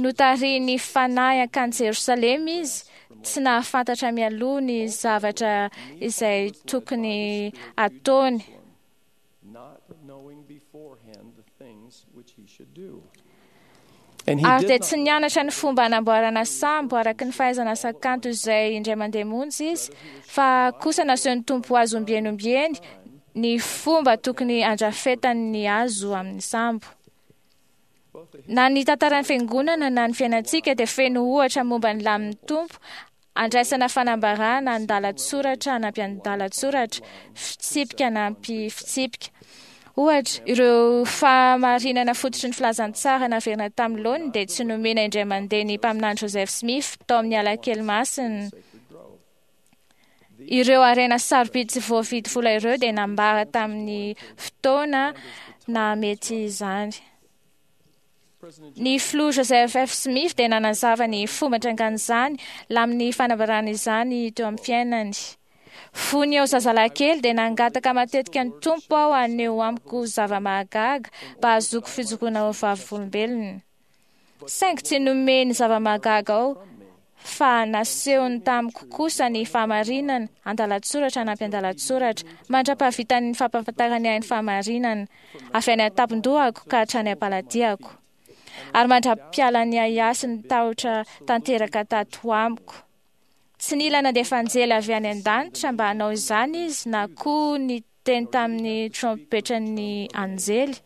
notarihin'ny fanahy hankany Jerosalema izy, tsy nahafantatra mialoha ny zavatra izay tokony hataony. Ary dia tsy nianatra ny fomba hanamboarana sambo araka ny fahaizana asa kanto izay indray mandeha monja izy, fa kosa nasehon'ny Tompo azy ombieny ombieny ny fomba tokony handrafetany ny hazo amin'ny sambo. Na ny tantaran'ny fiangonana na ny fiainantsika dia feno ohatra momba ny lamin'ny Tompo andraisana fanambarana andalan-tsoratra anampy andalan-tsoratra, fitsipika anampy fitsipika. Ohatra, ireo fahamarinana fototry ny filazantsara naverina tamin'ny laoniny dia tsy nomena indray mandeha ny mpaminany Joseph Smith tao amin'ny alakely masina. Ireo harena sarobidy tsy voavidy vola ireo dia nambara tamin'ny fotoana nahamety izany. Ny filoha Joseph F. Smith dia nanazava ny fomba nitrangan'izany lamin'ny fanambarana izany teo amin'ny fiainany. Fony eo zazalahy kely dia nangataka matetika ny Tompo aho haneho amiko zava-mahagaga mba hahazoako fijoroana ho vavolombelona. Saingy tsy nomeny zava-mahagaga aho, fa nasehony tamiko kosa ny fahamarinana, andalan-tsoratra anampy andalan-tsoratra, mandra-pahavitan'ny fampahafantarany ahy ny fahamarinana, avy any an-tampon-dohako ka hatrany am-paladiako, ary mandra-pialan'ny ahiahy sy ny tahotra tanteraka tato amiko. Tsy nila nandefa anjely avy any an-danitra mba hanao izany izy, na koa niteny tamin'ny trompetran'ny anjely.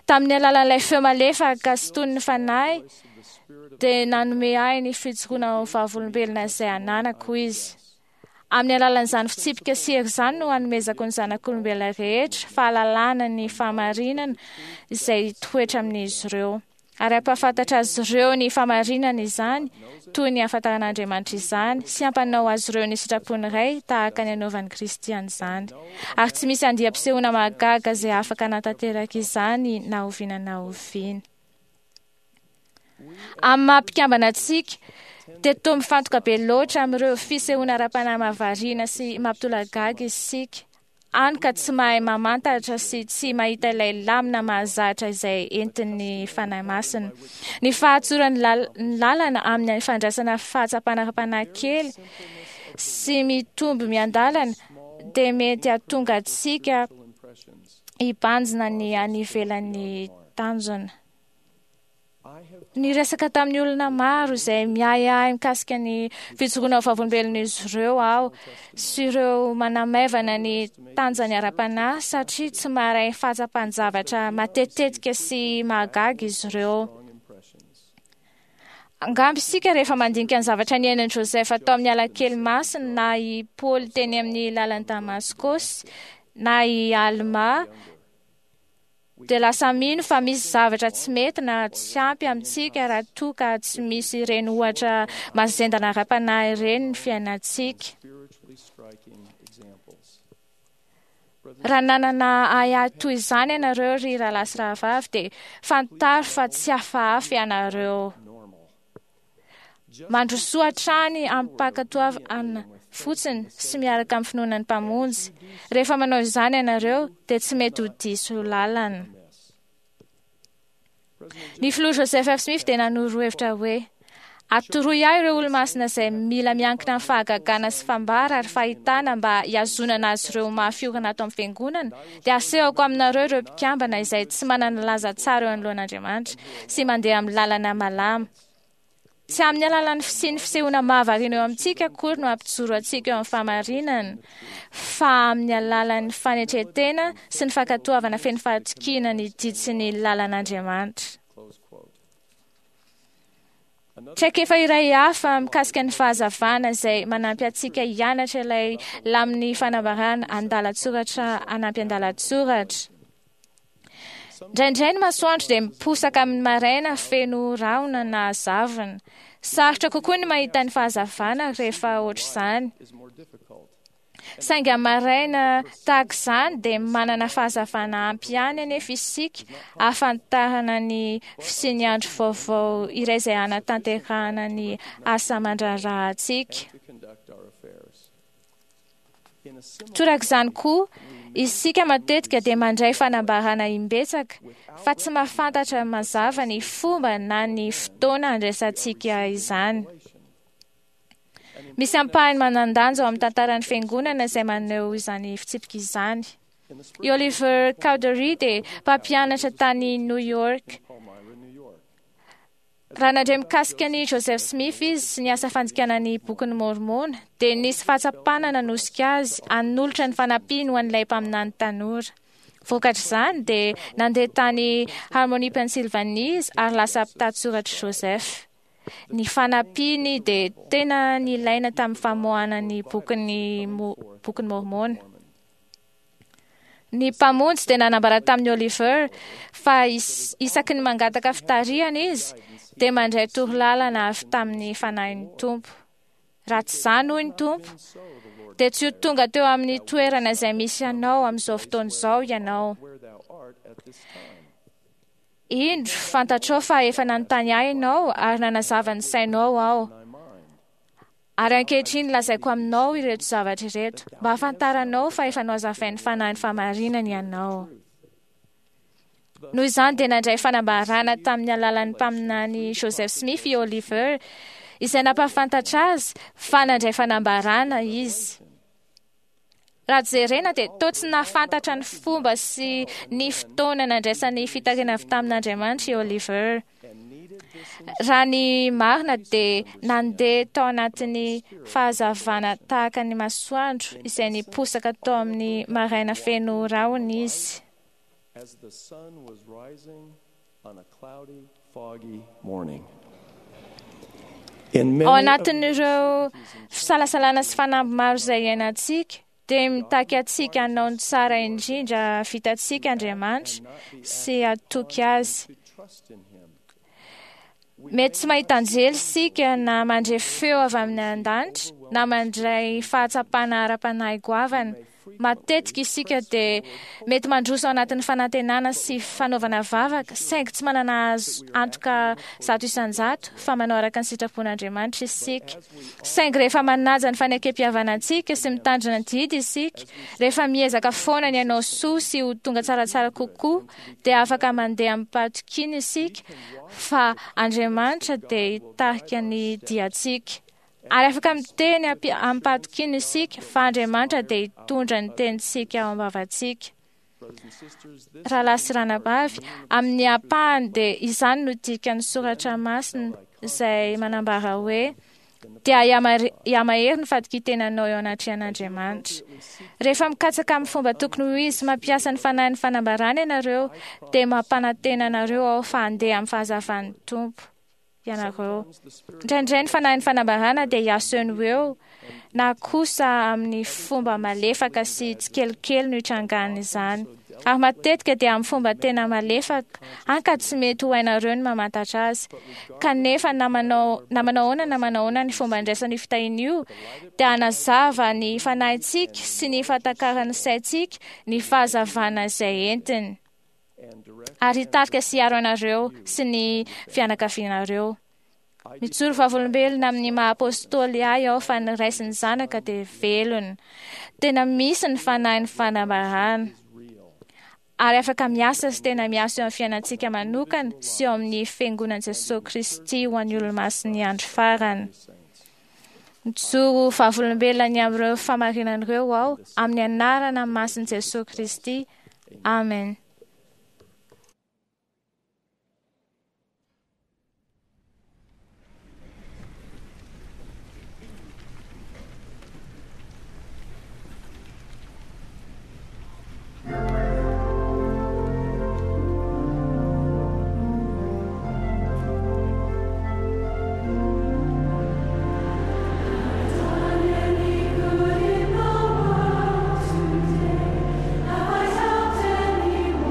Tamin'ny alalan'ilay feo malefaka sy toy ny fanahy dia nanome ahy ny fijoroana ho vavolombelona izay ananako izy. Amin'ny alalan'izany fitsipika sy hery izany no hanomezako ny zanak'olombelona rehetra fahalalana ny fahamarinana izay hitoetra amin'izy ireo. Ary hampahafantatra azy ireo ny fahamarinana izany, toy ny ahafantaran'Andriamanitra izany, sy hampanao azy ireo ny sitrapon'ny Ray tahaka ny anaovan'i Kristy an'izany. Ary tsy misy andiam-pisehoana mahagaga izay afaka hanatanteraka izany na oviana na oviana. Amin'ny maha mpikambana antsika, dia toa mifantoka be loatra amin'ireo fisehoana ara-panahy mahavariana sy mampitolagaga isika, hany ka tsy mahay mamantatra sy tsy mahita ilay lamina mahazatra izay entin'ny Fanahy Masina. Ny fahatsoran'ny lalana amin'ny fandraisana fahatsapana ara-panahy kely sy mitombo miandalana dia mety hahatonga antsika hibanjina ny any ivelan'ny tanjona. Niresaka tamin'ny olona maro izay miahiahy mikasika ny fijoroana ho vavolombelon'izy ireo aho sy ireo manamaivana ny tanjany ara-panahy satria tsy maharay fahatsapan-javatra matetitetika sy mahagaga izy ireo. Angamba isika rehefa mandinika ny zavatra niainan'i Joseph tao amin'ny alakely masina na i Paoly teny amin'ny lalan'i Damaskosy na i Alma dia lasa mino fa misy zavatra tsy mety na tsy ampy amintsika raha toa ka tsy misy ireny ohatra mazendana ara-panahy ireny ny fiainantsika. Raha nanana ahiahy toy izany ianareo ry rahalahy sy rahavavy dia fantaro fa tsy hafahafa ianareo. Mandrosoa hatrany amim-pankatoavana fotsiny sy miaraka amin'ny finoana ny Mpamonjy. Rehefa manao izany ianareo dia tsy mety ho diso lalana. Ny filoha Joseph F. Smith dia nanoro hevitra hoe: Atoroy ahy ireo olo-masina izay mila miankina amin'ny fahagagana sy fambara ary fahitana mba hihazonana azy ireo ho mafy orina ato amin'ny fiangonana, dia asehoko aminareo ireo mpikambana izay tsy manana laza tsara eo anoloan'Andriamanitra sy mandeha amin'ny lalana malama. Tsy amin'ny alalan'ny fisian'ny fisehoana mahavariana eo amintsika akory no hampijoro antsika eo amin'ny fahamarinana, fa amin'ny alalan'ny fanetren-tena sy ny fankatoavana feno fahatokiana ny didy sy ny lalan'Andriamanitra. Traikefa iray hafa mikasika ny fahazavana izay manampy antsika hianatra ilay lamin'ny fanambarana andalan-tsoratra hanampy andalan-tsoratra. Indraindray ny masoandro dia miposaka amin'ny maraina feno rahona na zavona. Sarotra kokoa ny mahita ny fahazavana rehefa ohatr'izany. Saingy amin'ny maraina tahaka izany dia manana fahazavana ampy ihany anefa isika ahafantarana ny fisian'ny andro vaovao iray izay hanatanterahana ny asa aman-draharahantsika. Torak'izany koa, isika matetika dia mandray fanambarana imbetsaka fa tsy mahafantatra mazava ny fomba na ny fotoana handraisantsika izany. Misy ampahany manan-danja ao amin'ny tantaran'ny Fiangonana izay maneho izany fitsipika izany. I Oliver Cowdery dia mpampianatra tany New York. Raha nandre mikasika an'i Joseph Smith izy sy ny asa fandikana ny Bokin'i Môrmôna, dia nisy fahatsapana nanosika azy hanolotra ny fanampiany ho an'ilay mpaminany tanora. Vokatr'izany dia nandeha tany Harmony, Pennsylvanie izy ary lasa mpitantsoratr'i Joseph. Ny fanampiany dia tena nilaina tamin'ny famoahana ny bokin'ny Bokin'i Môrmôna. Ny Mpamonjy dia nanambara tamin'i Oliver fa isaky ny mangataka fitarihana izy dia mandray torolalana avy tamin'ny Fanahin'ny Tompo. Raha tsy izany, hoy ny Tompo, dia tsy ho tonga teo amin'ny toerana izay misy anao amin'izao fotoana izao ianao. Indro, fantatrao fa efa nanontany ahy ianao ary nanazava ny sainao aho. Ary ankehitriny lazaiko aminao ireto zavatra ireto, mba hahafantaranao fa efa nohazavain'ny Fanahin'ny fahamarinana ianao. Noho izany dia nandray fanambarana tamin'ny alalan'ny mpaminany Joseph Smith i Oliver, izay nampahafantatra azy fa nandray fanambarana izy. Raha jerena dia toa tsy nahafantatra ny fomba sy ny fotoana nandraisany fitarihana avy tamin'Andriamanitra i Oliver. Raha ny marina dia nandeha tao anatin'ny fahazavana tahaka ny masoandro izay niposaka tao amin'ny maraina feno rahona izy. Ao anatin'ireo fisalasalana sy fanamby maro izay iainantsika, dia mitaky antsika hanao ny tsara indrindra vitantsika Andriamanitra sy hatoky Azy. Mety tsy mahita anjely isika na mandre feo avy amin'ny an-danitra na mandray fahatsapana ara-panahy goavana. Matetika isika dia mety mandroso ao anatin'ny fanantenana sy fanaovana vavaka, saingy tsy manana azo antoka zato isan-jato fa manao araka ny sitrapon'Andriamanitra isika. Saingy rehefa manaja ny fanekem-pihavanantsika sy mitandrina ny didy isika, rehefa miezaka foana ny hanao soa sy ho tonga tsaratsara kokoa, dia afaka mandeha amim-pahatokiana isika fa Andriamanitra dia hitarika ny diantsika. Ary afaka miteny amim-pahatokiana isika fa Andriamanitra dia hitondra ny tenintsika ao am-bavantsika. Rahalahy sy ranabavy, amin'ny ampahany dia izany no dikan'ny soratra masina izay manambara hoe dia hihamahery ny fatokian-tenanao eo anatrehan'Andriamanitra. Rehefa mikatsaka amin'ny fomba tokony ho izy mampiasa ny fanahin'ny fanambarana ianareo, dia mampanantena anareo aho fa handeha amin'ny fahazavan'ny Tompo ianareo. Indraindray ny fanahin'ny fanambarana dia hiaso eo no eo, na kosa amin'ny fomba malefaka sy tsikelikely no hitrangan'izany. Ary matetika dia amin'ny fomba tena malefaka, hany ka tsy mety ho hainareo ny mamantatra azy. Kanefa na manao na manao ahoana na manao ahoana ny fomba andraisana io fitahiana io, dia hanazava ny fanahintsika sy ny fahatakaran'ny saintsika ny fahazavana izay entiny, ary hitarika sy hiaro anareo sy ny fianakavianareo. Mijoro vavolombelona amin'ny maha apôstôly ahy aho fa ny Ray sy ny Zanaka dia velona. Tena misy ny fanahin'ny fanambarana, ary afaka miasa sy tena miasa eo amin'ny fiainantsika manokana sy eo amin'ny Fiangonan'i Jesoa Kristy ho an'ny olomasin'ny andro farany. Mijoro vavolombelona ny amin'ireo fahamarinana ireo aho amin'ny anarana masin'i Jesoa Kristy. Amen. Have I helped anyone?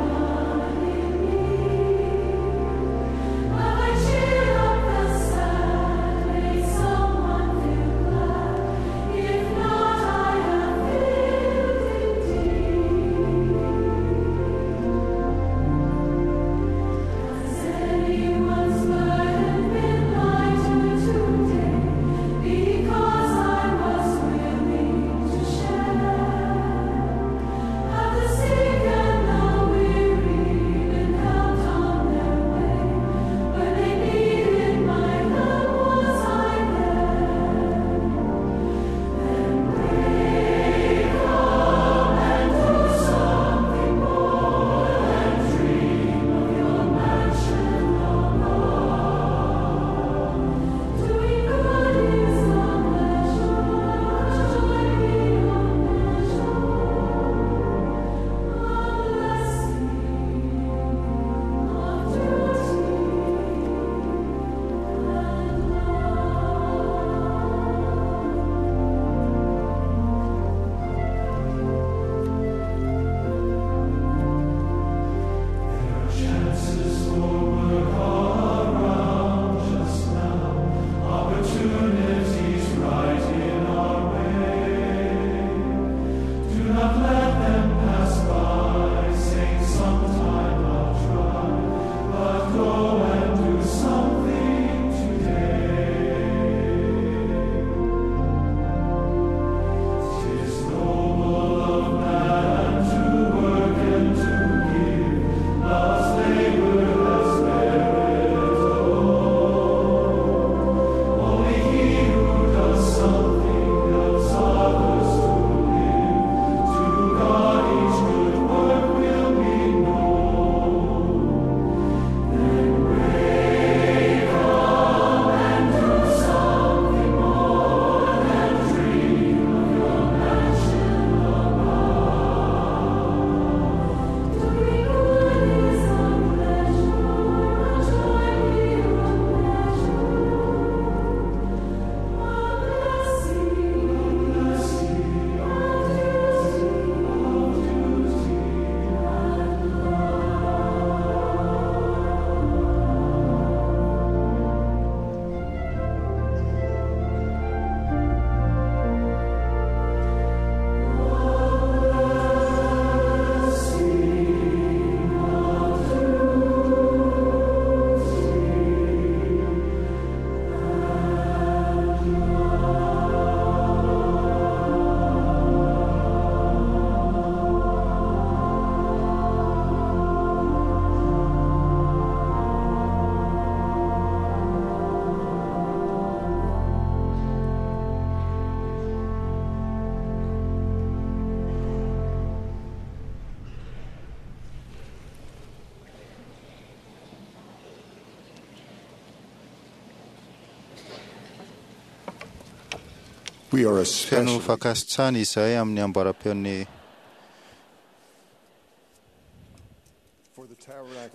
We are Feno especially fankasitrahana izahay amin'ny amboaram-peon'ny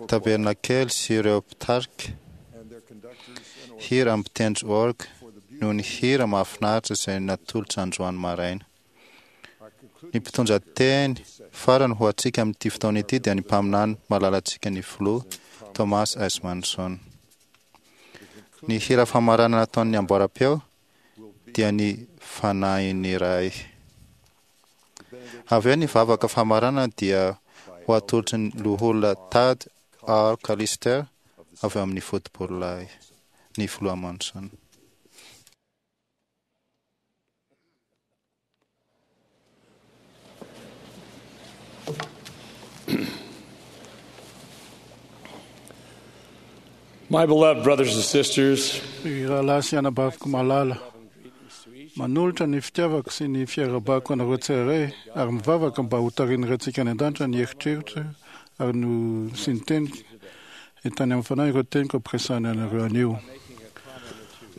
tabernakely sy ireo mpitarika hira mpitendry orga noho ny hira mahafinaritra izay natolotra androany maraina. Ny mpitondra teny farany ho antsika amin'ity fotoana ity dia ny mpaminany malalantsika ny filoha Thomas S. Manson. Ny hira famaranana nataon'ny amboaram-peo dia ny fanahin'ny Ray. Avy eo ny vavaka famaranana dia ho atolotry ny loholona Tad R. Callister avy ao amin'ny Fotopololahy ny filoha Manson. My beloved brothers and sisters, Ry rahalahy sy anabaviko malala, manolotra ny fitiavako sy ny fiarahabako anareo tsirairay ary mivavaka mba ho tarihin'irentsika any an-danitra ny eritreritra ary no sy ny teniko entany amin'ny fanahy ireo teniko ampiresahana anareo anio.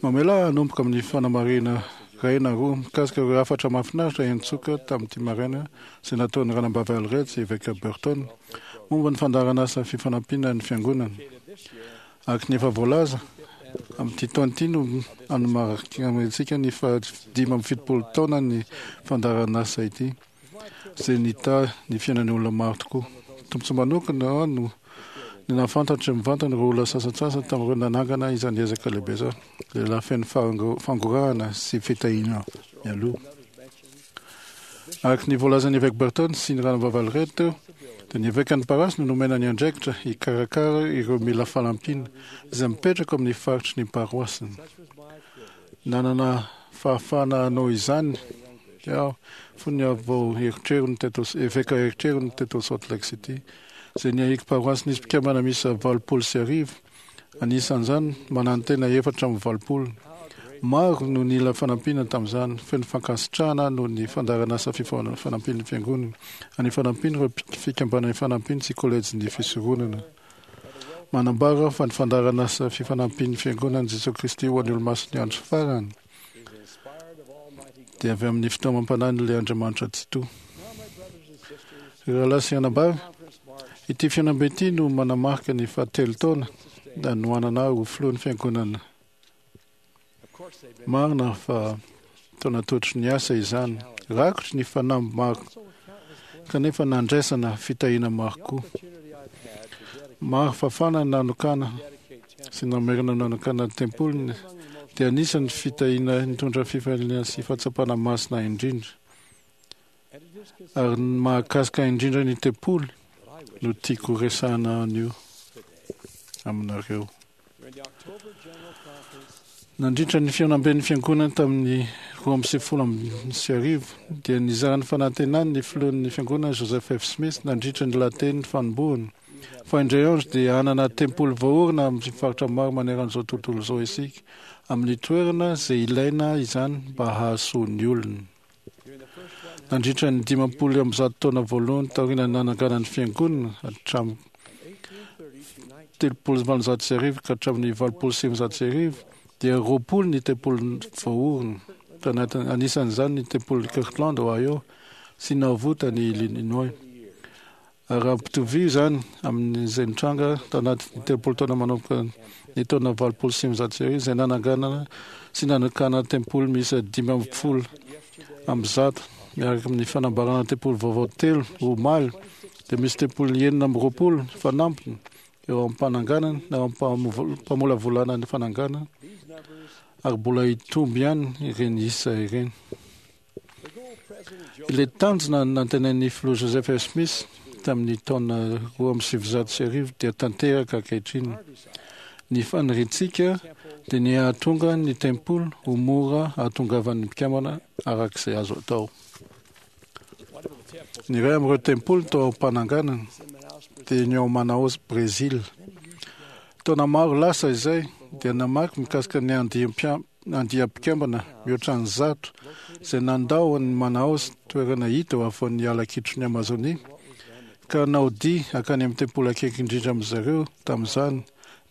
Mamela ahy hanomboka amin'ny fanamarihana iray na roa mikasika ireo hafatra mahafinaritra entsoka tamin'ity maraina izay nataon'ny ranambavy Allred sy Eveka Burton momba ny fandaharanasa fifanampiana ny fiangonana. Araka ny efa voalaza, amin'ity taona ity no anomarihantsika ny fahadimy amby fitopolo taona ny fandaharanasa ity, izay nitahy ny fiainan'ny olona maro tokoa. Tombontsoa manokana aho no ny nahafantatra mivantana ireo olona sasantsasany tamin'ireo nanangana izany ezaka lehibe izany, lehilahy feno fango- fangorahana sy fitahiana mialoha. Araka ny voalazan'ny Evêque Burton sy ny ranambavy Allred teo, dia ny evekan'ny parasy no nomena ny andraikitra hikarakara ireo mila fanampiana izay mipetraka amin'ny faritry ny paroasiny. Nanana fahafahana hanao izany aho fony aho vao eritreriny teto eveka eritreriny teto Salt Lake City, izay niahiako paroasy nisy mpikambana miisa valopolo sy arivo, anisan'izany manantena efatra amby valopolo. Maro no nila fanampiana tamin'izany, feno fankasitrahana noho ny fandaharanasa fifanampian'ny fiangonana, any fanampiana ireo fikambanana ifanampiana sy kolejin'ny fisoronana. Manambara fa ny fandaharanasa fifanampian'ny fiangonana Jesosy Kristy ho an'ny olomasin'ny andro farany dia avy amin'ny fitaomam-panahin'ilay Andriamanitra Tsitoha. Ry rahalahy sy anabavy, ity fihaonambe ity no manamarika ny fahatelo taona nanohanana ahy ho filohan'ny fiangonana. Marina fa taona totry ny asa izany, rakotry ny fanamby maro, kanefa nandraisana fitahiana maro koa. Maro fafana nanokana sy namerina nanokana ny tempoliny dia anisan'ny fitahiana nitondra fifaliana sy fahatsapana masina indrindra. Ary ny mahakasika indrindra ny tempoly no tiako resahana anio aminareo. Nandritra ny fihaonamben'ny fiangonana tamin'ny roa amby sivifolo amby sy arivo dia nizara ny fanantenany ny filohan'ny fiangonana Joseph F. Smith nandritra ny lahateny fanombohana fa indray andro dia hanana tempoly voaorina amin'ny faritra maro maneran'izao tontolo izao isika amin'ny toerana izay ilaina izany mba hahasoa ny olona. Nandritra ny dimampolo amby zato taona voalohany taorian'ny nananganan'ny fiangonana hatramin'ny telopolo sy valonjato sy arivo ka hatramin'ny valopolo sy sivinjato sy arivo dia roapolo ny tempoly voaorina, tanatin- anisan'izany ny tempoly Kirtland, Ohio sy Nauvoo tany Illinois. Ary raha ampitovio izany amin'izay nitranga tanatin'ny telopolo taona manomboka ny taona valopolo sy sivinjato sy arivo izay nananganana sy nanokana tempoly miisa dimy amby folo amby zato miaraka amin'ny fanambarana tempoly vaovao telo omaly dia misy tempoly enina amby roapolo fanampiny eo am-pananganana na eo am-pamolavolana ny fananganana ary mbola hitombo ihany ireny isa ireny. Ilay tanjona nantenain'ny filoha Joseph F. Smith tamin'ny taona roa amby sivinjato sy arivo dia tanteraka ankehitriny. Ny faniriantsika dia ny hahatonga ny tempoly ho mora hahatongavan'ny mpikambana araka izay azo atao. Ny iray amin'ireo tempoly tao am-pananganana dia ny ao Manaus, Brésil. Taona maro lasa izay dia namaky mikasika ny andiam-pia- andiam-pikambana mihoatra ny zato izay nandao ny Manaus, toerana hita eo afovoan'ny ala kitron'ny Amazonia, ka naody hankany amin'ny tempoly akaiky indrindra amin-dry zareo tamin'izany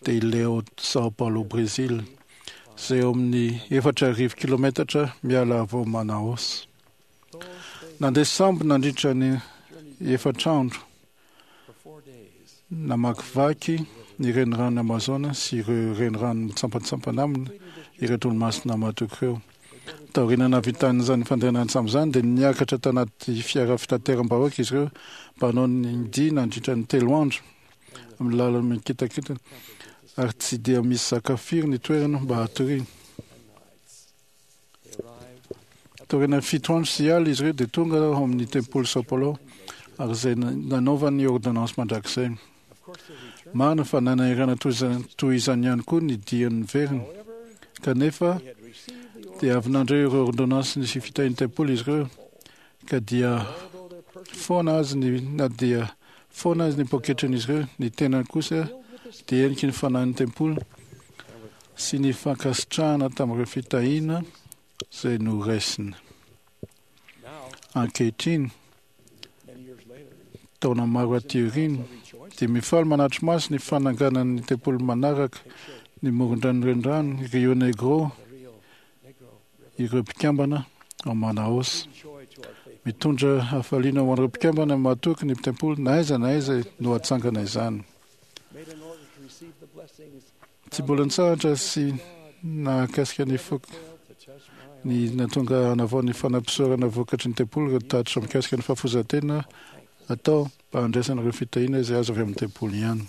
dia ilay ao São Paulo, Brésil, izay eo amin'ny efatra arivo kilometatra miala avy ao Manaus. Nandeha sambo nandritra ny efatra andro, namakivaky ny renirano Amazona sy ireo renirano mitsampantsampana aminy ireto olomasina mahatoky ireo. Taoriana nahavitan'izany fandehanana an-tsambo izany dia niakatra tanaty fiara fitateram-bahoaka izy ireo mba hanao ny dia nandritra ny telo andro amin'ny lalana mikitakitana, ary tsy dia misy sakafo firy ny toerana mba hatoriana. Taorian'ny fito andro sy alina izy ireo dia tonga ao amin'ny tempoly São Paulo, ary izay nanaovany ordonnance mandrakizay. Marina fa nanahirana toy izany ihany koa ny dian'ny veriny, kanefa dia avy nandray ireo ordonnance sy fitahian'ny tempoly izy ireo, ka dia foana azy ny na dia foana azy ny poketran'izy ireo, ny tenany kosa dia heniky ny fanahin'ny tempoly sy ny fankasitrahana tamin'ireo fitahiana izay noraisina. Ankehitriny, taona maro aty aoriana, dia mifaly manatri-maso ny fananganan'ny tempoly manaraka ny morondrano renirano Rio Negro ireo mpikambana ao Manaus. Mitondra hafaliana ho an'ireo mpikambana mahatoky ny tempoly na aiza na aiza no hatsangana izany. Tsy mbola nitsahatra sy nahakasika ny foko ny nahatonga hanavao ny fanampisorana vokatry ny tempoly ireo tatitra mikasika ny fahafoizan-tena atao mba handraisana ireo fitahiana izay azo avy amin'ny tempoly ihany.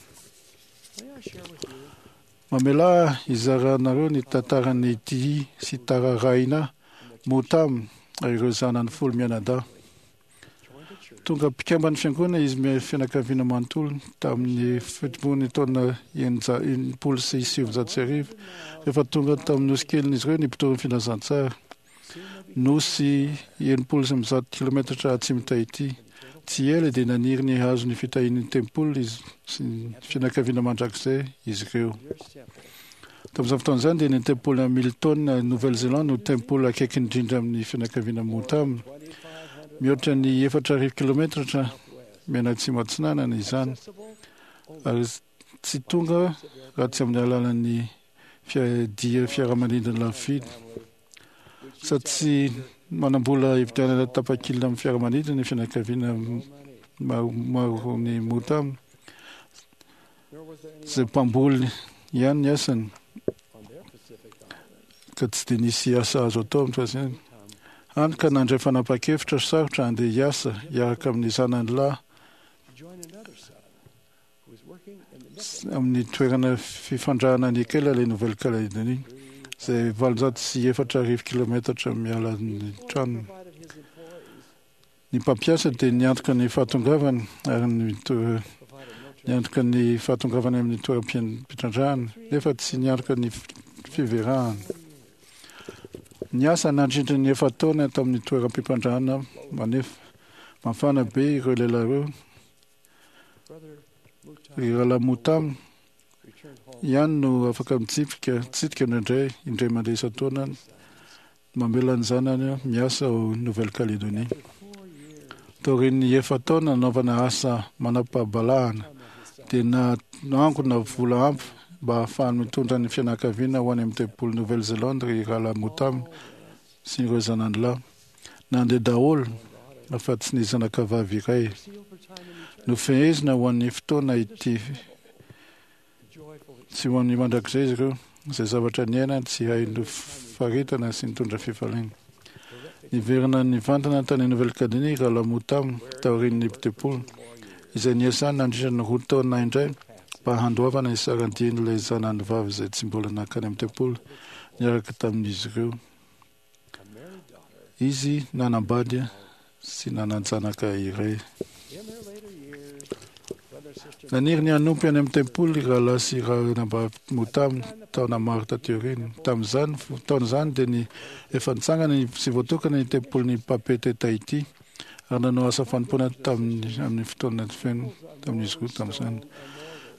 Mamelà hizaranareo ny tantaran'i Tihi sy Tararaina Mutam ary ireo zanany folo mianadahy. Tonga mpikamban'ny fiangonana izy fianakaviana manontolo tamin'ny fitomboan'ny taona enimpolo sy sivinjato sy arivo, rehefa tonga tamin'ny nosy kelin'izy ireo ny mpitory ny filazantsara. Nosy enimpolo sy zato kilometatra atsimo Tahiti. Tsy ela dia naniry ny hahazo ny fitahian'ny tempoly izy sy ny fianakaviana mandrakizay izy ireo. Tamin'izany fotoana izany dia ny tempoly Hamilton, Nouvelle-Zélande no tempoly akaiky indrindra amin'ny fianakaviana Mutam. Mihoatra ny efatra arivo kilometatra mianatsimo atsinanana izany, ary tsy tonga raha tsy amin'ny alalan'ny dia fiaramanidina lafo vidy. Sady tsy manam-bola hividianana tapakila amin'ny fiaramanidina ny fianakaviana maro ny Mutam, izay mpamboly ihany ny asany, ka tsy dia nisy asa azo atao amin'ny fahasiny. Hany ka nandray fanapahan-kevitra sarotra handeha hiasa hiaraka amin'ny zanany lahy amin'ny toerana fifandrahana nikela ilay Nouvelle-Calédonie, izay valonjato sy efatra arivo kilometatra miala ny tranony. Ny mpampiasa dia niantoka ny fahatongavany ary niantoka ny fahatongavany amin'ny toeram-pitrandrahana, nefa tsy niantoka ny fiverahana. Niasa nandritra ny efa-taona tamin'ny toeram-pitrandrahana manefa mafana be ireo lehilahy ireo. Ry rahalahy Mutam ihany no afaka mitsipika tsidika indraindray indray mandeha isan-taona mamela ny zanany miasa ao Nouvelle-Calédonie. Taorian'ny efa-taona nanaovana asa manam-pahabalahana dia nangona vola ampy mba hahafahany mitondra ny fianakaviana ho any amin'ny tempoly Nouvelle-Zélande ry rahalahy Mutam sy ireo zanany lahy. Nandeha daholo afa-tsy ny zanakavavy iray. Nofehezina ho an'ny fotoana ity tsy ho an'ny mandrakizay izy ireo, izay zavatra niainany tsy hay nofaritana sy nitondra fifaliana. Niverina nivantana tany Nouvelle-Calédonie rahalahy Mutam taorian'ny tempoly, izay niasany nandritra ny roa taona indray mba handoavana ny saran-dian'ilay zanany vavy izay tsy mbola nankany amin'ny tempoly niaraka tamin'izy ireo. Izy nanambady sy nanan-janaka iray. Naniry ny hanompo any amin'ny tempoly rahalahy sy ranabavy Mutam taona maro taty aoriana. Tamin'izany taona izany dia ny efa nitsangana sy voatokana ny tempolin'ny Papeete Tahiti ary nanao asa fanompoana tamin'ny amin'ny fotoana feno tamin'izy roa tamin'izany.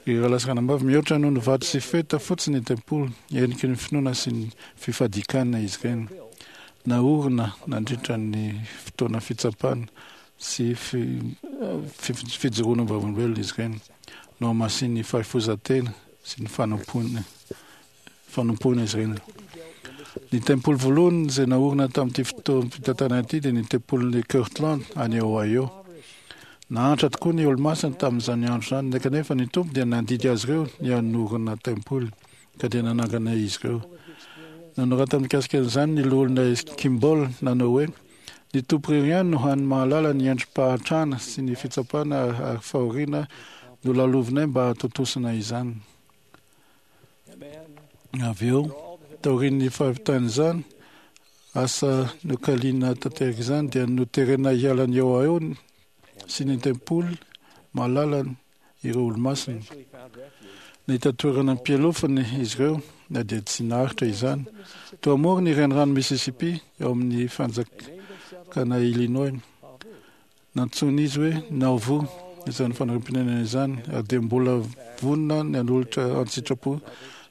Ry rahalahy sy ranabavy, mihoatra noho ny vato sy feta fotsiny ny tempoly, heniky ny finoana sy ny fifadikanana izy ireny. Naorina nandritra ny fotoana fitsapana sy fijoroana vavolombelona izy ireny, nohamasinin'ny fahafoizan-tena sy ny fanompoana fanompoana izy ireny. Ny tempoly voalohany izay naorina tamin'ity fotoam-pitantanana ity dia ny tempolin'i Kirtland any Ohio. Nahantra tokoa ny olomasina tamin'izany andro izany, kanefa ny Tompo dia nandidy azy ireo ny hanorina tempoly, ka dia nanangana izy ireo. Nanorata mikasika an'izany ny loholona Kimball nanao hoe: "Ny Tompo irery ihany no hany mahalala ny endri-pahantrana sy ny fitsapana ary fahoriana nolalovinay mba hahatontosana izany." Avy eo, taorian'ny fahavitan'izany asa nokaliana tanteraka izany, dia noterena hiala ny Ohio sy ny tempoly malalany ireo olomasina. Nahita toerana am-pialofana izy ireo na dia tsy naharitra izany. Teo amoron'ny renirano Mississippi ao amin'ny fanjakana Illinois. Nantsoin'izy hoe Nauvoo izany fanorim-ponenana izany, ary dia mbola vonona ny hanolotra an-tsitrapo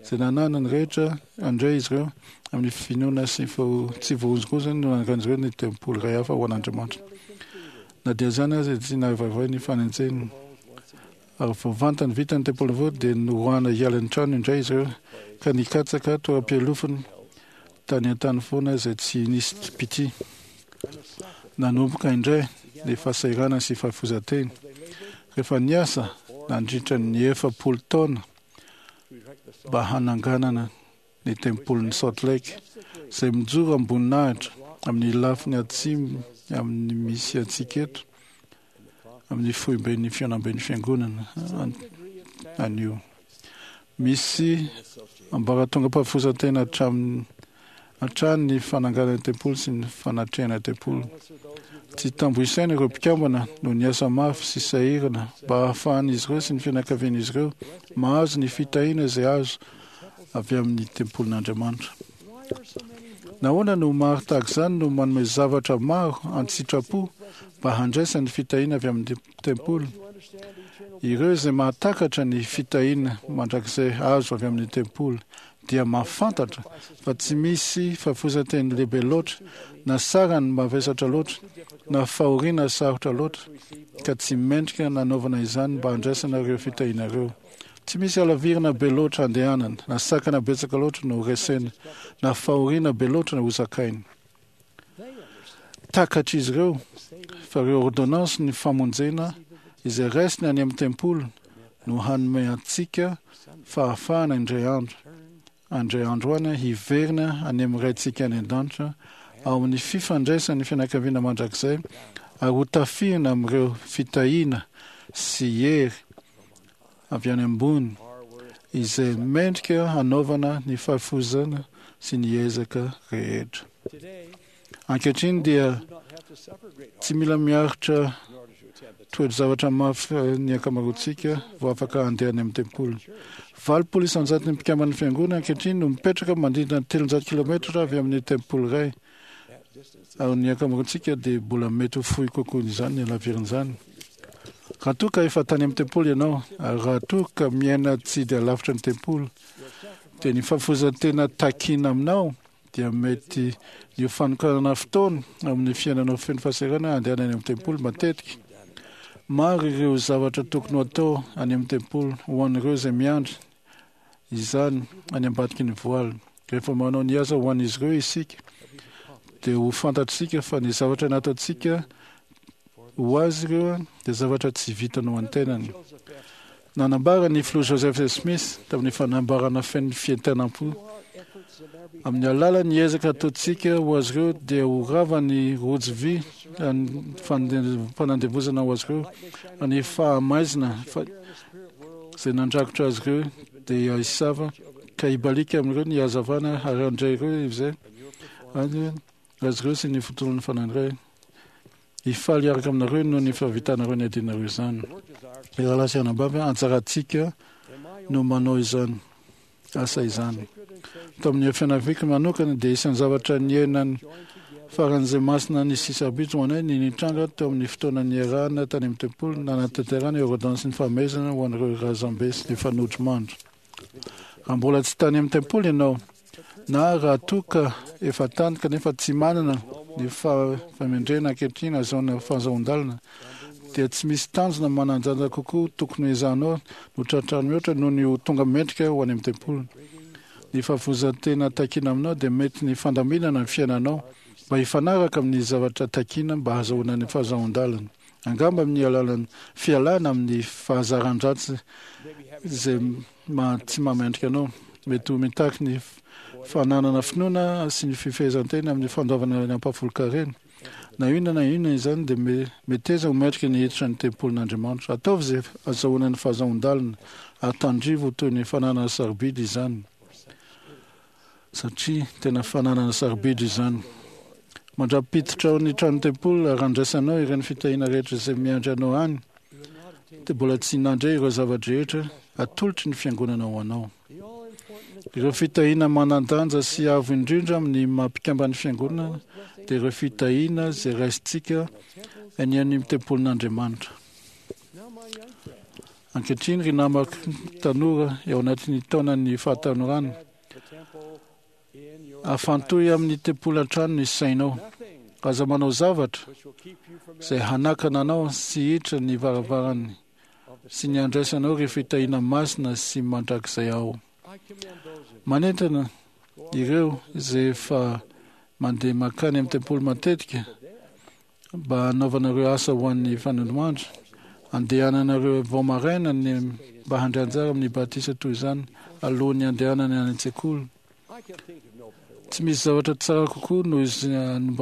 izay nananany rehetra handray izy ireo amin'ny finoana sy tsy voahozongozona no nanangan'izy ireo ny tempoly iray hafa ho an'Andriamanitra. Na dia izany aza, tsy nahavaivay ny fanenjehana. Ary vao vantany vita ny tempoly vaovao dia noroahana hiala ny trano indray izy ireo ka nikatsaka toeram-pialofana tany an-tany foana izay tsy nisy mpitia. Nanomboka indray ny fahasahiranana sy fahafoizan-tena. Rehefa niasa nandritra ny efapolo taona mba hananganana ny tempolin'i Salt Lake, izay mijoro am-boninahitra amin'ny lafiny atsimo amin'ny misy antsika eto, amin'ny foiben'ny fihaonamben'ny fiangonana anio. Misy ambaratongam-pahafoizan-tena hatramin'ny hatrany ny fananganana tempoly sy ny fanatrehana tempoly. Tsy tambo isaina ireo mpikambana no niasa mafy sy sahirana mba hahafahan'izy ireo sy ny fianakavian'izy ireo mahazo ny fitahiana izay azo avy amin'ny tempolin'Andriamanitra. Nahoana no maro tahaka izany no manome zavatra maro an-tsitrapo mba handraisany fitahiana avy amin'ny tempoly? Ireo izay mahatakatra ny fitahiana mandrakizay azo avy amin'ny tempoly dia mahafantatra fa tsy misy fahafoizan-teny lehibe loatra, na sarany mavesatra loatra, na fahoriana sarotra loatra, ka tsy mendrika nanaovana izany mba handraisana ireo fitahiana ireo. Tsy misy halavirana be loatra andehanana, na sakana betsaka loatra no resena, na fahoriana be loatra no hozakaina. Takatr'izy ireo fa ireo ôrdônansin'ny famonjena izay raisiny any amin'ny tempoly no hanome antsika fahafahana indray andro indray andro any hiverina any amin'ny Raintsika any an-danitra ao amin'ny fifandraisan'ny fianakaviana mandrakizay ary ho tafihina amin'ireo fitahiana sy hery avy any ambony izay mendrika hanaovana ny fahafoizana sy ny ezaka rehetra. Ankehitriny dia tsy mila miaritra toe-javatra mafy ny ankamaroantsika vao afaka handeha any amin'ny tempoly. Valopolo isan-jaton'ny mpikamban'ny fiangonana ankehitriny no mipetraka manodidina ny telonjato kilometatra avy amin'ny tempoly iray, ary ny ankamaroantsika dia mbola mety ho fohy kokoa izany ny halaviran'izany. Raha toa ka efa tany amin'ny tempoly ianao, ary raha toa ka miaina tsy dia lavitra ny tempoly, dia ny fahafoizan-tena takiana aminao dia mety ny ho fanokanana fotoana amin'ny fiainanao feno fahasahiranana handehanana any amin'ny tempoly matetika. Maro ireo zavatra tokony ho atao any amin'ny tempoly ho an'ireo izay miandry izany any ambadiky ny voaly. Rehefa manao ny asa ho an'izy ireo isika, dia ho fantatsika fa ny zavatra nataontsika ho azy ireo dia zavatra tsy vitany ho an'ny-tenany. Nanambara ny filoha Joseph Smith tamin'ny fanambarana feno fientanam-po, Amin'ny alalan'ny ezaka ataontsika ho azy ireo dia ho rava ny rojo vy fanandevozana ho azy ireo, ny fahamaizina izay nandrakotra azy ireo dia hisava ka hibaliaka amin'ireo ny hazavana ary handray ireo izay azy ireo sy ny fotoan'ny fanahy iray. Hifaly hiaraka aminareo noho ny fahavitanareo ny adinareo izany. Ry rahalahy sy anabavy, anjarantsika no manao izany asa izany. Tao amin'ny fianakaviako manokana dia isan'ny zavatra niainany faran'izay masina ny sisabitso ho anay ny nitranga teo amin'ny fotoana niarahana tany amin'ny tempoly nanatanterahana ireo ôrdônansin'ny fahamehezana ho an'ireo razambe sy ny fanodrimandry. Raha mbola tsy tany amin'ny tempoly ianao, na raha toa ka efa tany kanefa tsy manana ny fahamendrehana ankehitriny ahazoana fahazoan-dalana, dia tsy misy tanjona manan-danja kokoa tokony hoezahanao no tratrarina mihoatra noho ny ho tonga mendrika ho any amin'ny tempoly. Ny fahafoizan-tena takiana aminao dia mety ny fandaminana ny fiainanao mba hifanaraka amin'ny zavatra takiana mba hahazoana ny fahazoan-dalana. Angamba amin'ny alalan'ny fialana amin'ny fahazaran-dratsy izay ma tsy mahamendrika anao. Mety ho mitaky ny fananana finoana sy ny fifehezan-tena amin'ny fandoavana ny ampahafolon-karena. Na inona na inona izany dia meteza ho mendrika ny hiditra ny tempolin'Andriamanitra. Ataovy izay azahoana ny fahazoan-dalana ary tandrivo ho toy ny fananana sarobidy izany, satria tena fananana sarobidy izany. Mandra-piditra ao ny tranon-tempoly ary handraisanao ireny fitahiana rehetra izay miandry anao any, dia mbola tsy nandre ireo zava-drehetra atolotry ny fiangonana ho anao. Ireo fitahiana manan-danja sy avo indrindra amin'ny maha mpikamban'ny fiangonana dia ireo fitahiana izay raisintsika any amin'ny tempolin'Andriamanitra. Ankehitriny, ry namako tanora eo anatin'ny taonan'ny fahatanorana, afantohy amin'ny tempoly hatrany ny sainao. Aza manao zavatra izay hanakana anao sy hiditra ny varavarany sy ny handraisanao ireo fitahiana masina sy mandrakizay ao. Manentana ireo izay efa mandeha mankany amin'ny tempoly matetika mba hanaovanareo asa ho an'ny fanondroandro, andehananareo vao maraina ny mba handray anjara amin'ny batisa toy izany alohan'ny handehanana any an-tsekoly. Tsy misy zavatra tsara kokoa noho izany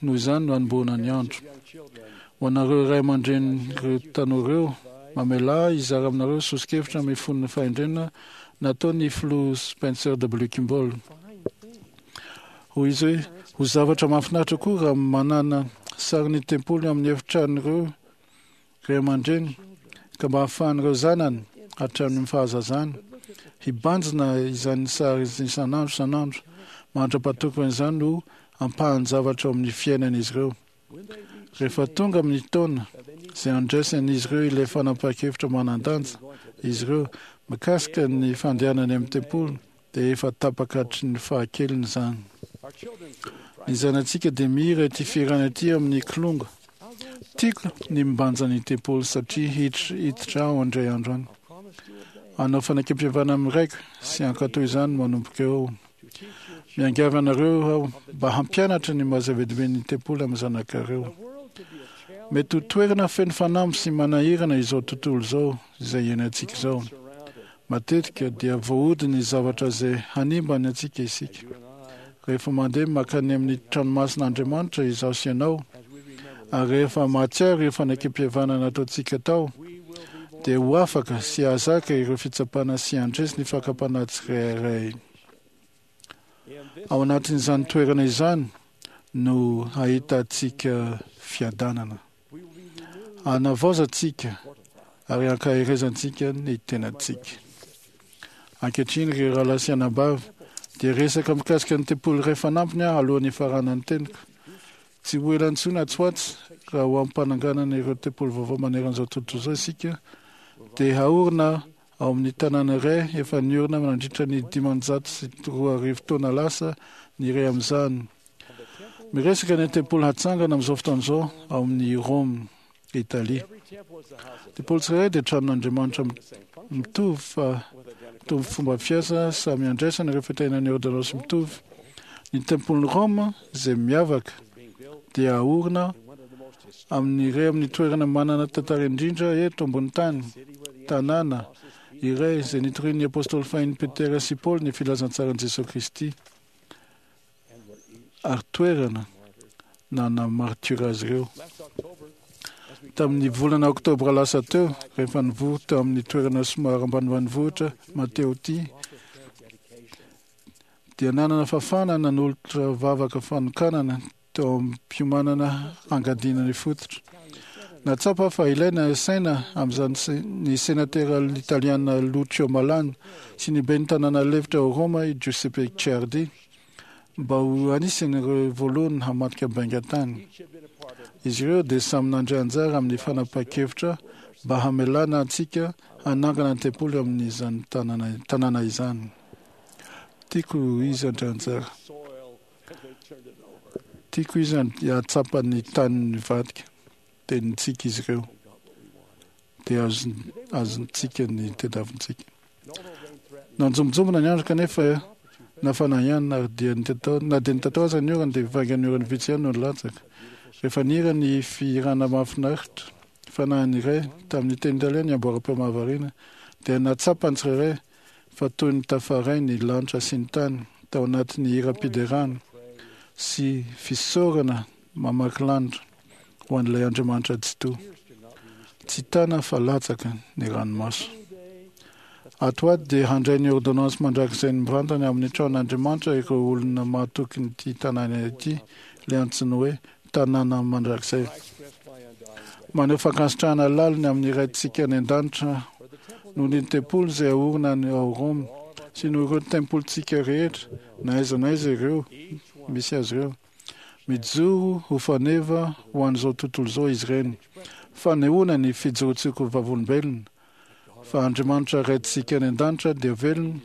no hanombohana ny andro. Ho anareo ray aman-drenin'ireo tanora ireo, mamelà ahy hizara aminareo soso-kevitra mifono fahendrena nataon'ny Filoha Spencer W. Kimball. Hoy izy hoe, Ho zavatra mahafinaritra koa raha manana sarin'ny tempoly amin'ny efitranon'ireo ray aman-dreny ka mba hahafahan'ireo zanany hatramin'ny fahazazany hibanjina izany sary isan'andro isan'andro mandra-patokony izany ho ampahan-javatra ao amin'ny fiainan'izy ireo. Rehefa tonga amin'ny taona izay handraisan'izy ireo ilay fanapahan-kevitra manan-danja izy ireo mikasika ny fandehanany amin'ny tempoly dia efa tapaka hatry ny fahakeliny izany. Ny zanatsika dia mihira ity fihirana ity amin'ny kilonga. Tiako ny mibanja ny tempoly satria hiditra aho indray andro any. Hanao fanekempihavanana amin'ny raiko sy hankatò izany manomboka eo aho. Miangavy anareo aho mba hampianatra ny maha zava-dehibe ny tempoly amin'ny zanakareo. Mety ho toerana feno fanamby sy manahirana izao tontolo izao izay iainantsika izao. Matetika dia voahodin'ny zavatra izay hanimba ny antsika isika. Rehefa mandeha mankany amin'ny tranomasin'Andriamanitra izaho sy ianao, ary rehefa mahatsiaro ireo fanekempihavanana nataontsika tao, dia ho afaka sy hahazaka ireo fitsapana sy handresy ny fakam-panahy tsirairay. Ao anatin'izany toerana izany no hahitantsika fiadanana. Hanavaozantsika ary hankaherezantsika ny tenantsika. Ankehitriny, ry rahalahy sy anabavy, dia resaka mikasika ny tempoly iray fanampiny aho alohan'ny hifaranan'ny teniko. Tsy ho ela intsony atsy ho atsy, raha ho ampananganana ireo tempoly vaovao manerana izao tontolo izao isika, dia haorina ao amin'ny tanàna iray efa niorina nandritra ny dimanjato sy roa arivo taona lasa ny iray amin'izany. Miresaka ny tempoly hatsangana amin'izao fotoana izao ao amin'ny Rome, Italia. Tempoly tsirairay dia tranon'Andriamanitra mitovy fa mitovy fomba fiasa samy andraisana ireo fitahiana ny ôrdônansy mitovy. Ny tempolin'i Rome izay miavaka dia aorina amin'ny iray amin'ny toerana manana tantara indrindra eto ambony tany, tanàna iray izay nitorian'ny apôstôly fahiny Petera sy Paoly ny filazantsaran'i Jesoa Kristy. ary toerana nanamartiora azy ireo. Tamin'ny volana oktobra lasa teo, rehefa nivory teo amin'ny toerana somary ambanimbanivohitra Matteotti, dia nanana fahafahana nanolotra vavaka fanokanana teo am-piomanana hangadiana ny fototra. Nahatsapa fa ilaina asaina amin'izany ny senatera italiana Lucio Malan sy ny ben'ny tanàna lefitra ao Roma i Giuseppe Ciardi mba ho anisan'ireo voalohany hamadika bainga tany. Izy ireo dia samy nandray anjara amin'ny fanapahan-kevitra mba hamelana antsika hanangana ny tempoly amin'izany tanàna izany. Tiako izy handray anjara. Tiako izy hahatsapa ny tany nivadika. Dia nitsiky izy ireo. Dia azontsika ny tediavintsika. Nanjombonjombona ny andro kanefa Nafana ihany ary dia nitatao, na dia nitatao aza ny orana dia vaingan'ny orana vitsy ihany no nilatsaka. Rehefa nihira ny fihirana mahafinaritra fanahiny iray tamin'ny teny italiana ny amboaram-peo mahavariana dia nahatsapa ny tsirairay fa toy ny tafaray ny lanitra sy ny tany tao anatin'ny hiram-piderana sy fisaorana mamaky lanitra ho an'ilay Andriamanitra Tsitoha. Tsy tana fa latsaka ny ranomaso. Ato ho ato dia handray ny ôrdônansy mandrakizainy mivantana amin'ny tranon'Andriamanitra ireo olona mahatokin'ity tanàna ity, ilay antsoina hoe tanàna mandrakizay. Maneho fankasitrahana lalina amin'ny Raintsika any An-danitra noho ny tempoly izay aorina any ao Roma sy noho ireo tempolintsika rehetra na aiza na aiza ireo misy azy ireo. Mijoro ho faneva ho an'izao tontolo izao izy ireny. Fanehoana ny fijoroantsika ho vavolombelona fa Andriamanitra Raintsika any An-danitra dia velona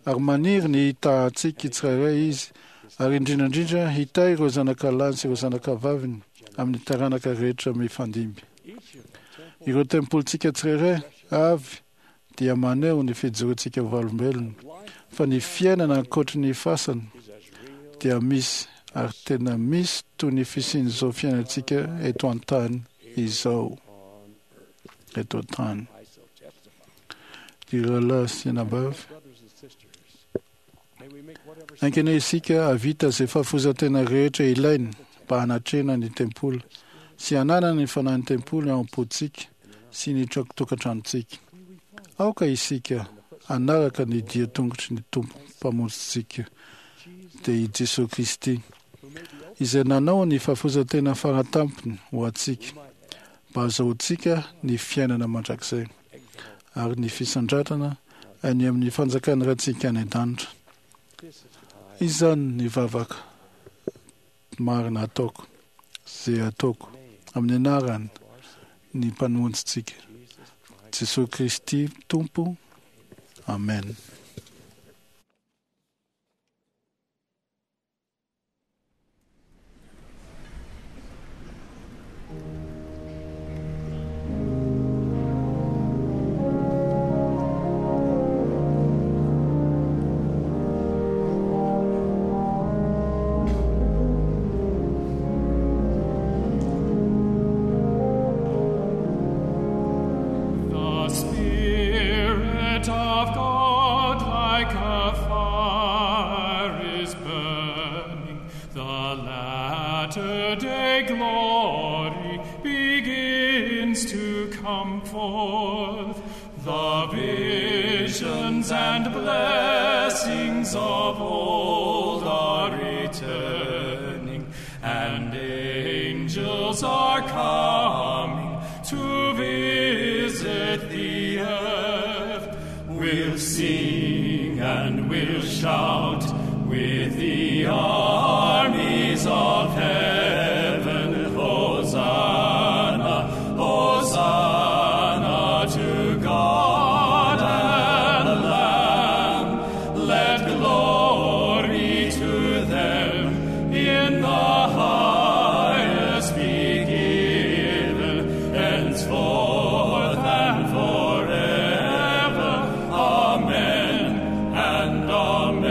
ary maniry ny hitahantsika tsirairay Izy ary indrindra indrindra hitahy ireo zanakalahiny sy ireo zanakavaviny amin'ny taranaka rehetra mifandimby. Ireo tempolintsika tsirairay avy dia maneho ny fijoroantsika ho vavolombelona fa ny fiainana ankoatry ny fasana dia misy ary tena misy toy ny fisian'izao fiainantsika eto an-tany izao. Eto an-tany. Ry rahalahy sy anabavy, haingana isika hahavita izay fahafoizan-tena rehetra ilaina mba hanatrehana ny tempoly sy hananana ny fanahin'ny tempoly ao am-pontsika sy ny tokantranontsika. Aoka isika hanaraka ny dian-tongotry ny Tompo Mpamonjintsika, dia i Jesoa Kristy, izay nanao ny fahafoizan-tena faratampony ho antsika mba hahazahoantsika ny fiainana mandrakizay ary ny fisandratana any amin'ny fanjakan'ny Raintsika any an-danitra. Izany ny vavaka marina ataoko, izay ataoko amin'ny anaran' ny Mpamonjintsika, Jesoa Kristy Tompo. Amen. The Spirit of God like a fire is burning. The latter day glory begins to come forth. The visions and blessings of old are returning, and angels are coming to visit the earth. We'll sing and we'll shout with the armies of heaven. Hosanna, Hosanna to God and the Lamb. Let glory to them in the highest be given, henceforth and forever. Amen and amen.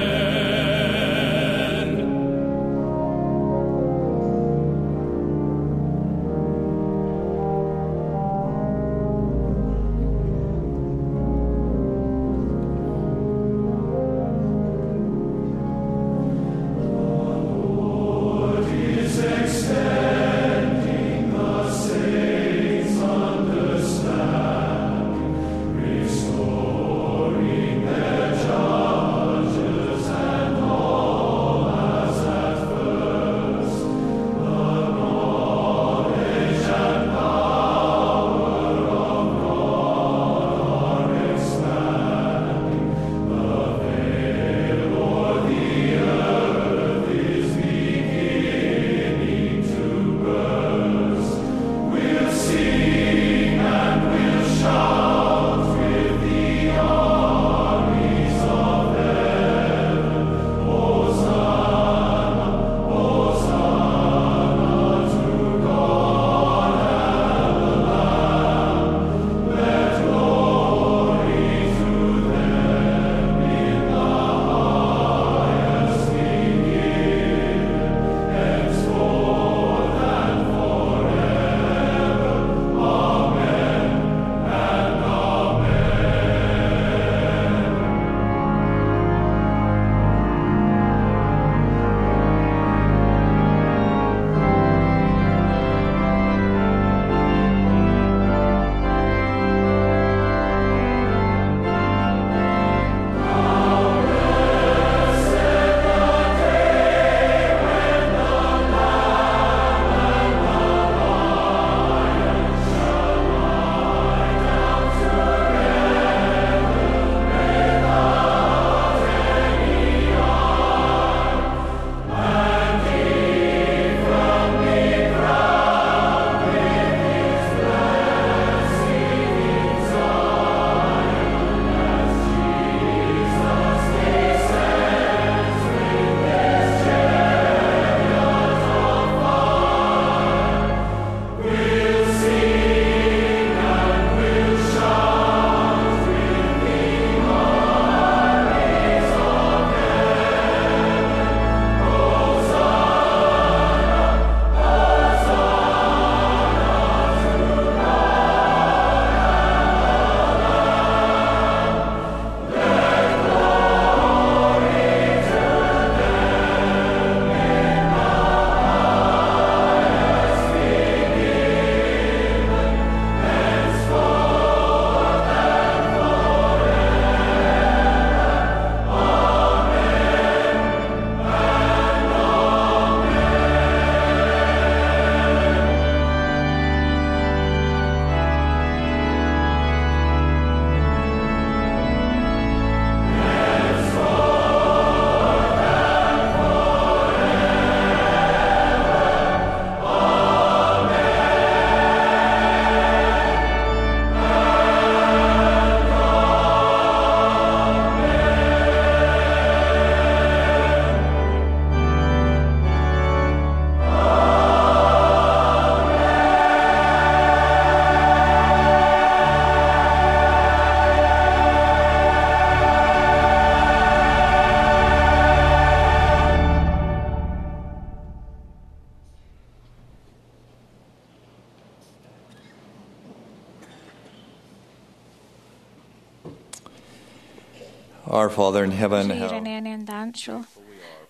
Our Father in heaven, Ry how Rainay any an-danitra ô,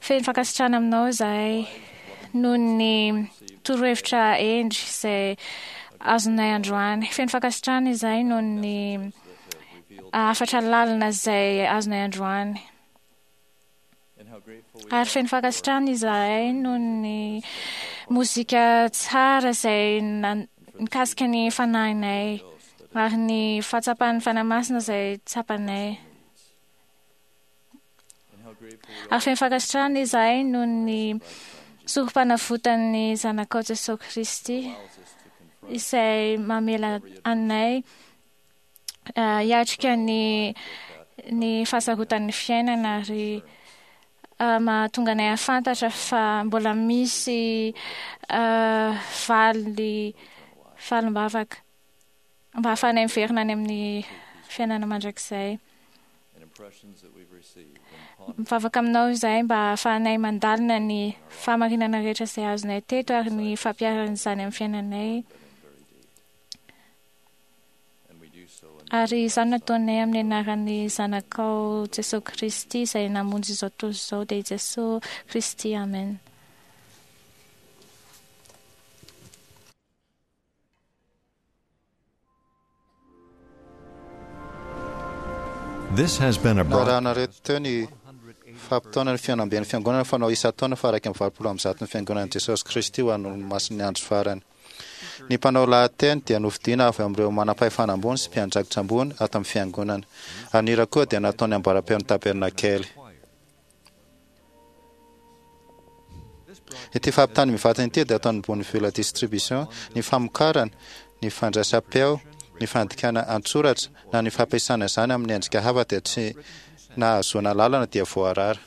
feno fankasitrahana aminao izahay noho ny torohevitra endry izay azonay androany. Feno fankasitrahana izahay noho ny hafatra lalina izay azonay androany. Ary feno fankasitrahana izahay noho ny mozika tsara izay nan- nikasika ny fanahinay ary ny fahatsapan'ny Fanahy Masina izay tsapanay. Ary feno fankasitrahana izahay noho ny sorom-panavotan'ny Zanakao Jesosy Kristy izay mamela anay eh, hiatrika ny ny fahasarotan'ny fiainana ary eh, mahatonga anay hahafantatra fa mbola misy eh, valy valim-bavaka mba hahafahanay miverina any amin'ny fiainana mandrakizay. and impressions that we've received and Mivavaka aminao izahay mba hahafahanay mandalina ny fahamarinana rehetra izay azonay teto ary ny fampiharan'izany amin'ny fiainanay. and we do so in Ary izany no ataonay amin'ny anaran'ny Zanakao Jesosy Kristy izay namonjy izao tontolo izao dia i Jesosy Kristy. Amen. This has been a broadcast. Narahanareo teo ny fampitaona ny fihaonamben'ny fiangonana fanao isan-taona fa iraika amby valopolo amby zato ny fiangonan'i Jesosy Kristy ho an'ny olomasin'ny andro farany. Ny mpanao lahateny dia nofidiana avy amin'ireo manam-pahefana ambony sy mpiandraikitra ambony ato amin'ny fiangonana. Ary ny hira koa dia nataony ambaram-peon'ny tabernakely. Ity fampitany mivantana ity dia ataon'ny Bonneville Distribution, ny famokarana, ny fandraisam-peo, ny fandikana an-tsoratra na ny fampiasana izany amin'ny endrika hafa dia tsy nahazoana lalana dia voarara.